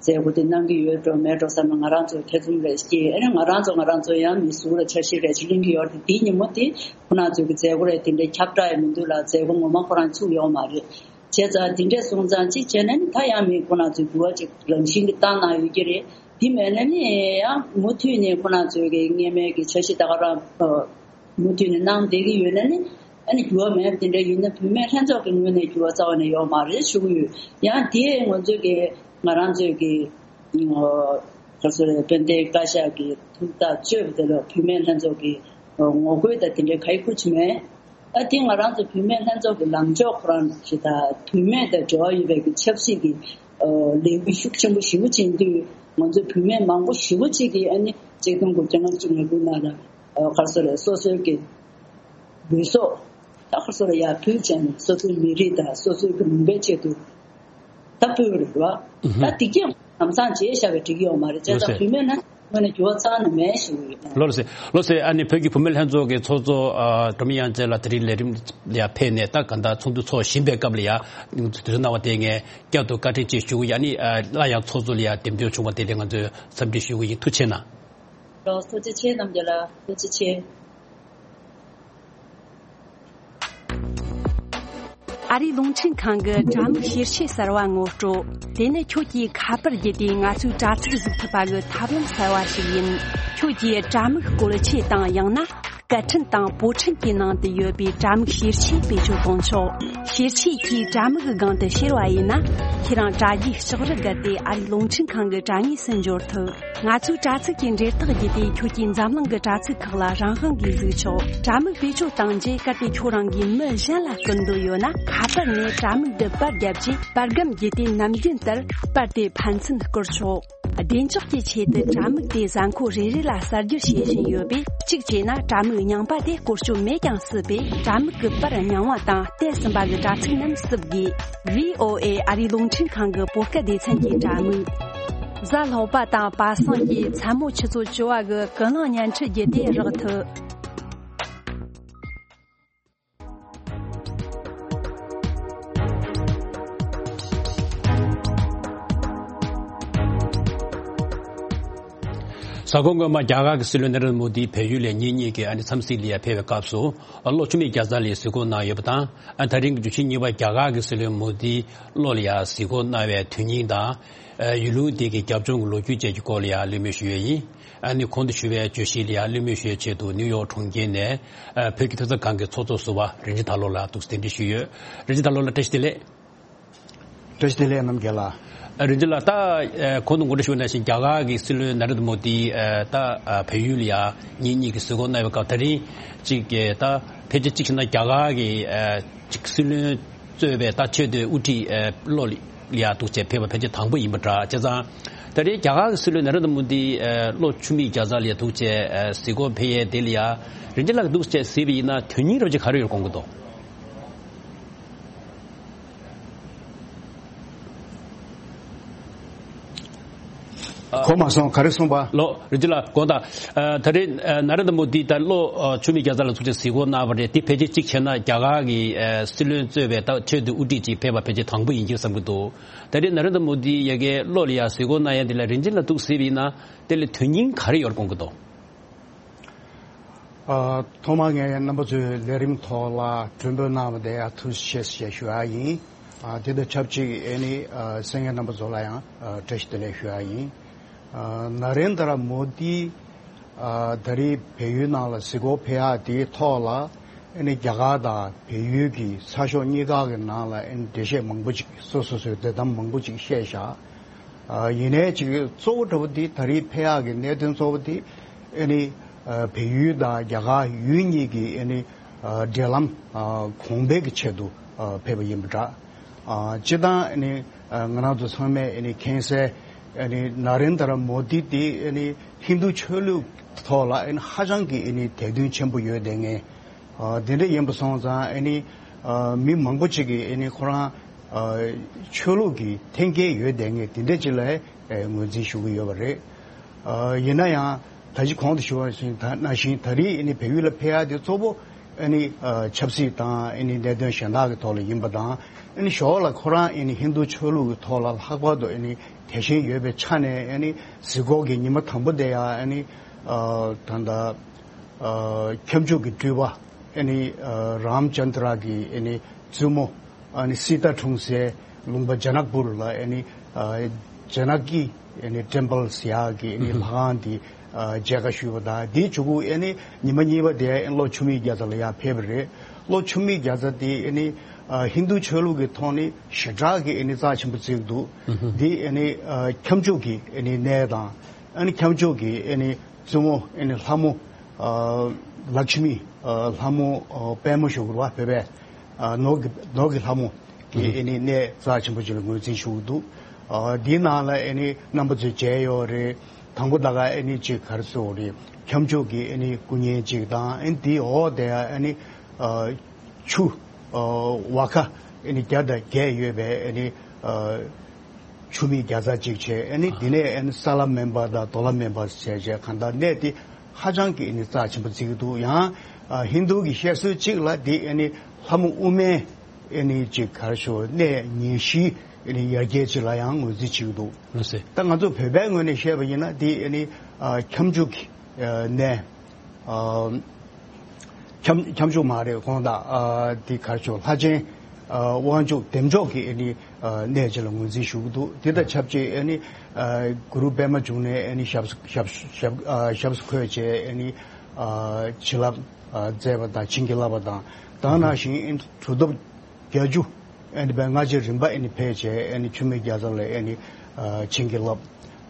མཛད་སྒོ་འདི་གནང་གི་ཡོད་འགྲོ་མེད་འགྲོ་བསམ་ན་ང་རང་ཚོ་ཐེ་ཚོམ་རེ་སྐྱེས། ཨ་ནི་ང་རང་ཚོ་ང་རང་ཚོ་ཡང་མི་ཟུར་ལ་འཆར་གཞི་རེ་ཅིག་གླེང་གི་ཡོད་རེད། འདིའི་ཉིན་མོ་འདི་ཁོ་རང་ཚོའི་གི་མཛད་སྒོ་རེ་དེ་འདྲའི་ཁྱབ་བསྒྲགས་ཡང་མི་འདུག་ལ་མཛད་སྒོ་ངོ་མ་ཁོ་རང་ཚུགས་ཡོད་མ་རེད། བྱས་ཙང་འདི་འདྲས་སོང་ཙང་གཅིག་བྱས་ནས་ནི་ད་ཡང་མི་ཁོ་ན་ཚོས་འགྱུར་བ་ཅིག་རང་བཞིན་གྱིས་བཏང་གནང་ཡོད་ཀྱི་རེད། འདི་མེད་ན་ནི་ཡང་མུ་མཐུད་ནས་ཁོ་ན་ཚོའི་གི་སྔས་མའི་གི་འཆར་གཞི་ད་ག་རང་མུ་མཐུད་ནས་གནང་བསྡད་ཀྱི་ཡོད་ན་ནི་ཨ་ནི་འགྱུར་བ་མེད་པ་དེ་འདྲ་ཡིན་ན་བུད་མེད་ལྷན་ཚོགས་ཀྱི་ངོས་ནས་འགྱུར་བ་རྩ་བ་ནས་ཡོད་མ་རེད་ཞུ་གི་ཡོད། ཡང་དེ་ང་ཚོའི་གི་ང་རང་ཚོའི་གི་ག་ཚོད་རེད། དཔལ་ལྡན་བཀའ་ཤག་གི་ཐུགས་ཐག་གཅོད་པ་དེ་ལ་བུད་མེད་ལྷན་ཚོགས་ཀྱི་ངོ་རྒོལ་དང་དེ་འདྲའི་ག་ཡི་ཁུ་ཆུ་མེད། ཨ་དེ་ང་རང་ཚོ་བུད་མེད་ལྷན་ཚོགས་ཀྱི་ལངས་ཕྱོགས་ཁོ་རང་ཞིག་དང་བུད་མེད་དང་འབྲེལ་བ་ཡོད་པའི་གི་ཆབ་སྲིད་ཀྱི་ལས་འགུལ་ཤུགས་ཆེན་པོ་ཞེ་པོ་ཕྱིན་དུས་ང་ཚོ་བུད་མེད་མང་པོ་ཞེ་པོ་ཅིག་གིས་ཨ་ནི་ཆིག་སྟོང་དགུ་བརྒྱ་ལྔ་བཅུ་ང་དགུ་ནང་ལ་ག་རེ་ཟེར་རེད། སོ་སོའི་གི་ལུས་སྲོག་ད་ག་རེ་ཟེར་རེད་ཡར་ཕུལ་བྱས་ནས་སོ་སོའི་མི་རིགས་དང་སོ་སོའི་གི་ལུང་པའི་ཆེད་དུ་ད་ཕུལ་བ་རེད་བ། ད་དེ་གས་ལམ་སང་བརྗེད་བཞག་པའི་འགྲིག་གི་ཡོད་མ་རེད། བྱས་ཙང་བུད་མེད་ན། དངོས་གནས་འགྱུར་བ་རྩ་བ་ནས་མེད་ཞུ་གི་ཡོད། ལགས་སེ། ལགས་སེ། ཨ་ནི་བོད་ཀྱི་བུད་མེད་ལྷན་ཚོགས་ཀྱི་ཚོགས་གཙོ་ཨ་སྒྲོལ་མ་དབྱངས་ཅན་ལགས་དེ་རིང་ལས་རིམ་ལ་ཕེབས་ནས་ད་ག་འདྲ་ཚོགས་འདུ་ཚོགས་བཞིན་པའི་སྐབས་ལ་ཡ་དུས་ཚོད་གནང་བ་དེ་ངས་བསྐྱར་དུ་བཀའ་དྲིན་ཆེ་ཞུ་གི་ཡོད། ཨ་ནི་ཨ་སླར་ཡང་ཚོགས་གཙོ་ལ་ཡ་འདེམས་ཐོན་བྱུང་བ་དེ་ལ་ང་ཚོས་འཚམས་འདྲི་ཞུ་གི་ཡིན། ཐུགས་རྗེ་གནང་། ལགས་ཐུགས་རྗེ་ཆེ། རྣམ་རྒྱལ་ལགས་ཐུགས་རྗེ་ཆེ། ཨ་རིའི་རླུང་འཕྲིན་ཁང་གི་དྲ་མིག་ཤེར་ཆས་གསར་བ་ངོ་སྤྲོད། དེ་ནི་ཁྱོད་ཀྱིས་ཁ་པར་བརྒྱུད་དེ་ང་ཚོའི་དྲ་ཚིགས་གཟིགས་ཐུབ་པ་གི་ཐབས་ལམ་གསར་བ་ཞིག་ཡིན། ཁྱོད་ཀྱིས་དྲ་མིག་བཀོལ་ཆས་དང་ཡང་ན་སྐད་འཕྲིན་དང་པོ་འཕྲིན་གྱི་ནང་དུ་ཡོད་པའི་དྲ་མིག་ཤེར་ཆས་བེད་སྤྱོད་གཏོང་ཆོག་ཤེར་ཆས་ཀྱིས་དྲ་མིག་གི་སྒང་དུ་ཤེར་བ་ཡིན་ན། ཁྱེད་རང་དྲ་རྒྱའི་ལྕགས་རི་བརྒལ་ཏེ་ཨ་རིའི་རླུང་འཕྲིན་ཁང་གི་དྲ་ངོས་སུ་འབྱོར་ཐུབ། ང་ཚོའི་དྲ་ཚིགས་ཀྱི་འབྲེལ་ཐག་བརྒྱུད་དེ་ཁྱོད་ཀྱིས་འཛམ་གླིང་གི་དྲ་ཚིགས་ཁག་ལ་རང་དབང་གིས་གཟིགས་ཆོག་དྲ་མིག་བེད་སྤྱོད་བཏང་རྗེས་གལ་ཏེ་ཁྱོད་རང་གིས་མི་གཞན་ལ་བསྐུར་འདོད་ཡོད་ན། ཁ་པར་ནས་དྲ་མིག་ཏུ་པར་བརྒྱབ་རྗེས་པར་སྒམ་བརྒྱུད་དེ་ནམ་རྒྱུན་ལྟར་པར་དེ་ཕན་ཚུན་བསྐུར་ཆོག་བདེ་འཇགས་ཀྱི་ཆེད་དུ་དྲ་མིག་དེ་གཟའ་འཁོར་རེ་རེ་ལ་གསར་བསྒྱུར་བྱེད་བཞིན་ཡོད་པས། གཅིག་བྱས་ན་དྲ་མིག་རྙིང་པ་དེ་བཀོལ་སྤྱོད་མེད་ཀྱང་སྲིད་པས། དྲ་མིག་གི་པར་རྙིང་བ་དང་བལྟས་ཟིན་པ་གི་དྲ་ཚིགས་རྣམས་བསུབ་དགོས། བྷི་ཨོ་ཨེ་ཨ་རིའི་རླུང་འཕྲིན་ཁང་གི་བོད་སྐད་སྡེ་ཚན་གྱི་དྲ་མིག་གཟའ་ལྷག་པ་དང་པ་སངས་ཀྱི་མཚན་མོ་ཆུ་ཚོད་བཅུ་པ་གི་ཀུན་གླེང་བརྙན་འཕྲིན་བརྒྱུད་དེ་རག་ཐུབ། གཟའ་འཁོར་སྔོན་མ་རྒྱ་གར་གྱི་སྲིད་བློན་ནཱ་རེན་དྲ་མོ་དི་བལ་ཡུལ་ལ་ཉིན་གཉིས་ཀྱི་ཨ་ནི་འཚམས་གཟིགས་ལ་ཡ་ཕེབས་པའི་སྐབས་སུ་ཨ་གློག་འཁྱུག་མེད་རྒྱལ་ས་ལ་གཟིགས་སྐོར་གནང་ཡོད་པ་དང་། ཨ་ད་རིང་གི་བརྗོད་གཞི་གཉིས་པ་རྒྱ་གར་གྱི་སྲིད་བློན་མོ་དི་གློག་ལ་ཡ་གཟིགས་སྐོར་གནང་བའི་དོན་སྙིང་དང་། ཨ་ཡུལ་ལུང་དེ་གའི་རྒྱབ་ལྗོངས་ཀྱི་ལོ་རྒྱུས་བཅས་ཀྱི་སྐོར་ལ་ཡ་གླེང་མོལ་ཞུ་ཡས་ཡིན། ཨ་ནི་གོང་དུ་ཞུས་པའི་བརྗོད་གཞི་ལ་ཡ་གླེང་མོལ་ཞུ་ཡས་ཆེད་དུ་ནིའུ་ཡོག་གྲོང་ཁྱེར་ནས་ཨ་བོད་ཀྱི་ཐོས་བསམ་ཁང་གི་ཚོགས་གཙོ་ཟུར་པ་རིན་ཆེན་དར་ལོ་ལགས་འདུག་སེ་གདན་འདྲེན་ཞུས་ཡོད། རིན་ཆེན་དར་ལོ་ལགས་བཀྲ་ཤིས་བདེ་ལེགས། བཀྲ་ཤིས་བདེ་ལེགས་རྣམ་རྒྱལ་ལགས། ཨ་རིན་ཆེན་ལགས། ད་ཨ་གོང་དུ་ངོ་སྤྲོད་ཞུས་པ་ནང་བཞིན་རྒྱ་གར་གྱི་སྲིད་བློན་ནཱ་རེན་དྲ་མོ་དི་ཨ་ད་ཨ་བལ་ཡུལ་ལ་ཡ་ཉིན་གཉིས་ཀྱི་གཟིགས་སྐོར་གནང་བའི་སྐབས། ད་རིང་གཅིག་གི་ད་ཕལ་ཆེར་གཅིག་བྱས་ན་རྒྱ་གར་གྱི་ཨ་གཅིག་སྲིད་བློན་གཙོས་པའི་ད་ཆེས་མཐོའི་དབུ་ཁྲིད་ཨ་གློག་ལ་ཡ་འདུག་སེ་ཕེབས་པ་ཕལ་ཆེར་དང་པོ་ཡིན་པ་འདྲ། བྱས་ཙང་ད་རེས་རྒྱ་གར་གྱི་སྲིད་བློན་ནཱ་རེན་དྲ་མོ་དི་ཨ་གློག་འཁྱུག་མེད་རྒྱལ་ས་ལ་ཡ་འདུག་སེ་ཨ་གཟིགས་སྐོར་ཕེབས་ཡས་དེ་ལ་ཡ་རིན་ཆེན་ལགས་ཀྱིས་འདུག་སེ་གཟིགས་པ་ཡིན་ན་དོན་སྙིང་རབ་ཅིག་ག་རེ་ཡོད་དགོངས་ཀྱི་འདུག་གོ་མ་སོང་། ག་རེ་གསུངས་པ། ལགས་རིན་ཆེན་ལགས། དགོངས་དག་ཨ་ད་རེས་ཨ་ནཱ་རེན་དྲ་མོ་དི་ད་གློག་ཨ་འཁྱུག་མེད་རྒྱལ་ས་ལ་འདུག་སེ་གཟིགས་སྐོར་གནང་བ་རེད། དེ་ཕལ་ཆེར་གཅིག་བྱས་ན་རྒྱ་གར་གྱི་ཨ་སྲིད་བློན་གཙོས་པའི་ད་ཆེས་མཐོའི་དབུ་ཁྲིད་ཅིག་ཕེབས་པ་ཕལ་ཆེར་དང་པོ་ཡིན་གྱི་བསམ་གྱི་འདུག་ད་རེས་ནཱ་རེན་དྲ་མོ་དི་ཡ་གིའི་གློག་ལ་ཡ་གཟིགས་སྐོར་གནང་ཡ་འདི་ལ་རིན་ཆེན་ལགས་འདུག་སེ་གཟིགས་པ་ཡིན་ན་དེ་ལ་དོན་སྙིང་ག་རེ་ཡོད་དགོངས་ཀྱི་འདུག་ཨ་ཐོག་མར་ངས་རྣམ་པ་ཚོའི་ལས་རིམ་ཐོག་ལ་མགྲོན་འབོད་གནང་བ་དེ་ཡང་ཐུགས་རྗེ་ཆེ་ཞེས་ཞུ་ཡ་ཡིན། ཨ་དེ་དང་ཆབས་ཅིག་ཨེ་ནི་ཨ་གསན་མཁན་རྣམ་པ་ཚོ་ལ་ཡང་ཨ་བཀྲ་ཤིས་བདེ་ལེགས་ཞུ་ཡ་ཡིན། ཨ་ནཱ་རེན་དྲ་མོ་དི་ཨ་ད་རེས་བལ་ཡུལ་ནང་ལ་གཟིགས་སྐོར་ཕེབས་ཡ་དེའི་ཐོག་ལ་ཨེ་ནི་རྒྱ་གར་དང་བལ་ཡུལ་གྱི་ཚགས་ཤོག་གཉིས་ཀ་གི་ནང་ལ་ཨེ་ནི་འགྲེལ་བཤད་མང་པོ་ཅིག་སོ་སོ་སོའི་འདོད་གཏམ་མང་པོ་ཅིག་བཤད་བཞག་ཨ་ཡིན་ནའི་ཅིག་གཙོ་བོ་འདྲ་བོ་འདི་ད་རེས་ཕེབས་ཡག་གི་གནད་དོན་གཙོ་བོ་འདི་ཨ་ནི་ཨ་བལ་ཡུལ་དང་རྒྱ་གར་ཡུལ་གཉིས་ཀྱི་ཨ་ནི་ཨ་འབྲེལ་ལམ་ཨ་གོང་འཕེལ་གྱི་ཆེད་དུ་ཨ་ཕེབས་པ་ཡིན་པ་འདྲ། ཨ་སྤྱིར་བཏང་ཨ་ནི་ཨ་ང་རང་ཚོ་ཚང་མས་ཨ་ནི་མཁྱེན་གསལ་ཨ་ནི་ནཱ་རེན་དྲ་མོ་དི་འདི་ཨ་ནི་ཧིན་རྡུ་ཆོས་ལུགས་ཐོག་ལ་ཨ་ནི་ཧ་ཅང་གི་ཨ་ནི་དད་འདུན་ཆེན་པོ་ཡོད་བསྡད་མཁན། ཨ་དེ་འདྲ་ཡིན་པ་སོང་ཙང་ཨ་ནི་ཨ་མི་མང་པོ་ཅིག་གིས་ཨ་ནི་ཁོ་རང་ཨ་ཆོས་ལུགས་ཀྱི་འཐེན་འཁྱེར་ཡོད་བསྡད་མཁན་དེ་འདྲ་ཅིག་ལ་ཨ་ངོས་འཛིན་ཞུ་གི་ཡོད་པ་རེད། ཨ་ཡིན་ན་ཡང་ད་ཅི་གོང་དུ་ཞུ་བ་བཞིན་ད་ནང་བཞིན་ད་རེས་ཨ་ནི་བལ་ཡུལ་ལ་ཕེབས་ཡ་དེ་གཙོ་བོ་ཨ་ནི་ཨ་ཆབ་སྲིད་དང་ཨ་ནི་གནད་དོན་གཞན་དག་གི་ཐོག་ལ་ཡིན་པ་དང་། ཨ་ནི་ཞོར་ལ་ཁོ་རང་ཨ་ནི་ཧིན་རྡུ་ཆོས་ལུགས་ཀྱི་ཐོག་ལ་ལྷག་པར་དུ་ཨ་ནི་དད་ཞེན་ཡོད་པའི་ཆ་ནས་ཨ་ནི་གཟིགས་སྐོར་གྱི་ཉི་མ་དང་པོ་དེ་ཡང་ཨ་ནི་ཨ་ད་ལྟ་ཨ་ཁྱབ་འཇུག་གི་སྤྲུལ་པ་ཨ་ནི་ཨ་རམ་ཅན་དྲ་གི་ཨ་ནི་བཙུན་མོ་ཨ་ནི་སི་ཏཱ་འཁྲུངས་སའི་ལུང་པ་ཇ་ནག་པུར་ལ་ཨ་ནི་ཨ་ཇ་ནག་གི་ཨ་ནི་ཊེམ་པལ་ཟེར་ཡག་གི་ཨ་ནི་ལྷ་ཁང་དེ་ཨ་མཇལ་ཁ་ཞུས་པ་དང་། དེའི་གཅིག་པུ་ཨ་ནི་ཉི་མ་གཉིས་པ་དེ་ཨ་ནི་གློག་འཁྱུག་མེད་རྒྱལ་ས་ལ་ཡར་ཕེབས་པ་རེད། གློག་འཁྱུག་མེད་རྒྱལ་ས་དེ་ཨ་ནི་ཨ་ཧིན་རྡུ་ཆོས་ལུགས་ཀྱི་ཐོག་ནས་ཞེ་དྲག་གི་ཨ་ནི་རྩ་ཆེན་པོ་བརྩི་གི་འདུག་དེ་ཨ་ནི་ཨ་ཁྱབ་འཇུག་གི་ཨ་ནི་གནས་དང་། ཨ་ནི་ཁྱབ་འཇུག་གི་ཨ་ནི་བཙུན་མོ་ཨ་ནི་ལྷ་མོ་ཨ་ལཀྵ་མི་ཨ་ལྷ་མོ་ཨ་དཔལ་མོ་ཞུ་དགོས་པ། བོད་པའི་ཨ་ནོར་གྱི་ནོར་གྱི་ལྷ་མོ་གི་ཨ་ནི་གནས་རྩ་ཆེན་པོ་ཅིག་ལ་ངོས་འཛིན་ཞུ་གི་འདུག་ཨ་འདིའི་ནང་ལ་ཨ་ནི་རྣམ་པ་ཚོས་མཇལ་ཡོད་རེད། དང་པོ་ད་ག་ཨ་ནི་ཅིག་ག་རེ་ཟེར་དགོས་རེད། ཁྱབ་འཇུག་གི་ཨ་ནི་སྐུ་བརྙན་ཅིག་དང་། ཨ་ནི་དེའི་འོག་དེ་ཨ་ནི་ཨ་ཆུ་ཨ་ཝ་ཁ་ཨ་ནི་བརྒྱ་དང་བརྒྱད་ཡོད་པའི་ཨ་ནི་ཨ་ ཆུ་མིག་བརྒྱ་རྩ་གཅིག་བྱས། ཨ་ནི་དེ་ནས་ཨ་ནི་ས་ལ་སྨན་པ་དང་རྡོ་ལ་སྨན་པ་བྱས་བྱས། གང་ལྟར་གནས་དེ་ཧ་ཅང་གི་ཨ་ནི་རྩ་ཆེན་པོ་བརྩི་གི་འདུག། ཡང་ཨ་ཧིན་རྡུ་གི་བཤད་སྲོལ་གཅིག་ལ་དེ་ཨ་ནི་ལྷ་མོ་ཨུ་མའི་ཨ་ནི་ཅིག་ག་རེ་ཞུ། གནས་ཉེར་བཞིའི་ཨ་ནི་ཡ་གྱལ་ཅིག་ལ་ཡང་ངོས་འཛིན་བྱེད་ཀྱི་འདུག། ལགས་སོ། ད་ང་ཚོ་བོད་པའི་ངོས་ནས་བཤད་པ་ཡིན་ན། དེ་ཨ་ནི་ཨ་ཁྱབ་འཇུག་གི་ཨ་གནས། ཨ་ཁྱབ་ཁྱབ་འཇུག་མ་རེད། དགོངས་དག། ཨ་དེ་ག་རེ་ཞུ། ལྷ་ཆེན་ཨ་དབང་ཕྱུག་བདེ་མཆོག་གི་ཨ་ནི་ཨ་གནས་ཅིག་ལ་ངོས་འཛིན་ཞུ་གི་འདུག། དེ་དང་ཆབས་ཅིག་ཨ་ནི་ཨ་གུ་རུ་པདྨ་འབྱུང་གནས་ཨ་ནི་ཞབས་ཞབས་ཞབས་ཨ་ཞབས་སུ་འཁོད་བྱས། ཨ་ནི་ཨ་བྱིན་རླབས་ཨ་མཛད་པ་དང་བྱིན་གྱིས་བརླབས་པ་དང་། ད་ག་ནང་བཞིན་གྲུབ་ཐོབ་བརྒྱད་ཅུ་ཨ་ནི་པའི་སྔ་རྗེས་རིམ་པ་ཨ་ནི་ཕེབས་བྱས། ཨ་ནི་ཆུ་མིག་བརྒྱ་རྩ་ལ་ཨ་ནི་ཨ་བྱིན་གྱིས་བརླབས།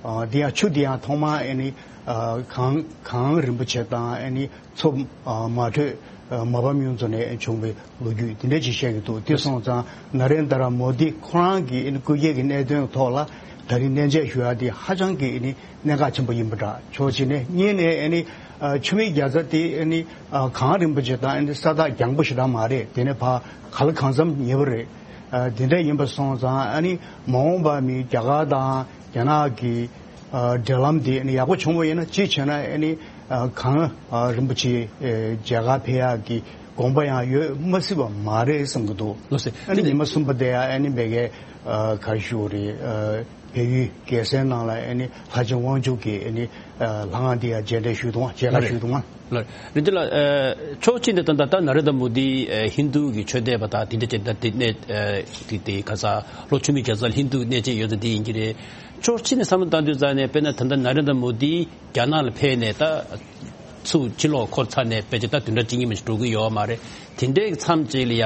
ཨ་དེ་ཡང་ཆུ་དེ་ཡང་ཐོག་མར་ཨ་ནི་ཨ་གངས་གངས་རིན་པོ་ཆེ་དང་ཨ་ནི་མཚོ་ཨ་མ་དྲོས་ཨ་མ་ཕམ་གཡུ་མཚོ་ནས་བྱུང་བའི་ལོ་རྒྱུས་དེ་འདྲ་ཅིག་བཤད་ཀྱི་འདུག། དེ་སོང་ཙང་ན་རེན་དྲ་མོ་དི་ཁོ་རང་གི་ཨ་ནི་སྐུ་སྐྱེ་གི་གནད་དོན་ཐོག་ལ་ད་རིང་གནས་མཇལ་ཞུ་ཡ་དེ་ཧ་ཅང་གི་ཨ་ནི་གནད་འགག་ཆེན་པོ་ཡིན་པ་འདྲ། ཕྱོགས་གཅིག་ནས། གཉིས་ནས་ཨ་ནི་ཨ་ཆུ་མིག་བརྒྱ་རྩ་དེ་ཨ་ནི་ཨ་གངས་རིན་པོ་ཆེ་དང་ཨ་ནི་ས་ཐག་རྒྱང་པོ་ཞེ་དྲག་མ་རེད། དེ་ནས་ཕར་ག་ལ་གང་འཚམ་ཉེ་བ་རེད། ཨ་དེ་འདྲ་ཡིན་པ་སོང་ཙང་ཨ་ནི་མ་འོངས་པ་མི་རྒྱ་གར་དང་རྒྱ་ནག་གི་ཨ་འབྲེལ་ལམ་དེ་ཨ་ནི་ཡག་པོ་བྱུང་བ་ཡིན་ན། གཅིག་བྱས་ན་ཨ་ནི་ཨ་གངས་ཨ་རིན་པོ་ཆེ་ཨ་མཇལ་ཁ་ཕེབས་ཡག་གི་དགོངས་པ་ཡང་ཡོད་མ་སྲིད་པ་མ་རེད་བསམ་གྱི་འདུག། ལགས་སོ། ཨ་ནི་ཉི་མ་གསུམ་པ་དེ་ཡང་ཨ་ནི་མ་གི་ཨ་ག་རེ་ཞུ་དགོས་རེད། ཨ་བལ་ཡུལ་རྒྱལ་སའི་ནང་ལ་ཨ་ནི་ལྷ་ཆེན་དབང་ཕྱུག་གི་ཨ་ནི་ཨ་ལྷ་ཁང་དེ་ཡང་མཇལ་འཕྲད་ཞུས་འདུག། མཇལ་ཁ་ཞུས་འདུག། ལགས། རིན་ཆེན་ལགས། ཨ་ཕྱོགས་གཅིག་ནས་ད་ལྟ་ད་ན་རེན་དྲ་མོ་དི་ཨ་ཧིན་རྡུ་གི་ཆོས་དད་པ་དང་དེ་འདྲ་བྱས། ད་དེ་གནས་ཨ་དེ་དེ་ག་ས་ལྷོ་ཆུ་མིག་བརྒྱ་རྩ་ལ་ཧིན་རྡུ་གནས་བཅས་ཡོད་ཚད་དེ་ཡིན་གྱི་རེད། ཕྱོགས་གཅིག་ནས་བསམ་བློ་བཏང་དུས་ཙང་ནས། དཔེར་ན་ད་ལྟ་ན་རེན་དྲ་མོ་དི་རྒྱ་ནག་ལ་ཕེབས་ནས་ད་ཚུར་ཕྱིར་ལོག་འཁོར་ཚར་ནས་ཕལ་ཆེར་ད་བདུན་ཕྲག་གཅིག་གཉིས་མ་ཞིག་འགྲོ་གི་ཡོད་མ་རེད། དེ་འདྲའི་མཚམས་གཅིག་ལ་ཡ་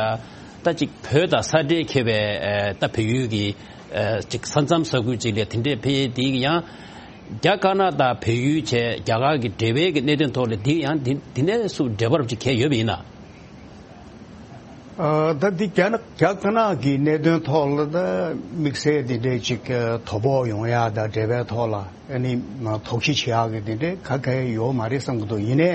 ད་ཅིག་བོད་དང་ས་འབྲེལ་འཁེལ་བའི་ཨ་ད་བལ་ཡུལ་གྱི་ཨ་ཅིག་ས་མཚམས་ས་ཁུལ་གཅིག་ལ་དེ་འདྲའི་ཕེབས་ཡས་དེ་ཡང་རྒྱ་དཀར་ནག་དང་བལ་ཡུལ་བྱས་རྒྱ་གར་གྱི་འབྲེལ་བའི་གི་གནད་དོན་ཐོག་ལ་དེ་ཡང་དེ་དེ་ནས་སུ་འབྲེལ་བ་རབ་ཅིག་གལ་ཡོད་པ་ཡིན་ན། ཨ་ད་འདི་རྒྱ་ནག་རྒྱ་དཀར་ནག་གི་གནད་དོན་ཐོག་ལ་ད་དམིགས་བསལ་དེ་འདྲའི་ཅིག་ཨ་དོ་ཕོག་ཡོང་ཡ་དང་འབྲེལ་བའི་ཐོག་ལ་ཨ་ནི་མ་དོགས་གཞི་བྱེད་ཡག་གི་དེ་འདྲའི་ག་གེ་ཡོད་མ་རེད་བསམ་གྱི་འདུག། ཡིན་ནའི་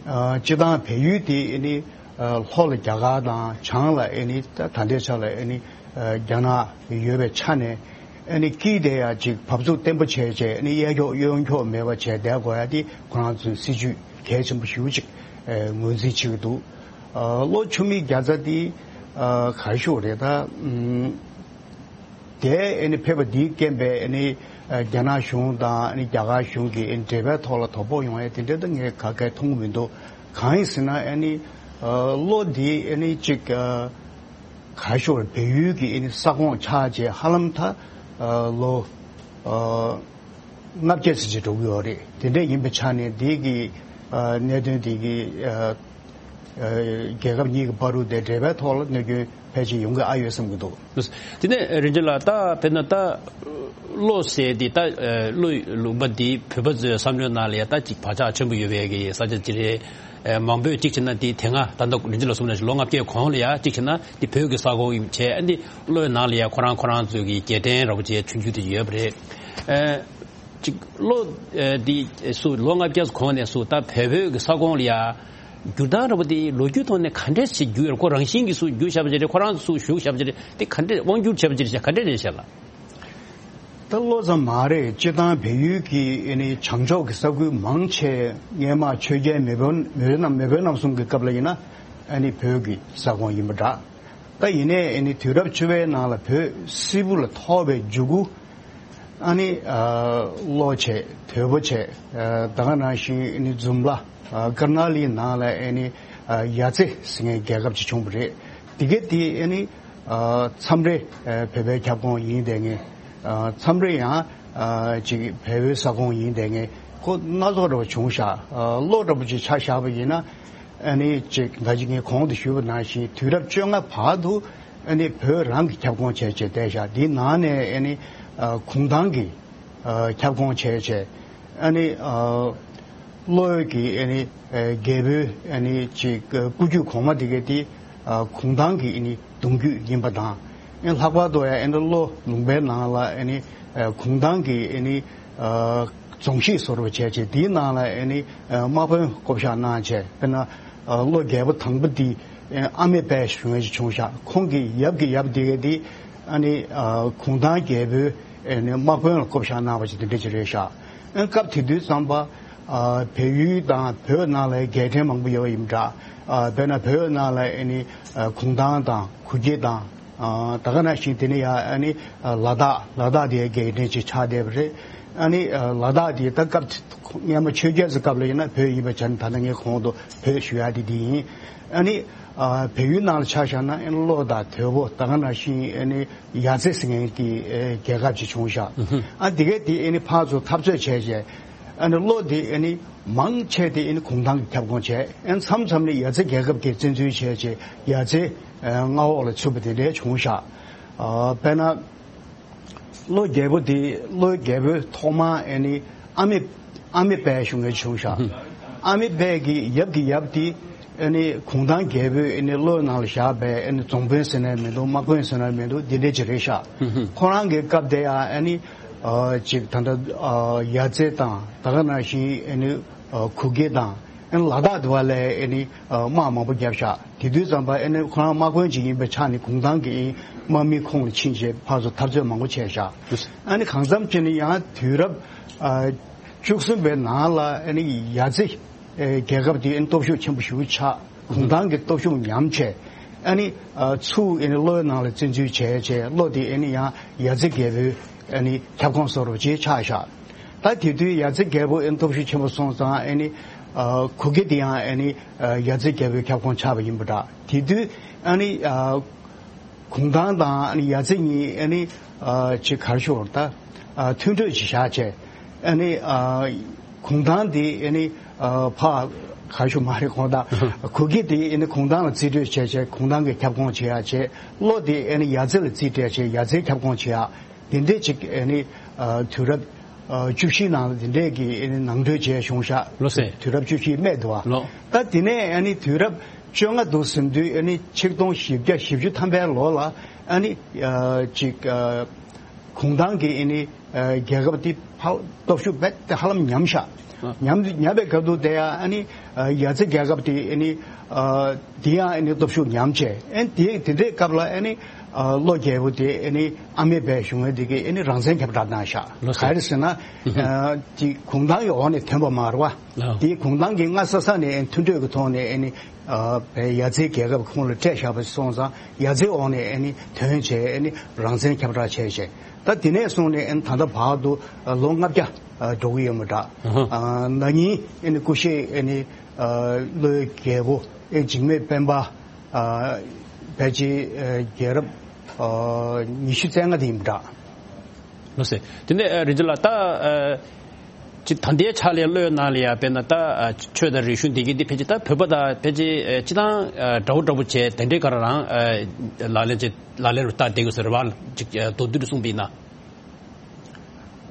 ཨ་སྤྱིར་བཏང་བལ་ཡུལ་དེ་ཨ་ནི་ཨ་ལྷོ་ལ་རྒྱ་གར་དང་བྱང་ལ་ཨ་ནི་ད་ད་ལྟའི་ཆ་ལ་ཨ་ནི་ཨ་རྒྱ་ནག་ཡོད་པའི་ཆ་ནས། ཨ་ནི་དཀྱིལ་དེ་ཡང་ཅིག་བབས་ཚུགས་བརྟན་པོ་བྱས་བྱས། ཨ་ནི་གཡས་འཁྱོག་གཡོན་འཁྱོག་མེད་པ་བྱས་བསྡད་དགོས་ཡ་དེ་ཁོ་རང་ཚོའི་སྲིད་ཇུས་གལ་ཆེན་པོ་ཞེ་པོ་ཅིག་ཨ་ངོས་འཛིན་བྱེད་ཀྱི་འདུག། ཨ་ལྷོ་ཆུ་མིག་བརྒྱ་རྩ་དེ་ཨ་ག་རེ་ཞུ་དགོས་རེད། ད་ཨམ་དེ་ཨ་ནི་ཕེབས་པ་དེའི་རྐྱེན་པས་ཨ་ནི་ཨ་རྒྱ་ནག་གཞུང་དང་ཨ་ནི་རྒྱ་གར་གཞུང་གི་ཨ་ནི་འབྲེལ་བའི་ཐོག་ལ་དོ་ཕོག་ཡོང་ཡ་དེ་འདྲ་ད་ངས་ག་གེ་མཐོང་གི་མི་འདུག། གང་ཡིན་ཟེར་ན་ཨ་ནི་ཨ་ལྷོ་དེ་ཨ་ནི་ཅིག་ཨ་ག་རེ་ཞུ་དགོས་རེད། བལ་ཡུལ་གྱི་ཨ་ནི་ས་ཁོངས་ཆགས་བྱས་ཧ་ལམ་ད་ཨ་ལོ་ཨ་ལྔ་བརྒྱ་ཙམ་ཅིག་འགྲོ་གི་ཡོད་རེད། དེ་འདྲ་ཡིན་པའི་ཆ་ནས་འདི་གི་ཨ་གནད་དོན་འདི་གི་ཨ་ཨ་རྒྱལ་ཁབ་གཉིས་ཀྱི་བར་དུ་དེ་འབྲེལ་བའི་ཐོག་ལ་གནོད་སྐྱོན་ཕལ་ཆེར་ཡོང་གི་ཨ་ཡོད་བསམ་གྱི་འདུག། དེ་ནས་རིན་ཆེན་ལགས། ད་དཔེར་ན་ད་ལྷོ་ཟེར་དེ་ད་ཨ་ལྷོ་ལུང་པ་འདི་བོད་པ་ཚོའི་བསམ་བློའི་ནང་ལ་ཡ་ད་ཅིག་བག་ཆགས་ཆེན་པོ་ཡོད་པའི་གི་ས་ཆ་ཅིག་རེད། ཨ་མང་པོས་གཅིག་བྱས་ན་དེ་དེ་སྔ་ད་ལྟ་རིན་ཆེན་ལགས་གསུངས་ནང་བཞིན་ལོ་ལྔ་བརྒྱའི་གོང་ལ་ཡ་གཅིག་བྱས་ན་དེ་བོད་ཀྱི་ས་ཁོངས་ཡིན་བྱས། ཨ་ནི་ལྷོའི་ནང་ལ་ཡ་ཁོ་རང་ཁོ་རང་ཚོའི་གི་རྒྱལ་ཕྲན་ར་བ་ཅིག་ཆུང་ཆུང་དེ་ཡོད་པ་རེད། ཨ་ཅིག་ལྷོ་ཨ་དེ་སུ་ལོ་ལྔ་བརྒྱ་གོང་ནས་སུ་ད་བལ་བོད་ཀྱི་ས་ཁོངས་ལ་ཡ་འགྱུར་སྟངས་ར་བ་དེ་ལོ་རྒྱུས་ཐོག་ནས་ག་འདྲས་ཞིག་འགྱུར་ཡོད། ཁོ་རང་བཞིན་གྱིས་སུ་འགྱུར་བཞག་པ་ཅིག་རེད། ཁོ་རང་སུ་བཞུགས་བཞག་པ་ཅིག་རེད། དེ་ག་འདྲས་དབང་བསྒྱུར་བྱས་པ་ཅིག་རེད་ཤག། ག་འདྲས་རེད་ཤག་ལགས། ད་ལྷོ་ཙམ་མ་རེད། སྤྱིར་བཏང་བལ་ཡུལ་གྱི་ཨ་ནི་བྱང་ཕྱོགས་ཀྱི་ས་ཁུལ་མང་ཆེ་སྔས་མ་ཆོས་རྒྱལ་མེས་དབོན་མེས་དབོན་རྣམ་མེས་དབོན་རྣམ་གསུམ་གྱི་སྐབས་ལ་ཡིན་ན་ཨ་ནི་བོད་ཀྱི་ས་ཁོངས་ཡིན་པ་འདྲ། ད་ཡིན་ནའི་ཨ་ནི་དུས་རབས་བཅུ་པའི་ནང་ལ་བོད་སིལ་བུ་ལ་ཐོར་བའི་མཇུག་གུ་ཨ་ནི་ཨ་ལྷོ་བྱས། དོལ་པོ་བྱས། ཨ་ད་ག་ནང་བཞིན་ཨ་ནི་འཛོམས་ལ་ཨ་ཀར་ནཱ་ལིའི་ནང་ལ་ཨ་ནི་ཨ་ཡ་ཙི་ཟེར་མཁན་རྒྱལ་ཁབ་ཅིག་བྱུང་བ་རེད། དེ་ག་དེ་ཨ་ནི་ཨ་མཚམས་རེ་ཨ་བོད་པའི་ཁྱབ་ཁོངས་ཡིན་བསྡད་མཁན། ཨ་མཚམས་རེ་ཡང་ཨ་ཅིག་བལ་པོའི་ས་ཁོངས་ཡིན་བསྡད་མཁན་ཁོ་སྣ་ཚོགས་འདྲ་བ་བྱུང་ཤག། ཨ་ལྷོ་འདྲ་པོ་ཅིག་ཆ་བཞག་པ་ཡིན་ན་ཨ་ནི་ཅིག་ད་ཅིག་ངས་གོང་དུ་ཞུས་པ་ནང་བཞིན་དུས་རབས་བཅོ་ལྔ་བར་དུ་ཨ་ནི་བོད་རང་གི་ཁྱབ་ཁོངས་བྱས་བྱས་བསྡད་ཤག། འདིའི་ནང་ནས་ཨ་ནི་ཨ་གུང་ཐང་གི་ཨ་ཁྱབ་ཁོངས་བྱས་བྱས། ཨ་ནི་ཨ་ལྷོ་ཡུལ་གྱི་ཨ་ནི་ཨ་རྒྱལ་པོའི་ཨ་ནི་ཅིག་ཨ་སྐུ་རྒྱུད་གོང་མ་དེ་ག་དེ་ཨ་གུང་ཐང་གི་ཨ་ནི་གདུང་རྒྱུད་ཡིན་པ་དང་། ཨ་ལྷག་པར་དུ་ཡང་ཨ་ནི་ལྷོ་ལུང་པའི་ནང་ལ་ཨ་ནི་ཨ་གུང་ཐང་གི་ཨ་ནི་ཨ་རྫོང་གཞིས་བཟོ་འདྲ་བྱས་བྱས། དེའི་ནང་ལ་ཨ་ནི་ཨ་དམག་དཔོན་བསྐོ་བཞག་གནང་བྱས། དཔེར་ན་ཨ་ལྷོ་རྒྱལ་པོ་དང་པོ་དེ་ཨ་ཨ་མེ་དཔལ་ཞུ་མཁན་ཞིག་བྱུང་ཤག། ཁོང་གི་ཡབ་ཀྱི་ཡབ་དེ་ག་དེ་ཨ་ནི་ཨ་གུང་ཐང་རྒྱལ་པོའི་ ཨེ་ནི་དམག་དཔོན་ལ་བསྐོ་བཞག་གནང་བ་ཅིག་དེ་འདྲ་ཅིག་རེད་ཤག་ཨེ་སྐབས་དེ་དུས་ཙམ་པ་ཨ་བལ་ཡུལ་དང་བོད་ནང་ལ་རྒྱལ་ཕྲན་མང་པོ་ཡོད་པ་ཡིན་པ་འདྲ། ཨ་དཔེར་ན་བོད་ནང་ལ་ཨེ་ནི་ཨ་གུང་ཐང་དང་གུ་གེ་དང་། ཨ་ད་ག་ནང་བཞིན་དེ་ནས་ཡང་ཨ་ནི་ཨ་ལ་དྭགས། ལ་དྭགས་དེ་རྒྱལ་ཕྲན་ཅིག་ཆགས་བསྡད་པ་རེད། ཨ་ནི་ཨ་ལ་དྭགས་དེ་ད་སྐབས་སྔོན་མ་ཆོས་རྒྱལ་ཚོའི་སྐབས་ལ་ཡིན་ན་བོད་ཡིན་པ་བྱས་ན། ད་ལྟ་ངས་གོང་དུ་བོད་ཞུ་ཡག་དེ་འདི་ཡིན། ཨ་ནི་ཨ་བལ་ཡུལ་ནང་ལ་ཆ་བཞག་ན་ཨ་ནི་གློ་དང་དོལ་པོ། ད་ག་ནང་བཞིན་ཨ་ནི་ཡ་རྩེ་ཟེར་མཁན་གྱི་ཨ་རྒྱལ་ཁབ་ཅིག་བྱུང་ཤག་ཨ་དེ་གས་དེ་ཨ་ནི་ཕར་ཚུར་འཐབ་རྩོད་བྱས་བྱས། ཨ་ནི་གློ་དེ་ཨ་ནི་མང་ཆེ་དེ་ཨ་ནི་གུང་ཐང་གིས་ཁྱབ་ཁོངས་བྱས། ཨ་ནི་མཚམས་མཚམས་ནས་ཡ་རྩེ་རྒྱལ་ཁབ་ཀྱིས་བཙན་འཛུལ་བྱས་བྱས་ཡ་རྩེ་ཨ་མངའ་འོག་ལ་ཚུད་པ་དེ་འདྲ་བྱུང་ཤག་ཨ་དཔེར་ན། གློ་རྒྱལ་པོ་དེ། གློ་རྒྱལ་པོའི་ཐོག་མ་ཨ་ནི་ཨ་མེ། ཨ་མེ་དཔལ་ཞུ་མཁན་བྱུང་ཤག་ཨ་མེ་དཔལ་གྱི་ཡབ་ཀྱི་ཡབ་དེ་ཨ་ནི་གུང་ཐང་རྒྱལ་པོས་ཨ་ནི་གློའི་ནང་ལ་བཞག་པའི་ཨ་ནི་རྫོང་དཔོན་ཟེར་ན་མི་འདུག་དམག་དཔོན་ཟེར་ན་མི་འདུག་འདི་འདྲ་ཅིག་རེད་ཤག་ཁོ་རང་གི་སྐབས་དེ་ཡང་ཨ་ནི་ཨ་ཅིག་ད་ལྟ་ཨ་ཡ་རྩེ་དང་། ད་ག་ནང་བཞིན་ཨ་ནི་ཨ་གུ་གེ་དང་། ཨ་ནི་ལ་དྭགས་དེ་བ་ལ་ཨ་ནི་ཨ་དམག་མང་པོ་བརྒྱབ་ཤག་དེ་དུས་ཙམ་པ་ཨ་ནི་ཁོ་རང་དམག་དཔོན་ཅིག་ཡིན་པའི་ཆ་ནས་གུང་ཐང་གི་དམག་མིའི་ཁོངས་ལ་ཕྱིན་བྱས་ཕར་ཚུར་འཐབ་རྩོད་མང་པོ་བྱས་ཤག་ཨ་ནི་གང་འཚམ་བྱས་ནས་ཡང་དུས་རབས་ཨ་བཅུ་གསུམ་པའི་ནང་ལ་ཨ་ནི་ཡ་རྩེ་ཨ་རྒྱལ་ཁབ་དེ་ཨ་ནི་སྟོབས་ཤུགས་ཆེན་པོ་ཞེ་པོ་ཆགས། གུང་ཐང་གི་སྟོབས་ཤུགས་ཉམས་བྱས། ཨ་ནི་ཨ་ཚུར་ཨ་ནི་གློའི་ནང་ལ་བཙན་འཛུལ་བྱས་བྱས། གློ་དེ་ཨ་ནི་ཡང་ཡ་རྩེ་རྒྱལ་པོའི་ཨ་ནི་ཁྱབ་ཁོངས་བཟོ་འདྲ་ཅིག་ཆགས་ཤག་ད་དེ་དུས་ཡ་རྩེ་རྒྱལ་པོ་ཨ་ནི་སྟོབས་ཤུགས་ཆེན་པོ་སོང་ཙང་། ཨ་ནི་ཨ་གུ་གེ་དེ་ཡང་ཨ་ནི་ཨ་ཡ་རྩེ་རྒྱལ་པོའི་ཁྱབ་ཁོངས་ཆགས་པ་ཡིན་པ་འདྲ། དེ་དུས་ཨ་ནི་ཨ་གུང་ཐང་དང་ཨ་ནི་ཡ་རྩེ་གཉིས་ཨ་ནི་ཨ་ཅིག་ག་རེ་ཞུ་དགོས་རེད། ད་ཨ་མཐུན་གྲོས་ཅིག་བཞག་བྱས། ཨ་ནི་ཨ་གུང་ཐང་དེ་ཨ་ནི་ཨ་ཕར་ག་རེ་ཞུ་མ་རེད། གུང་ཐང་། གུ་གེ་དེ་ཨ་ནི་གུང་ཐང་ལ་རྩིས་སྤྲོད་བྱས་བྱས་གུང་ཐང་གི་ཁྱབ་ཁོངས་བྱེད་ཡག་བྱས། གློ་དེ་ཨ་ནི་ཡ་རྩེ་ལ་རྩིས་སྤྲད་བྱས་ཡ་རྩེའི་ཁྱབ་ཁོངས་བྱེད་ཡག་དེ་འདྲས་ཅིག་ཨ་ནི་ཨ་དུས་རབས་ཨ་བཅུ་བཞིའི་ནང་ལ་དེ་འདྲས་ཀྱི་ཨ་ནི་ནང་གྲོས་བྱས་བྱུང་ཤག་ལགས་སེ། དུས་རབས་བཅུ་བཞིའི་སྨད་དུ་བ། ལགས། ད་དེ་ནས་ཨ་ནི་དུས་རབས་བཅོ་ལྔ་འདུག་ཟིན་དུས། ཨ་ནི་ཆིག་སྟོང་བཞི་བརྒྱ་བཞི་བཅུ་ཐམ་པའི་ལོ་ལ་ཨ་ནི་ཨ་ཅིག་ཨ་གུང་ཐང་གི་ཨ་ནི་ཨ་རྒྱལ་ཁབ་དེ་ཧ། སྟོབས་ཤུགས་རྦད་དེ་ཧ་ལམ་ཉམས་ཤག་ཨ། ཉམས་ཉམས་པའི་སྐབས་དུ་དེ་ཡང་ཨ་ནི་ཨ་ཡ་རྩེ་རྒྱལ་ཁབ་དེ་ཨ་ནི་ཨ་དེ་ཡང་ཨ་ནི་སྟོབས་ཤུགས་ཉམས་བྱས། ཨ་ནི་དེ་དེ་འདྲའི་སྐབས་ལ་ཨ་ནི་ཨ་གློ་རྒྱལ་པོ་དེ་ཨ་ནི་ཨ་མེ་དཔལ་ཞུ་མཁན་དེ་གིས་ཨ་ནི་རང་བཙན་ཁྱབ་བསྒྲགས་གནང་ཤག་ལགས་སོ། ག་རེ་ཟེར་ན། ཨ་དེ་གུང་ཐང་གི་འོག་ནས་ཐོན་པ་མ་རེད་བ། ལགས། དེ་གུང་ཐང་གིས་སྔ་ས་ས་ནས་ཨ་ནི་མཐུན་གྲོས་ཀྱི་ཐོག་ནས་ཨ་ནི་ཨ་བལ་ཡ་རྩེའི་རྒྱལ་ཁབ་ཁོངས་ལ་སྤྲད་བཞག་པ་སོང་ཙང་། ཡ་རྩེའི་འོག་ནས་ཨ་ནི་ཐོན་བྱས་ཨ་ནི་རང་བཙན་ཁྱབ་བསྒྲགས་བྱས་བྱས། ད་དེ་ནས་བཟུང་ནས་ཨ་ནི་ད་ལྟ་བར་དུ་ཨ་ལོ་ལྔ་བརྒྱ་ཨ་འགྲོ་གི་ཡོད་མ་འདྲ། ཨ་ཧ། ཨ་ན་ནིང་ཨ་ནི་སྐུ་གཤེགས་ཨ་ནི་ཨ་གློའི་རྒྱལ་པོ་ཨེ་འཇིགས་མེད་སྤེན་པ་ཨ་ཕལ་ཆེར་ཨ་རྒྱལ་རབས་ཨ་ཉི་ཤུ་རྩ་ལྔ་དེ་ཡིན་པ་འདྲ། ལགས་སེ། དེ་ནས་ཨ་རིན་ཆེན་ལགས། ད་ཨ་ཅིག་ད་ལྟའི་ཆ་ལས་གློའི་ནང་ལ་ཡ་དཔེར་ན་ད་ཨ་ཆོས་དང་རིག་གཞུང་དེ་གའི་དེ་ཕལ་ཆེར་ད་བོད་པ་དང་ཕལ་ཆེར་ཨ་སྤྱིར་བཏང་ཨ་འདྲ་བོ་འདྲ་བོ་བྱས། དེ་འདྲའི་ག་རང་ཨ་ལག་ལེན་བྱས། ལག་ལེན་རུ་བསྟར་བསྡད་ཡོད་ས་རེད་བ། ཅིག་ཨ་མདོར་བསྡུས་རུ་གསུངས་པ་ཡིན་ན།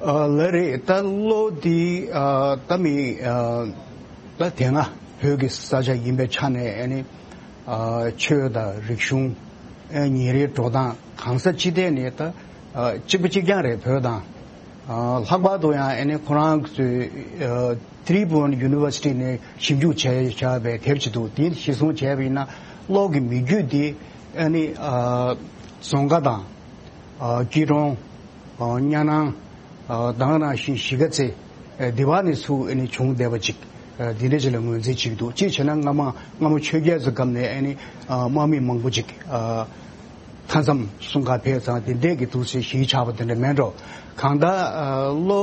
ཨ་ལགས་རེད། ད་གློ་འདི་ཨ་ད་མི་ཨ་ད་དེ་སྔ་བོད་ཀྱི་ས་ཆ་ཡིན་པའི་ཆ་ནས་ཨ་ནི་ཨ་ཆོས་དང་རིག་གཞུང་། ཨ་ཉིན་རེའི་འགྲོ་སྟངས། གང་ས་ཅི་ཐད་ནས་ད་ཨ་གཅིག་པ་གཅིག་རྐྱང་རེད། བོད་དང་ཨ་ལྷག་པར་དུ་ཡང་ཨ་ནི་ཁོ་རང་ཚོའི་ཨ་ཏི་རི་བྷུ་ཝན་ཡུ་ནི་ཝར་སི་ཊི་ནས་ཞིབ་འཇུག་བྱས་བཞག་པའི་དེབ་ཅིག་འདུག་དེ་གཞིར་བཟུང་བྱས་པ་ཡིན་ན། གློ་གི་མི་རྒྱུད་འདི་ཨ་ནི་ཨ་རྫོང་ཁ་དང་ཨ་སྐྱིད་གྲོང་། ཨ་གཉའ་ནང་། ཨ་དེ་ནང་བཞིན་གཞིས་ཀ་རྩེ། ཨ་འདི་བ་ནས་ཚུར་ཨ་ནི་བྱུང་བསྡད་པ་ཅིག་ཨ་འདི་འདྲ་ཅིག་ལ་ངོས་འཛིན་བྱེད་ཀྱི་འདུག་གཅིག་བྱས་ན་སྔ་མ་སྔ་མོ་ཆོས་རྒྱལ་ཚོའི་སྐབས་ནས་ཨ་ནི་ཨ་དམག་མི་མང་པོ་ཅིག་ཨ་མཐའ་མཚམས་སྲུང་གར་ཕེབས་ཙང་། དེ་འདྲས་ཀྱི་འདུག་ཟེར་གཞི་ཆགས་པ་དེ་འདྲ་མེད་འགྲོ། གང་ལྟར་ཨ་གློ་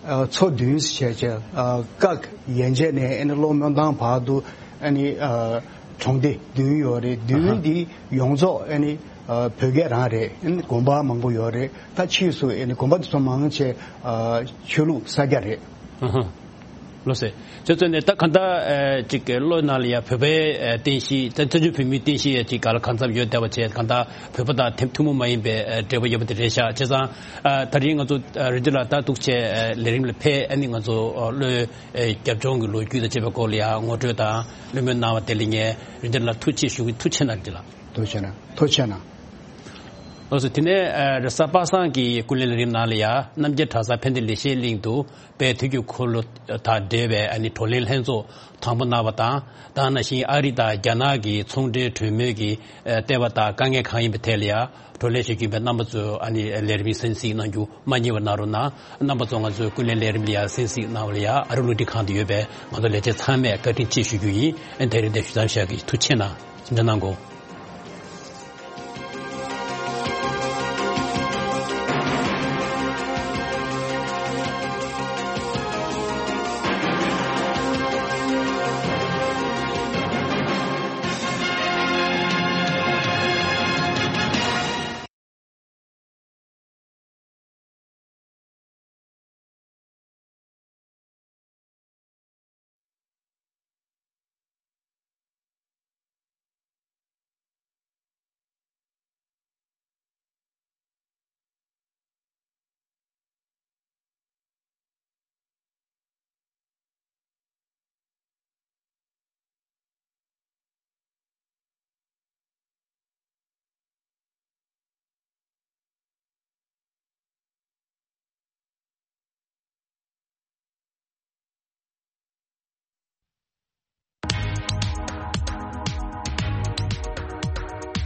ཨ་མཚོ་བདུན་ཟེར་བྱས་བྱས། ཨ་སྐག་ཡན་ཆད་ནས་ཨ་ནི་གློ་སྨོན་ཐང་བར་དུ་ཨ་ནི་ཨ་གྲོང་སྡེ་བདུན་ཡོད་རེད། ཨ་ཧ། བདུན་འདི་ཡོངས་རྫོགས་ཨ་ནི་ཨ་བོད་སྐད་རང་རེད། ཨ་ནི་དགོན་པ་མང་པོ་ཡོད་རེད། ད་ཕྱིས་སུ་ཨ་ནི་དགོན་པ་དེ་ཚོ་མང་ཆེ་ཨ་ཆོས་ལུགས་ས་སྐྱ་རེད། ཨ་ཧ། ལགས་སེ། དེ་ཚོ་ནས་ད་གང་ལྟར་ཨ་ཅིག་གློ་ནང་ལ་ཡ་བོད་པའི་ཨ་རྟེན་གཞི། ད་བཙན་བྱོལ་བོད་མིའི་རྟེན་གཞི་ཡ་ཅིག་ག་ལ་གང་འཚམ་ཡོད་བསྡད་པ་བྱས། གང་ལྟར་བོད་པ་དང་ཐུན་ཐུན་མོང་མ་ཡིན་པའི་ཨ་འབྲེལ་བ་ཡོད་པ་དེ་རེད་ཤག་བྱས་ཙང་། ཨ་ད་རིང་ང་ཚོ་ཨ་རིན་ཆེན་ལགས་ད་འདུག་བྱས་ཨ་ལས་རིམ་ལ་ཕེབས། ཨ་ནི་ང་ཚོ་ཨ་གློའི་ཨ་རྒྱབ་ལྗོངས་ཀྱི་ལོ་རྒྱུས་དང་བཅས་པའི་སྐོར་ལ་ཡ་ངོ་སྤྲོད་དང་བློ་སྨོན་གནང་བ་དེ་ལ་ངས་རིན་ཆེན་ལགས་ཐུགས་རྗེ་ཆེ་ཞུ་གི། ཐུགས་རྗེ་གནང་། རིན་ཆེན་ལགས། ཐུགས་རྗེ་གནང་། ཐུགས་རྗེ་གནང་། ལགས་སོ། དེ་ནས་ཨ་རེས་གཟའ་པ་སངས་ཀྱི་སྐུ་ལས་རིམ་ནང་ལ་ཡ་རྣམ་རྒྱལ་གྲྭ་ཚང་ཕན་བདེ་ལེགས་བཤད་གླིང་དུ་དཔལ་དུས་ཀྱི་འཁོར་ལོ་དང་འབྲེལ་བའི་ཨ་ནི་བགྲོ་གླེང་ལྷན་ཚོགས་དང་པོ་གནང་བ་དང་། དེ་ནང་བཞིན་ཨ་རི་དང་རྒྱ་ནག་གི་ཚོང་འབྲེལ་གྲོས་མོལ་གྱི་ཨ་ལྟེ་བ་དང་དཀའ་ངལ་གང་ཡིན་པའི་ཐད་ལ་ཡ་བགྲོ་གླེང་བྱེད་རྒྱུ་ཡིན་པས། རྣམ་པ་ཚོས་ཨ་ནི་ལས་རིམ་གསན་གཟིགས་གནང་རྒྱུ་མ་བསྙེལ་བ་གནང་རོགས་གནང་། རྣམ་པ་ཚོ་ང་ཚོའི་སྐུ་ལས་ལས་རིམ་ལ་ཡ་གསན་གཟིགས་གནང་བ་ལ་ཡ་ཨ་རི་རླུང་འཕྲིན་ཁང་དུ་ཡོད་པའི་ང་ཚོ་ལས་བྱེད་ཚང་མས་བཀའ་དྲིན་ཆེ་ཞུ་རྒྱུ་ཡིན། ཨ་ནི་དེ་རིང་འདིར་ཞུ་མཚམས་བཞག་གི། ཐུགས་རྗེ་གནང་། གསུང་ཆོས་གནང་དགོས།